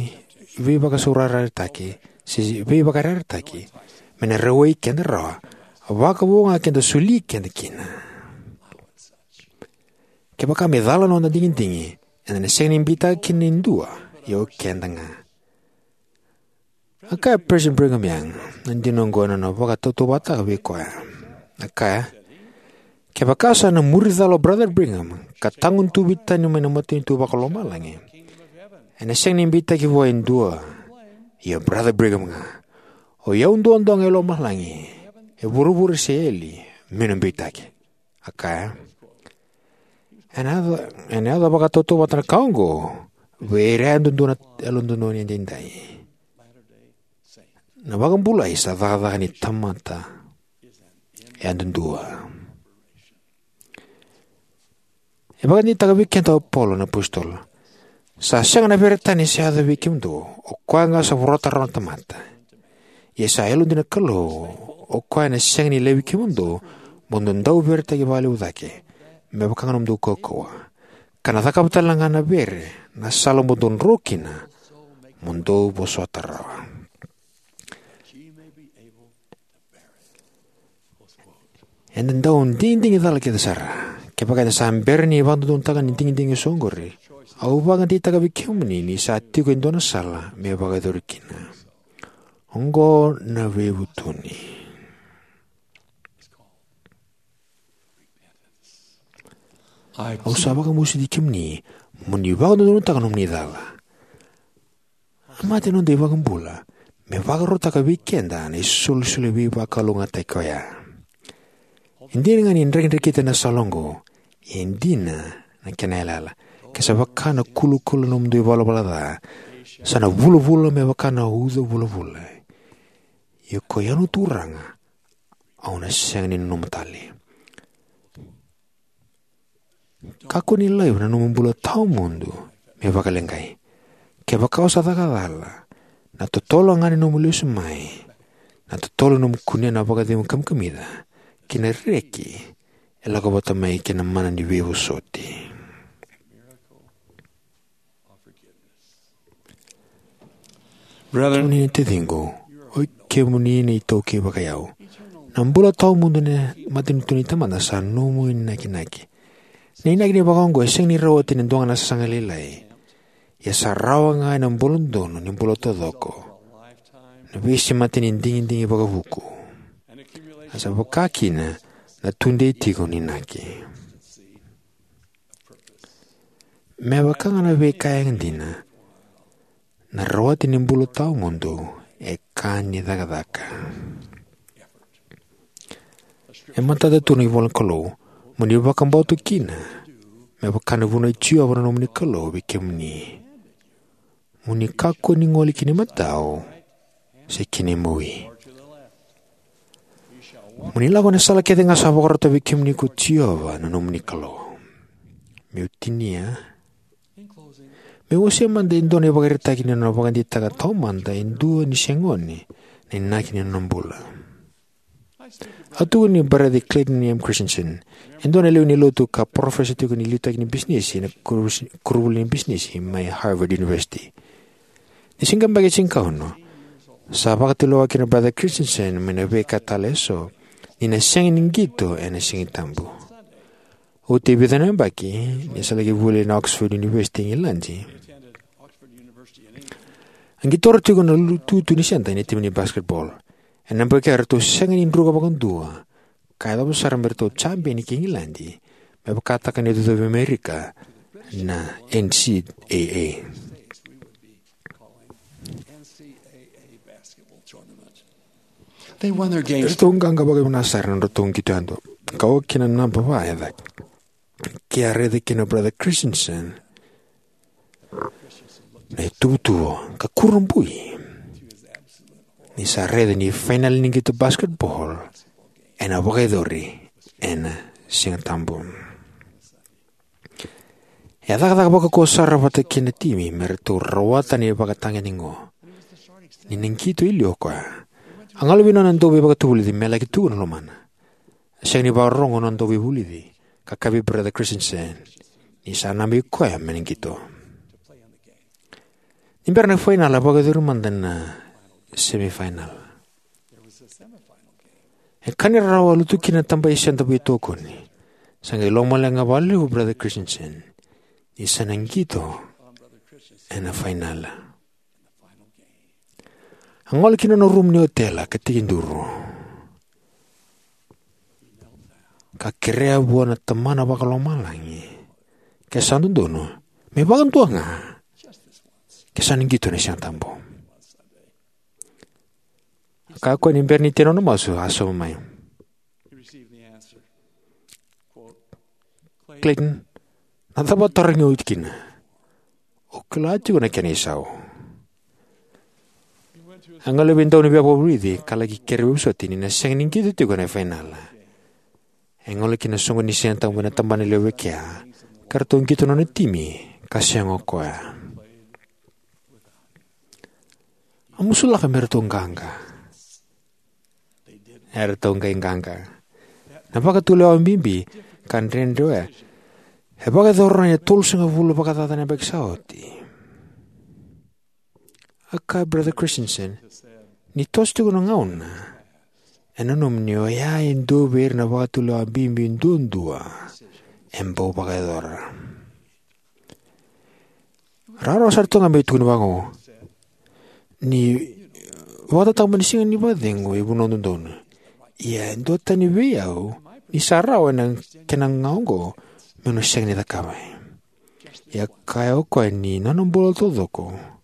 veivakasaurarataki, se veivakayarayarataki me na rawai keda rawa, vakavo ga ke da soli keda kina. Kevaka me cala na noda digidigi, eda na sega ni beitaka kina e dua, ia o keda ga. A kaya President Brigham Young na dina oqo ena nona vakatautauvatataka vei koya. A kaya, kevaka sa na muri cala o Brother Brigham ka tagutuvi tani mai na matanitu vakalomalagi, ena sega ni beitaki vua e dua, ia Brother Brigham ga. O i au duadua ga e lomalagi, e vuravura se eli, meu na beitaki. A kaya, ena yaco, ena yaco vakatautauvata na ka oqo vei ira yadudua na yalododonu edaidai. Na vakabulai sa cakacaka ni tamata yadudua. E vakadeitaka vei keda o Paula na apositolo, sa sega na vere tani sa yaco vei kemudou, o koya ga sa vorata rawa na tamata. Ia sa yalodina na Kalou, o koya ena sega ni laivi kemudou mo dou dau veretaki vakalevu cake, me vaka ga na nomudou kaukauwa, ka na cakava tale ga na vere na sala mo dou dro kina, mo dou vosota rawa. Eda dau digidigi cala kece sara. Kevaka eda sa bera ni vakadodonutaka na digidigi eso oqori, au vakadeitaka vei kemuni ni sa tiko e dua na sala me vakayacori kina. Oqo na veivutuni. Au sa vakamasuti kemuni mo ni vakadodonutaka nomuni cala. A mate na noda iVakabula me vakarautaka vei keda na isolisoli veivakalougatataki oya. E dina ga ni drakidrakita na sala oqo, e dina na kena yalayala. Ke sa vaka na kulakula na nomudou ivalavala ca, sa na vulavula me vaka na uca vulavula. Ia ko i au na Turaga, au na sega ni nanuma tale. Kakua ni laiva na nomu bula tawamudu me vakaleqai. Kevaka o sa caka cala, na totolo ga ni nomu lesu mai, na totolo ni nomu kunea na vakacegu kamikamica kei na reki e lako vata mai kei na mana ni veivosoti. Brethren, kemuni na taciqu, o kemuni na iTaukei vakaiyau. Na bula tawamudu ena matanitu ni Tamada sa nomu inakinaki. Na inaki ni vaka oqo e sega ni rawati ena dua ga na sasaga lailai. Ia sa rawa ga ena bula donu ni bula taucoko, na veisemati ni digidigi vakavuku. A sa vaka kina na tudei tiko ni inaki. Me vaka ga na veika yadina, na rawati ni bula tawamudu e ka ni cakacaka. E matata tu na ivola ni Kalou mo ni vakabauta kina, me vaka na vunau i Jiova na nomuni Kalou vei kemuni. Mo ni kakua ni gole ki na imatau se ki na imawi. Mo ni lako ena sala kece ga sa vakarota vei kemuni ko Jiova na nomuni Kalou. Meu tinia. Meu wasea mada e dua na ivakaraitaki ni nona vakadeitaka taumada e dua ni se gone na inaki ni nona bula. A tukuni Brother Clayton M. Christensen, e dua na lewe ni lotu ka parofesa tiko ni liutaki ni bisinisi ena koru-, koronivuli ni bisinisi mai Harvard University. Ni se qai yabaki tinikaono, sa vakatulewa kina o Brother Christensen mai na veika tale eso ni na sega ni qito ena Sigatabu. Oti e vica na yabaki, ni sa laki vuli ena Oxford University e Igiladi, a qai taura tiko na lu-, tutu ni sede ena timi ni basketball. Ena yabaki oya eratou sega ni druka vakadua, ka yacova sara me ratou jabeni ki Igiladi me vakataka na icocovi Amerika na N C A A. They won their games. Eratou qaqa vakavinaka sara na nodratou qito yadua, ka oka kina na naba va e cake. Ke a raica kina o Brother Christensen na ituvatuva ka kurabui ni sa raica ni fainala ni qito basketball ena vakayacori ena Siga Tabu. E a cakacaka vakaukauwa sara vata kei na timi me ratou rawata na ivakatagedegede oqo. Ni na qito e liu o koya, a gole vei nona dauveivakatavulici me laki tukuna na lomana. A sega ni vakarorogo na nona dauveivulici ka kaya vei Brother Christensen ni sa nanumi koya me na qito. Ni bera na fainala, a vakayacori mada na semifinal. E ka ni rarawa, a lutu kina na taba i senta veitokoni. Sa qai lomaleqa vakalevu o Brother Christensen ni sa na qito ena fainala. A gole ki na nona rumu ni otela ka tekiduru, ka kerea vua na Tamana Vakalomalagi, ke sa dodonu, me vakadua ga, ke sa na qito ena Siga Tabu. A kaya o koya ni bera ni tei na nona masu, a sauma mai, "Clayton, na cava o tarogi au kina? O kila tiko na kena isau." A gole vei dau ni veivakaraici ka laki kerea veiwasoti ni na sega ni qito tiko ena fainala. E gole ki na soqo ni Siga Tabu ena tabana levu e kea, ka ratou qito na nona timi ka sega o koya. A musulaka me ratou qaqa. Eratou qai qaqa. Na vakatulewa bibi ka dredre oya e vakayacora ena tolusagavulu vakacaca na yabaki sa oti. A kaya o Brother Christensen, ni toso tiko na gauna, e nanuma ni oya e dua vei ira na vakatulewa bibi duadua e bau vakayacora. Rawarawa sara tu ga me tukuni vaqo. Ni vakatatama ni siga ni vakacegu e vanua dodonu. Ia e duatani vei au ni sa rawa ena kena ga oqo meu na sega ni cakava. Ia kaya o koya ni nona bula taucoko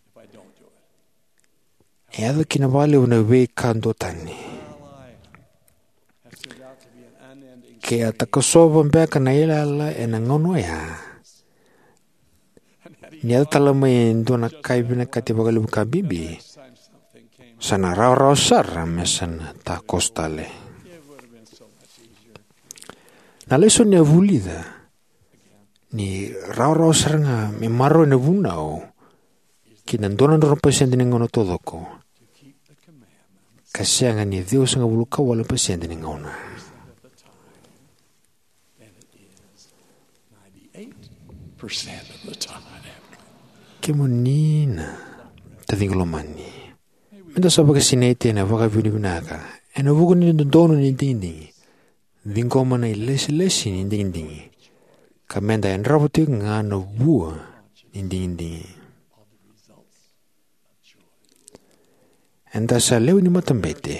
e yaco kina vakalevu na veika duatani. Ke a takosova beka na iyalayala ena gauna oya, ni yaco tale mai e dua na ka e vinakati vakalevu ka bibi, sa na rawarawa sara me sa na takoso tale. Na lesoni a vulica ni rawarawa sara ga me maroroi na vunau ki na dua na drau na pasede ni gauna taucoko, ka sega ni ciwasagavulu ka walu na pasede ni gauna. Kemuni na taciqu lomani, meda sa vakasinaiti ena vakavinavinaka ena vuku ni dodonu ni digidigi, ciqoma na ilesilesi ni digidigi, ka meda yadrava tiko ga na vua ni digidigi. Eda sa lewe ni matabete,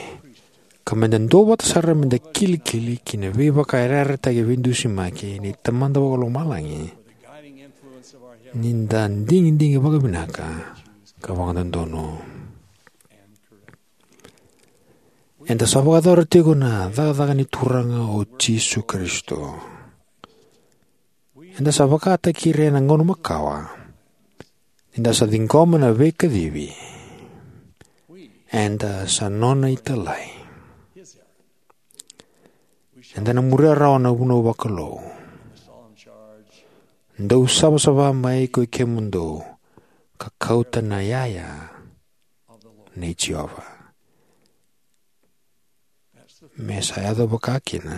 ka meda duavata sara meda kilikili ki na veivakayarayarataki veidusimaki ni Tamada Vakalomalagi, ni da digidigi vakavinaka ka vakadodonu. Eda sa vakayacora tiko na cakacaka ni Turaga o Jisu Karisito. Eda sa vakataki ira ena gauna makawa. Eda sa ciqoma na veikacivi. Eda sa nona italai. Eda na muria rawa na vunau vakalou. Dou savasava mai koi kemudou ka kauta na yaya nei Jiova. Me sa yaco vaka kina.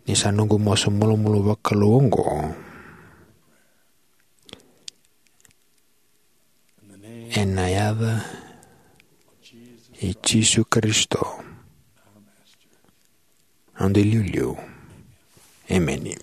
Ni sa noqu masu malumalumu vakalou oqo. Ena yaca i Jisu Karisito, noda iliuliu. Emeni.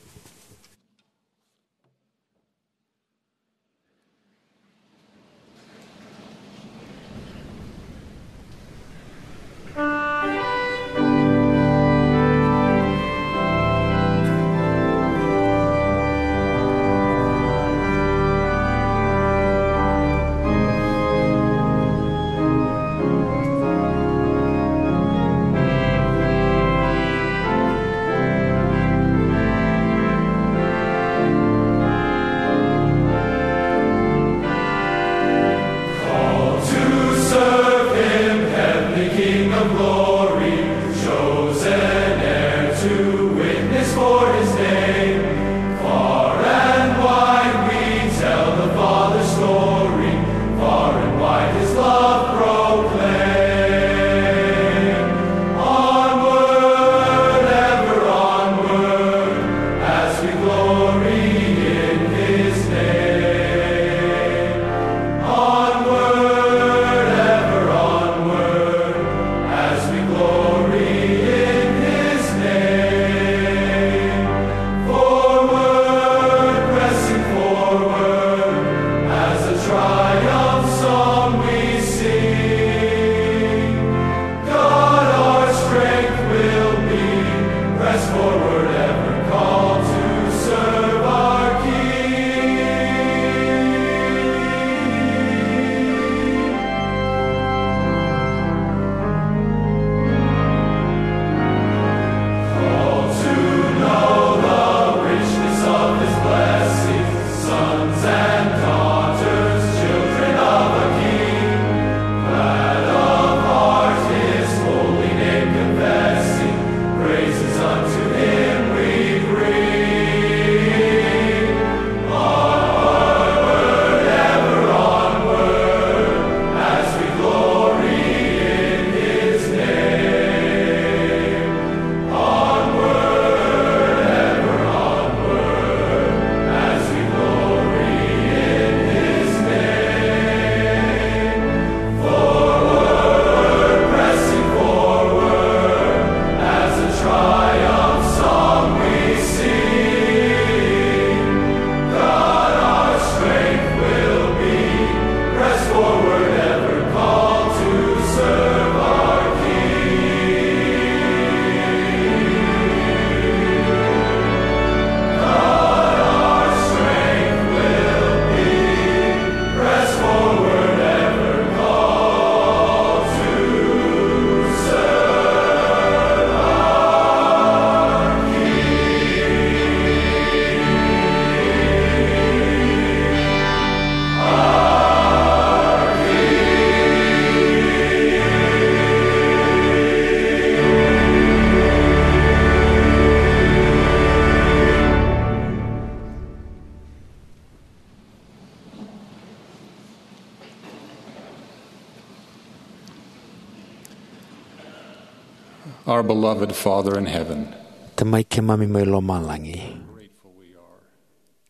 Our beloved Father in heaven, Tamai keimami mai lomalagi,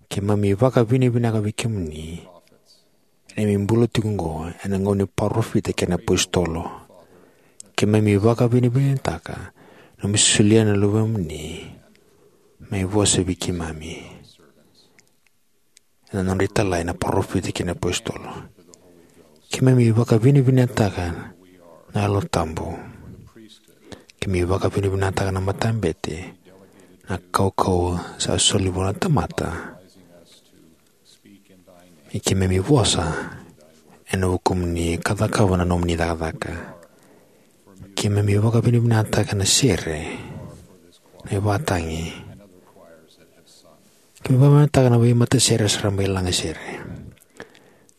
keimami vakavinavinaka vei kemuni ena neimami bula tiko oqo ena gauna ni parofita kei na apositolo. Keimami vakavinavinakataka na nomu solia na Luvemuni me vosa vei keimami ena nodra italai na parofita kei na apositolo. Keimami vakavinavinakataka na Yalo Tabu. Keimami vakavinavinakataka na matabete, na kaukauwa sa soli vua na tamata me keimami vosa ena vukumuni ka cakava na nomuni cakacaka. Keimami vakavinavinakataka na sere, na ivakatagi. Keimami vakavinavinakataka na veimatasere sa ra mai lagasere.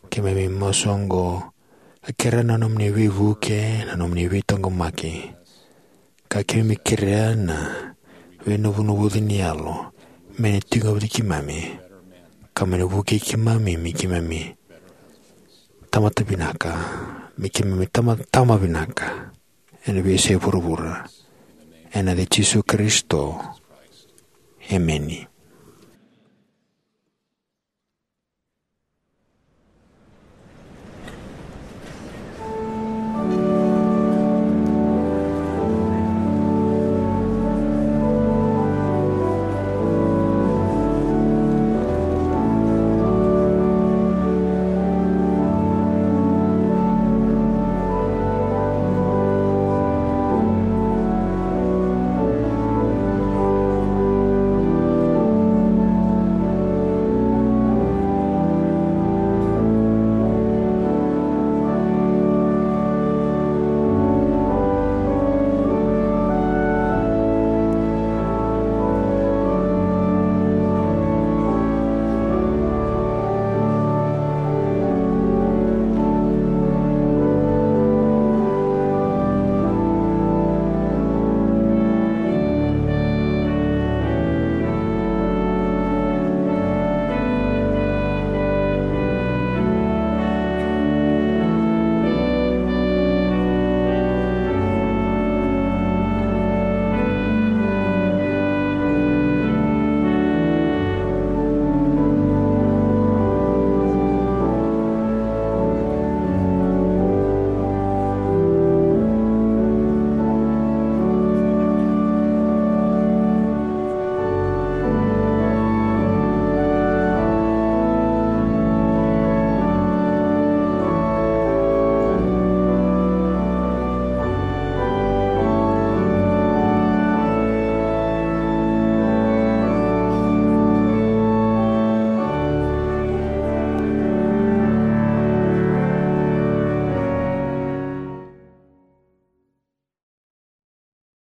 Keimami masu oqo ka kerea na nomuni veivuke, na nomuni veitaqomaki, ka keimami kerea na veinavunavuci ni Yalo me na tiko vata kei keimami, ka me na vukei keimami me keimami tamata vinaka, me keimami tama, tama vinaka ena veiyasai vuravura. Ena yaca i Jisu Karisito, emeni.